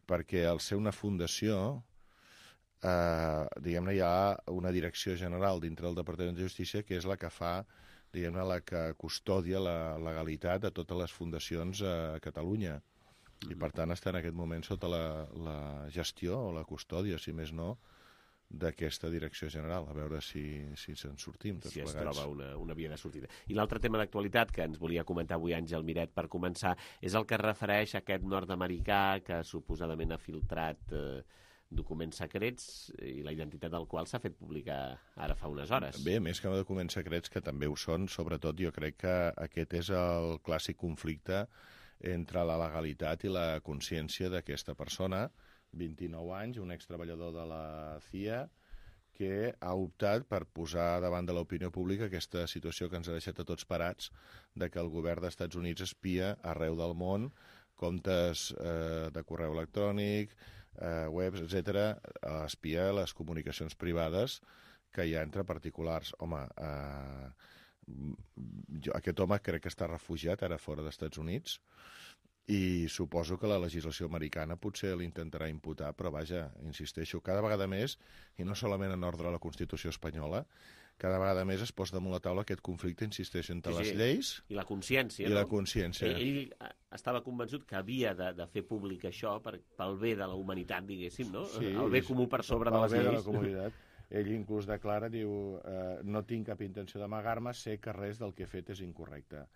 perquè al ser una fundació, eh, diguem-ne, hi ha una direcció general dintre del Departament de Justícia que és la que fa, diguem-ne, la que custodia la legalitat de totes les fundacions a Catalunya. I, per tant, està en aquest moment sota la, la gestió o la custòdia, si més no, d'aquesta direcció general, a veure si, si se'n sortim tots si es plegats. troba una, una via de sortida. I l'altre tema d'actualitat que ens volia comentar avui Àngel Miret per començar és el que es refereix a aquest nord-americà que suposadament ha filtrat eh, documents secrets i la identitat del qual s'ha fet pública ara fa unes hores. Bé, més que no documents secrets, que també ho són, sobretot jo crec que aquest és el clàssic conflicte entre la legalitat i la consciència d'aquesta persona, vint-i-nou anys, un extreballador de la C I A, que ha optat per posar davant de l'opinió pública aquesta situació que ens ha deixat a tots parats de que el govern dels Estats Units espia arreu del món comptes eh, de correu electrònic, eh, webs, etcètera, espia les comunicacions privades que hi ha entre particulars. Home, eh, jo, aquest home crec que està refugiat ara fora dels Estats Units i suposo que la legislació americana potser l'intentarà imputar, però vaja, insisteixo, cada vegada més, i no solament en ordre a la Constitució espanyola, cada vegada més es posa damunt la taula aquest conflicte, insisteixo, entre sí, sí. les lleis i la consciència. I no? la consciència. Ell, ell estava convençut que havia de, de fer públic això per, pel bé de la humanitat, diguéssim, no? Sí, el bé comú per sobre de les lleis. Pel bé de la comunitat. Ell inclús declara, diu, eh, no tinc cap intenció d'amagar-me, sé que res del que he fet és incorrecte.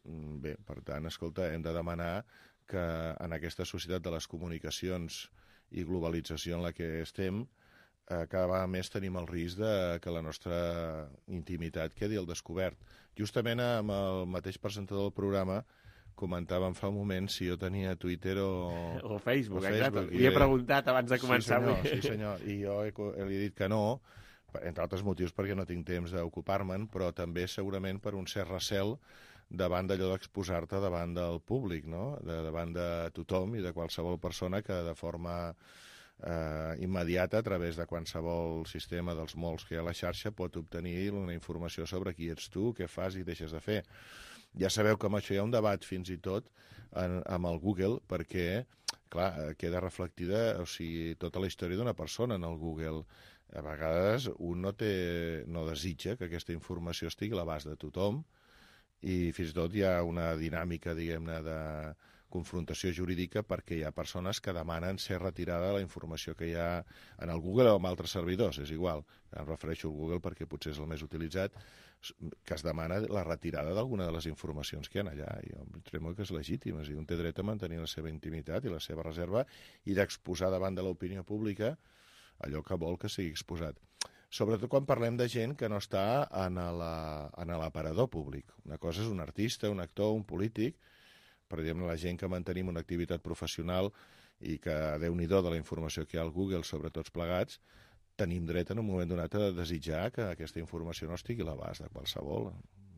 Bé, per tant, escolta, hem de demanar que en aquesta societat de les comunicacions i globalització en la que estem, eh, cada vegada més tenim el risc de que la nostra intimitat quedi al descobert. Justament amb el mateix presentador del programa comentàvem fa un moment si jo tenia Twitter o... O Facebook, o exacte. Facebook. Li he preguntat abans de començar. Sí, senyor, sí, senyor. I jo he, he dit que no, entre altres motius perquè no tinc temps d'ocupar-me'n, però també segurament per un cert recel davant d'allò d'exposar-te davant del públic, no? De, davant de tothom i de qualsevol persona que de forma eh, immediata, a través de qualsevol sistema dels molts que hi ha a la xarxa, pot obtenir una informació sobre qui ets tu, què fas i deixes de fer. Ja sabeu que amb això hi ha un debat fins i tot en, amb el Google, perquè, clar, queda reflectida, o sigui, tota la història d'una persona en el Google. A vegades un no, té, no desitja que aquesta informació estigui a l'abast de tothom, i fins i tot hi ha una dinàmica, diguem-ne, de confrontació jurídica perquè hi ha persones que demanen ser retirada de la informació que hi ha en el Google o en altres servidors, és igual. Em refereixo al Google perquè potser és el més utilitzat, que es demana la retirada d'alguna de les informacions que hi ha allà. Jo em tremo que és legítim, és a dir, un té dret a mantenir la seva intimitat i la seva reserva i d'exposar davant de l'opinió pública allò que vol que sigui exposat. Sobretot quan parlem de gent que no està en l'aparador públic. Una cosa és un artista, un actor, un polític, per exemple, la gent que mantenim una activitat professional i que, déu-n'hi-do de la informació que hi ha al Google sobre tots plegats, tenim dret en un moment donat a desitjar que aquesta informació no estigui a l'abast de qualsevol.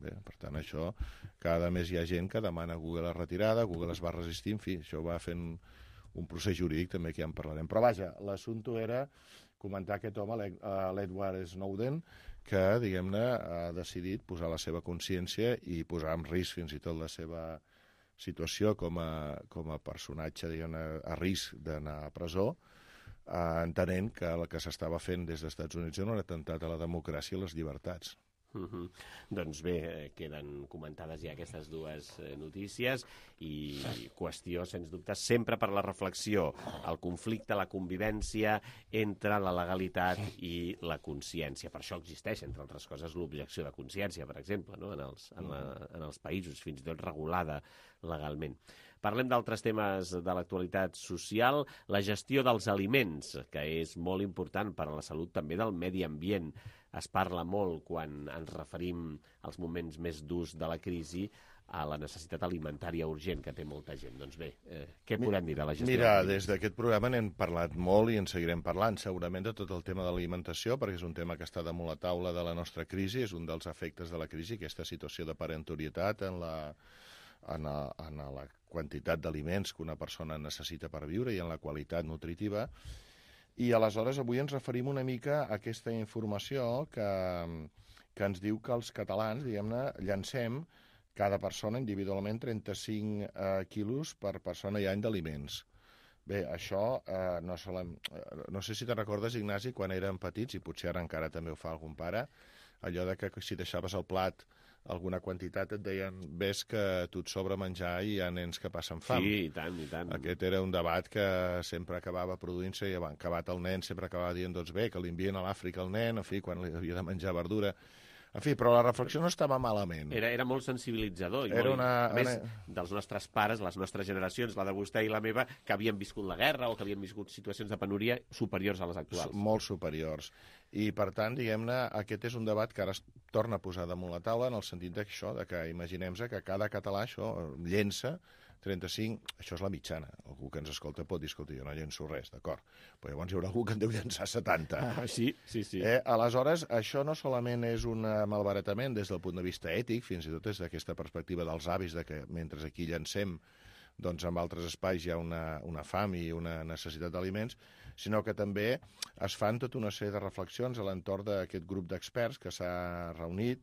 Bé, per tant, això, cada mes hi ha gent que demana a Google la retirada, Google es va resistir, en fi, això va fent un procés jurídic també que ja en parlarem. Però vaja, l'assumpte era comentar aquest home, l'Edward Snowden, que, diguem-ne, ha decidit posar la seva consciència i posar en risc fins i tot la seva situació com a, com a personatge, diguem-ne, a risc d'anar a presó, eh, entenent que el que s'estava fent des dels Estats Units era un atemptat a la democràcia i les llibertats. Uh-huh. Doncs bé, queden comentades ja aquestes dues notícies i qüestió, sens dubte, sempre per la reflexió, el conflicte, la convivència entre la legalitat i la consciència. Per això existeix, entre altres coses, l'objecció de consciència, per exemple, no? en, els, en, la, en els països, fins i tot regulada legalment. Parlem d'altres temes de l'actualitat social, la gestió dels aliments, que és molt important per a la salut també del medi ambient. Es parla molt, quan ens referim als moments més durs de la crisi, a la necessitat alimentària urgent que té molta gent. Doncs bé, eh, què podem dir de la gestió? Mira, des d'aquest programa n'hem parlat molt i en seguirem parlant, segurament, de tot el tema de l'alimentació, perquè és un tema que està damunt la taula de la nostra crisi, és un dels efectes de la crisi, aquesta situació de parentorietat en la, en la, en la quantitat d'aliments que una persona necessita per viure i en la qualitat nutritiva. I aleshores avui ens referim una mica a aquesta informació que, que ens diu que els catalans, diguem-ne, llancem cada persona individualment trenta-cinc eh, quilos per persona i any d'aliments. Bé, això eh, no, solem, eh, no sé si te'n recordes, Ignasi, quan érem petits, i potser ara encara també ho fa algun pare, allò de que si deixaves el plat alguna quantitat et deien ves que tu et sobra menjar i hi ha nens que passen fam. Sí, i tant, i tant. Aquest era un debat que sempre acabava produint-se i acabat el nen sempre acabava dient doncs bé, que li envien a l'Àfrica el nen, en fi, quan li havia de menjar verdura. En fi, però la reflexió no estava malament. Era, era molt sensibilitzador. I era molt, una, a més, una... dels nostres pares, les nostres generacions, la de vostè i la meva, que havien viscut la guerra o que havien viscut situacions de penúria superiors a les actuals. Molt superiors. I, per tant, diguem-ne, aquest és un debat que ara es torna a posar damunt la taula en el sentit d'això, de que imaginem-se que cada català això llença trenta-cinc, això és la mitjana. Algú que ens escolta pot dir, escolta, jo no llenço res, d'acord. Però llavors hi haurà algú que en deu llençar setanta. Ah, sí, sí, sí. Eh, aleshores, això no solament és un malbaratament des del punt de vista ètic, fins i tot des d'aquesta perspectiva dels avis, de que mentre aquí llancem doncs en altres espais hi ha una, una fam i una necessitat d'aliments, sinó que també es fan tota una sèrie de reflexions a l'entorn d'aquest grup d'experts que s'ha reunit,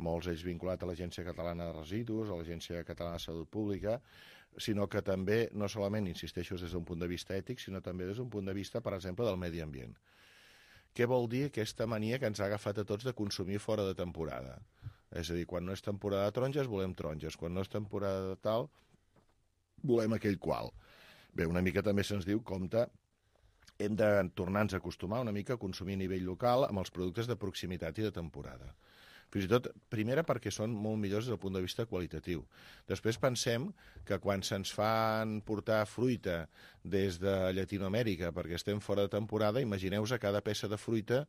molts ells vinculats a l'Agència Catalana de Residus, a l'Agència Catalana de Salut Pública, sinó que també, no solament, insisteixo, des d'un punt de vista ètic, sinó també des d'un punt de vista, per exemple, del medi ambient. Què vol dir aquesta mania que ens ha agafat a tots de consumir fora de temporada? És a dir, quan no és temporada de taronges, volem taronges. Quan no és temporada de tal, volem aquell qual. Bé, una mica també se'ns diu, compte, hem de tornar-nos a acostumar una mica a consumir a nivell local amb els productes de proximitat i de temporada. Fins i tot, primera, perquè són molt millors des del punt de vista qualitatiu. Després pensem que quan se'ns fan portar fruita des de Llatinoamèrica perquè estem fora de temporada, imagineu-vos a cada peça de fruita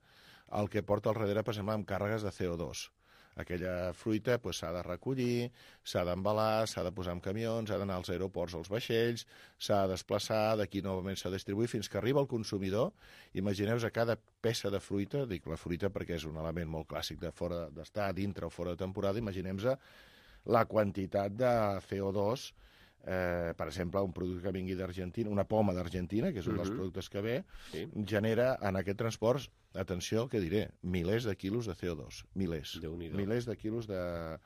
el que porta al darrere, per exemple, amb càrregues de C O dos. Aquella fruita pues, s'ha de recollir, s'ha d'embalar, s'ha de posar en camions, s'ha d'anar als aeroports, als vaixells, s'ha de desplaçar, d'aquí novament s'ha de distribuir, fins que arriba al consumidor. Imagineu-vos a cada peça de fruita, dic la fruita perquè és un element molt clàssic de fora d'estar dintre o fora de temporada, imaginem-vos la quantitat de C O dos, eh, per exemple, un producte que vingui d'Argentina, una poma d'Argentina, que és un uh-huh. dels productes que ve, sí. genera en aquest transport, atenció, què diré, milers de quilos de C O dos. Milers. Milers de quilos de,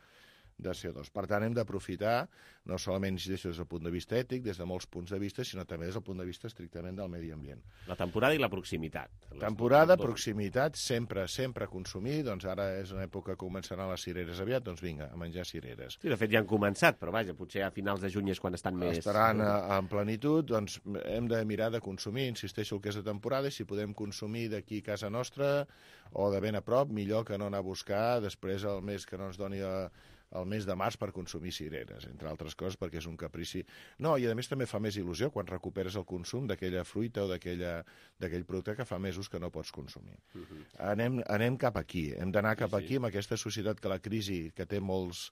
de C O dos. Per tant, hem d'aprofitar, no solament des del punt de vista ètic, des de molts punts de vista, sinó també des del punt de vista estrictament del medi ambient. La temporada i la proximitat. Temporada, proximitat, sempre, sempre consumir. Doncs ara és una època que començaran les cireres aviat, doncs vinga, a menjar cireres. Sí, de fet ja han començat, però vaja, potser a finals de juny és quan estan més... Estaran a, en plenitud, doncs hem de mirar de consumir, insisteixo el que és de temporada, i si podem consumir d'aquí a casa nostra o de ben a prop, millor que no anar a buscar després el mes que no ens doni a, el mes de març per consumir cireres, entre altres coses perquè és un caprici. No, i a més també fa més il·lusió quan recuperes el consum d'aquella fruita o d'aquell producte que fa mesos que no pots consumir. Uh-huh. anem, anem cap aquí, hem d'anar cap sí, aquí sí. amb aquesta societat que la crisi, que té molts,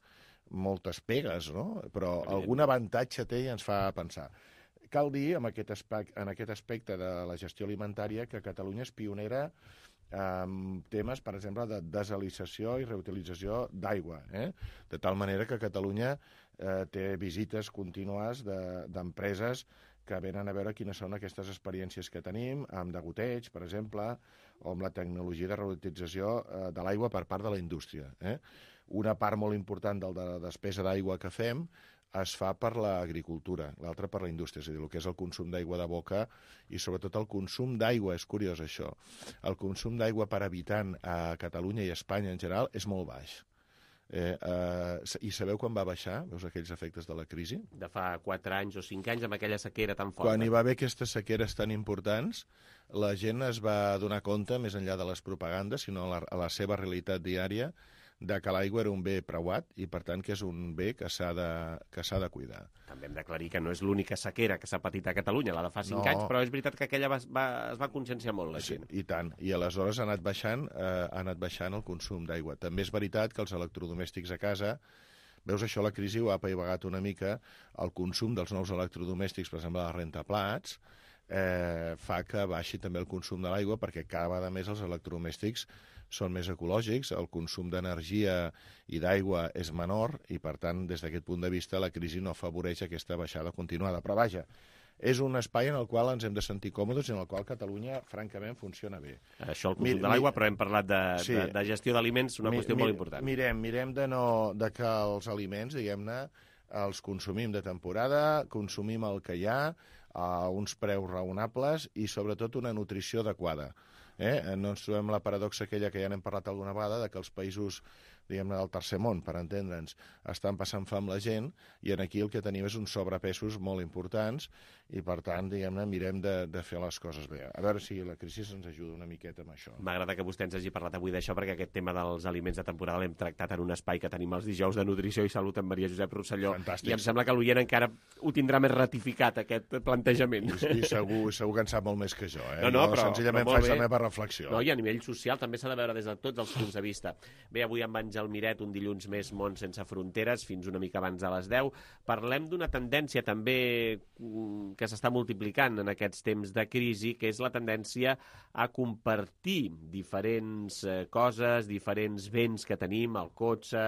moltes pegues, no? Però algun avantatge té i ens fa pensar. Cal dir, en aquest, aspecte, en aquest aspecte de la gestió alimentària, que Catalunya és pionera amb temes, per exemple, de desalinització i reutilització d'aigua, eh? De tal manera que Catalunya eh, té visites contínues d'empreses de, que venen a veure quines són aquestes experiències que tenim, amb degoteig, per exemple, o amb la tecnologia de reutilització eh, de l'aigua per part de la indústria. Eh? Una part molt important de la despesa d'aigua que fem es fa per l'agricultura, l'altra per la indústria, és a dir, el que és el consum d'aigua de boca i sobretot el consum d'aigua, és curiós això, el consum d'aigua per habitant a Catalunya i a Espanya en general és molt baix. Eh, eh, I sabeu quan va baixar? Veus aquells efectes de la crisi? De fa quatre anys o cinc anys amb aquella sequera tan forta. Quan hi va haver aquestes sequeres tan importants, la gent es va donar compte, més enllà de les propagandes, sinó a la, a la seva realitat diària, de que l'aigua era un bé preuat i, per tant, que és un bé que s'ha de, que s'ha de cuidar. També hem d'aclarir que no és l'única sequera que s'ha patit a Catalunya, la de fa cinc no. anys, però és veritat que aquella va, va, es va conscienciar molt la gent. Sí, i tant. I aleshores ha anat baixant, eh, ha anat baixant el consum d'aigua. També és veritat que els electrodomèstics a casa, veus, això la crisi ho ha apaivagat una mica, el consum dels nous electrodomèstics, per exemple, la rentaplats, eh, fa que baixi també el consum de l'aigua perquè cada vegada més els electrodomèstics són més ecològics, el consum d'energia i d'aigua és menor i, per tant, des d'aquest punt de vista, la crisi no afavoreix aquesta baixada continuada. Però, vaja, és un espai en el qual ens hem de sentir còmodes i en el qual Catalunya, francament, funciona bé. Això, el consum mi, de l'aigua, però hem parlat de, sí, de, de gestió d'aliments, una mi, qüestió mi, molt important. Mirem, mirem de, no, de que els aliments, diguem-ne, els consumim de temporada, consumim el que hi ha, a uns preus raonables i, sobretot, una nutrició adequada. Eh? No ens trobem la paradoxa aquella que ja n'hem parlat alguna vegada, de que els països, diguem-ne, del tercer món, per entendre'ns, estan passant fam la gent, i en aquí el que tenim és uns sobrepesos molt importants, i per tant, diguem-ne, mirem de, de fer les coses bé. A veure si la crisi ens ajuda una miqueta amb això. M'agrada que vostè ens hagi parlat avui d'això, perquè aquest tema dels aliments de temporada l'hem tractat en un espai que tenim els dijous de Nutrició i Salut amb Maria Josep Rosselló. Fantàstic. I em sembla que l'oient encara ho tindrà més ratificat, aquest plantejament. I, i segur, segur que en sap molt més que jo, eh? No, no, però, senzillament però faig la meva reflexió. No, i a nivell social també s'ha de veure des de tots els punts de vista. Bé, avui amb Àngel Miret, un dilluns més Món sense fronteres, fins una mica abans de les deu. Parlem d'una tendència també que s'està multiplicant en aquests temps de crisi, que és la tendència a compartir diferents coses, diferents béns que tenim, el cotxe,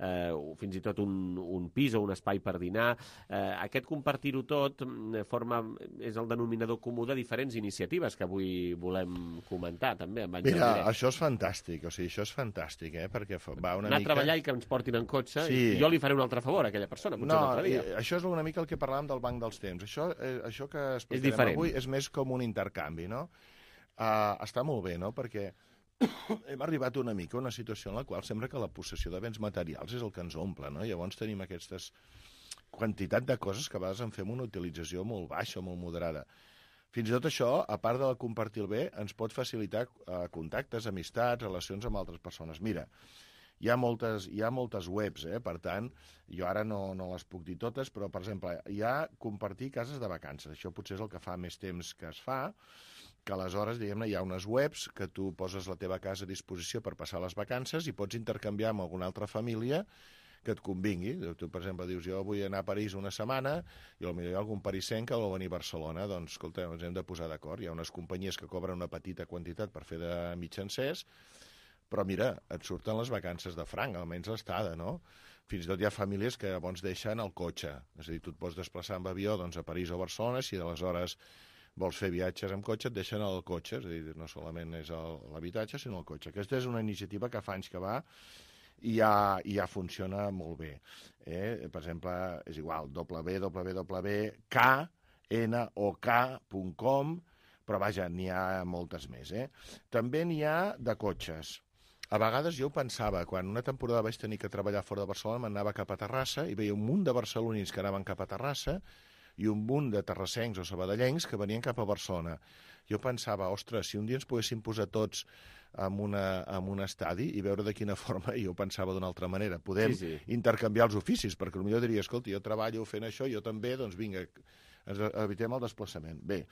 eh, fins i tot un, un pis o un espai per dinar. Eh, aquest compartir-ho tot forma, és el denominador comú de diferents iniciatives que avui volem comentar, també. Amb Mira, això és fantàstic, o sigui, això és fantàstic, eh? Perquè va una anar mica... a treballar i que ens portin en cotxe, sí. i jo li faré un altre favor a aquella persona, potser no, un altre dia. Això és una mica el que parlàvem del banc dels temps. Això, eh, això que explicarem és diferent. Avui és més com un intercanvi, no? Uh, està molt bé, no? Perquè hem arribat una mica a una situació en la qual sembla que la possessió de béns materials és el que ens omple, no? Llavors tenim aquestes quantitat de coses que a vegades en fem una utilització molt baixa, molt moderada. Fins i tot això, a part de compartir el bé, ens pot facilitar uh, contactes, amistats, relacions amb altres persones. Mira, hi ha moltes, hi ha moltes webs, eh? Per tant, jo ara no, no les puc dir totes, però, per exemple, hi ha compartir cases de vacances. Això potser és el que fa més temps que es fa, que aleshores, diguem-ne, hi ha unes webs que tu poses la teva casa a disposició per passar les vacances i pots intercanviar amb alguna altra família que et convingui. Tu, per exemple, dius, jo vull anar a París una setmana i potser hi ha algun parisenc que vol venir a Barcelona. Doncs, escolta, ens hem de posar d'acord. Hi ha unes companyies que cobren una petita quantitat per fer de mitjancers, però mira, et surten les vacances de franc, almenys l'estada, no? Fins i tot hi ha famílies que llavors deixen el cotxe. És a dir, tu et pots desplaçar amb avió doncs, a París o a Barcelona, si aleshores vols fer viatges amb cotxe, et deixen el cotxe, és a dir, no solament és l'habitatge, sinó el cotxe. Aquesta és una iniciativa que fa anys que va i ja, i ja funciona molt bé. Eh? Per exemple, és igual, w w w punt k n o k punt com, però vaja, n'hi ha moltes més. Eh? També n'hi ha de cotxes. A vegades jo ho pensava, quan una temporada vaig tenir que treballar fora de Barcelona, m'anava cap a Terrassa i veia un munt de barcelonins que anaven cap a Terrassa i un munt de terrassencs o sabadellencs que venien cap a Barcelona. Jo pensava, ostres, si un dia ens poguéssim posar tots en, una, en un estadi i veure de quina forma, i jo pensava d'una altra manera, podem sí, sí. intercanviar els oficis, perquè potser diria, escolta, jo treballo fent això, jo també, doncs vinga, ens evitem el desplaçament. Bé,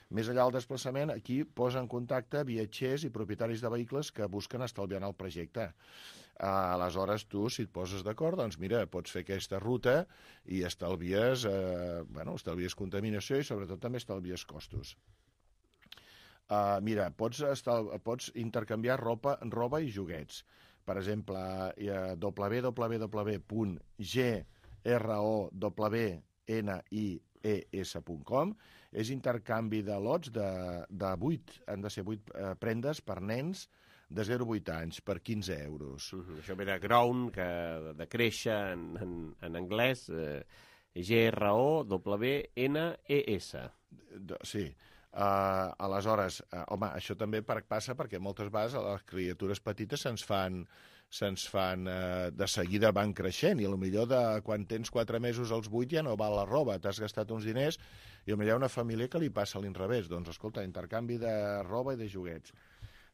més enllà del desplaçament, aquí posa en contacte viatgers i propietaris de vehicles que busquen estalviar el projecte. Aleshores, tu, si et poses d'acord, doncs mira, pots fer aquesta ruta i estalvies, eh, bueno, estalvies contaminació i sobretot també estalvies costos. Uh, mira, pots, estal... pots intercanviar roba, roba i joguets. Per exemple, uh, w w w punt g r o w n i e s punt com és intercanvi de lots de, de vuit, han de ser vuit uh, prendes per nens de zero a vuit anys per quinze euros. Uh -huh. Això ve de grown, que de créixer en, en, en anglès, eh, G R O W N E S. Sí. Uh, aleshores, uh, home, això també per, passa perquè moltes vegades a les criatures petites se'ns fan, se'ns fan uh, de seguida van creixent i potser de quan tens quatre mesos als vuit ja no val la roba, t'has gastat uns diners i potser hi ha una família que li passa a l'inrevés. Doncs, escolta, intercanvi de roba i de joguets.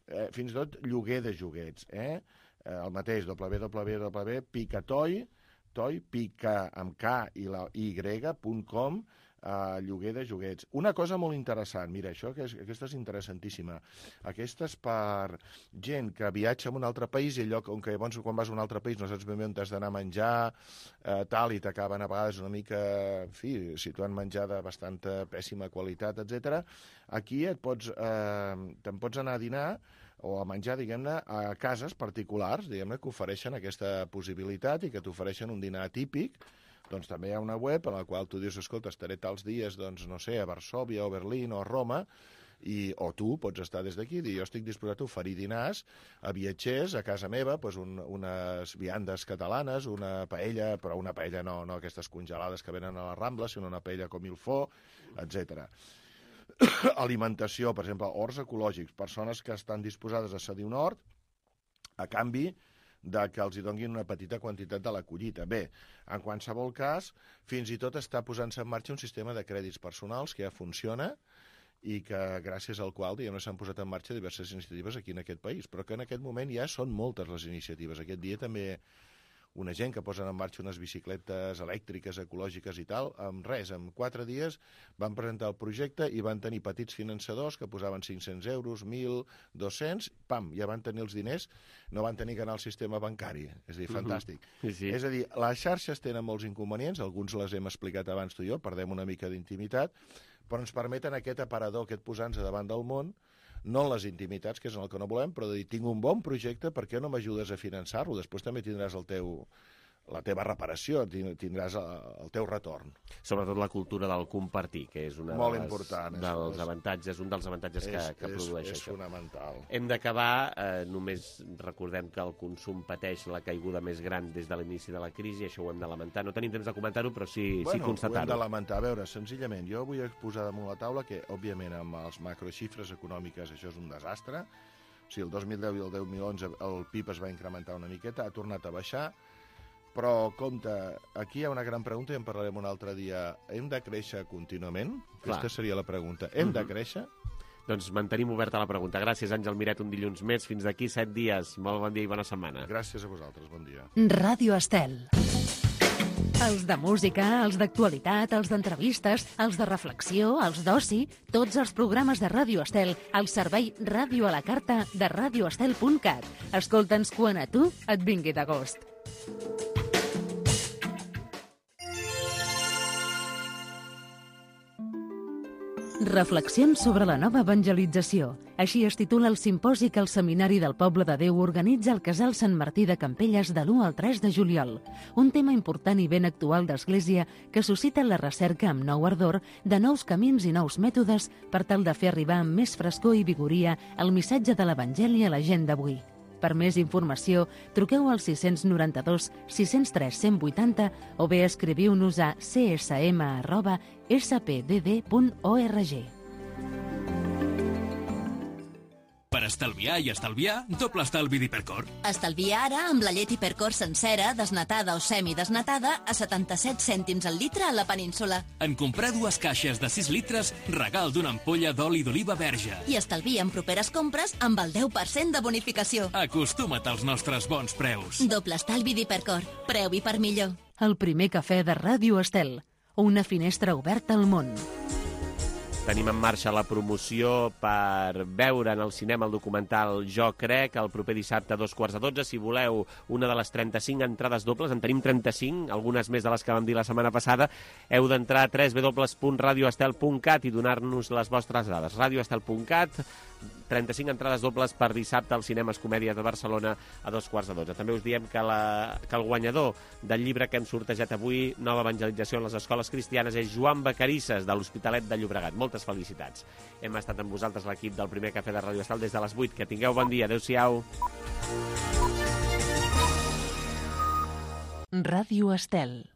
Eh, fins i tot lloguer de joguets, eh? eh el mateix, w w w punt picatoy, toy, pica amb K i la Y, punt com, eh, lloguer de joguets. Una cosa molt interessant, mira, això que és, aquesta és interessantíssima. Aquesta és per gent que viatja a un altre país i allò on que llavors quan vas a un altre país no saps ben bé on t'has d'anar a menjar, eh, tal, i t'acaben a vegades una mica, en fi, situant menjar de bastanta pèssima qualitat, etcètera. Aquí et pots, eh, te'n pots anar a dinar o a menjar, diguem-ne, a cases particulars, diguem-ne, que ofereixen aquesta possibilitat i que t'ofereixen un dinar típic. Doncs també hi ha una web en la qual tu dius, escolta, estaré tals dies, doncs, no sé, a Varsòvia o Berlín o a Roma, i, o tu pots estar des d'aquí i dir, jo estic disposat a oferir dinars a viatgers a casa meva, doncs un, unes viandes catalanes, una paella, però una paella no, no aquestes congelades que venen a la Rambla, sinó una paella com il faut, etcètera. Alimentació, per exemple, horts ecològics, persones que estan disposades a cedir un hort a canvi de que els hi donguin una petita quantitat de la collita. Bé, en qualsevol cas, fins i tot està posant-se en marxa un sistema de crèdits personals que ja funciona i que gràcies al qual diguem, s'han posat en marxa diverses iniciatives aquí en aquest país, però que en aquest moment ja són moltes les iniciatives. Aquest dia també una gent que posen en marxa unes bicicletes elèctriques, ecològiques i tal, amb res, en quatre dies van presentar el projecte i van tenir petits finançadors que posaven cinc-cents euros, mil, dos-cents, pam, ja van tenir els diners, no van tenir que anar al sistema bancari. És a dir, fantàstic. Uh-huh. Sí, sí. És a dir, les xarxes tenen molts inconvenients, alguns les hem explicat abans tu i jo, perdem una mica d'intimitat, però ens permeten aquest aparador, aquest posar-nos davant del món, no en les intimitats, que és el que no volem, però de dir, tinc un bon projecte, per què no m'ajudes a finançar-lo? Després també tindràs el teu, la teva reparació, tindràs el teu retorn. Sobretot la cultura del compartir, que és una Molt de les, important, dels és, avantatges, un dels avantatges que, és, que produeix és, això. És fonamental. Hem d'acabar, eh, només recordem que el consum pateix la caiguda més gran des de l'inici de la crisi, això ho hem de lamentar. No tenim temps de comentar-ho, però sí, bueno, sí constatar-ho. Ho hem de lamentar. A veure, senzillament, jo vull posar damunt la taula que, òbviament, amb els macroxifres econòmiques això és un desastre. O sigui, el dos mil deu i el dos mil onze el P I B es va incrementar una miqueta, ha tornat a baixar, però, compte, aquí hi ha una gran pregunta i en parlarem un altre dia. Hem de créixer contínuament? Clar. Aquesta seria la pregunta. Hem mm-hmm. de créixer? Doncs mantenim oberta la pregunta. Gràcies, Àngel Miret, un dilluns més. Fins d'aquí set dies. Molt bon dia i bona setmana. Gràcies a vosaltres, bon dia. Ràdio Estel. Els de música, els d'actualitat, els d'entrevistes, els de reflexió, els d'oci, tots els programes de Ràdio Estel al servei Ràdio a la Carta de radio estel punt cat. Escolta'ns quan a tu et vingui de gust. Reflexions sobre la nova evangelització. Així es titula el simposi que el Seminari del Poble de Déu organitza al Casal Sant Martí de Campelles de l'u al tres de juliol. Un tema important i ben actual d'Església que suscita la recerca amb nou ardor de nous camins i nous mètodes per tal de fer arribar amb més frescor i vigoria el missatge de l'Evangeli a la gent d'avui. Per més informació, truqueu al sis nou dos, sis zero tres, cent vuitanta o bé escriviu-nos a c s m arroba s p d d punt org. Per estalviar i estalviar, doble estalvi d'Hipercor. Estalvia ara amb la llet Hipercor sencera, desnatada o semidesnatada, a setanta-set cèntims al litre a la península. En comprar dues caixes de sis litres, regal d'una ampolla d'oli d'oliva verge. I estalvia en properes compres amb el deu per cent de bonificació. Acostuma't als nostres bons preus. Doble estalvi d'Hipercor. Preu i per millor. El primer cafè de Ràdio Estel. Una finestra oberta al món. Tenim en marxa la promoció per veure en el cinema el documental Jo crec, el proper dissabte a dos quarts de dotze. Si voleu una de les trenta-cinc entrades dobles, en tenim trenta-cinc, algunes més de les que vam dir la setmana passada, heu d'entrar a w w w punt radio estel punt cat i donar-nos les vostres dades. radio estel punt cat, trenta-cinc entrades dobles per dissabte als Cinemes Comèdia de Barcelona a dos quarts de dotze. També us diem que, la, que el guanyador del llibre que hem sortejat avui, Nova evangelització en les escoles cristianes, és Joan Vacarisses, de l'Hospitalet de Llobregat. Moltes felicitats. Hem estat amb vosaltres, l'equip del primer cafè de Ràdio Estel, des de les vuit. Que tingueu bon dia. Adéu-siau. Ràdio Estel.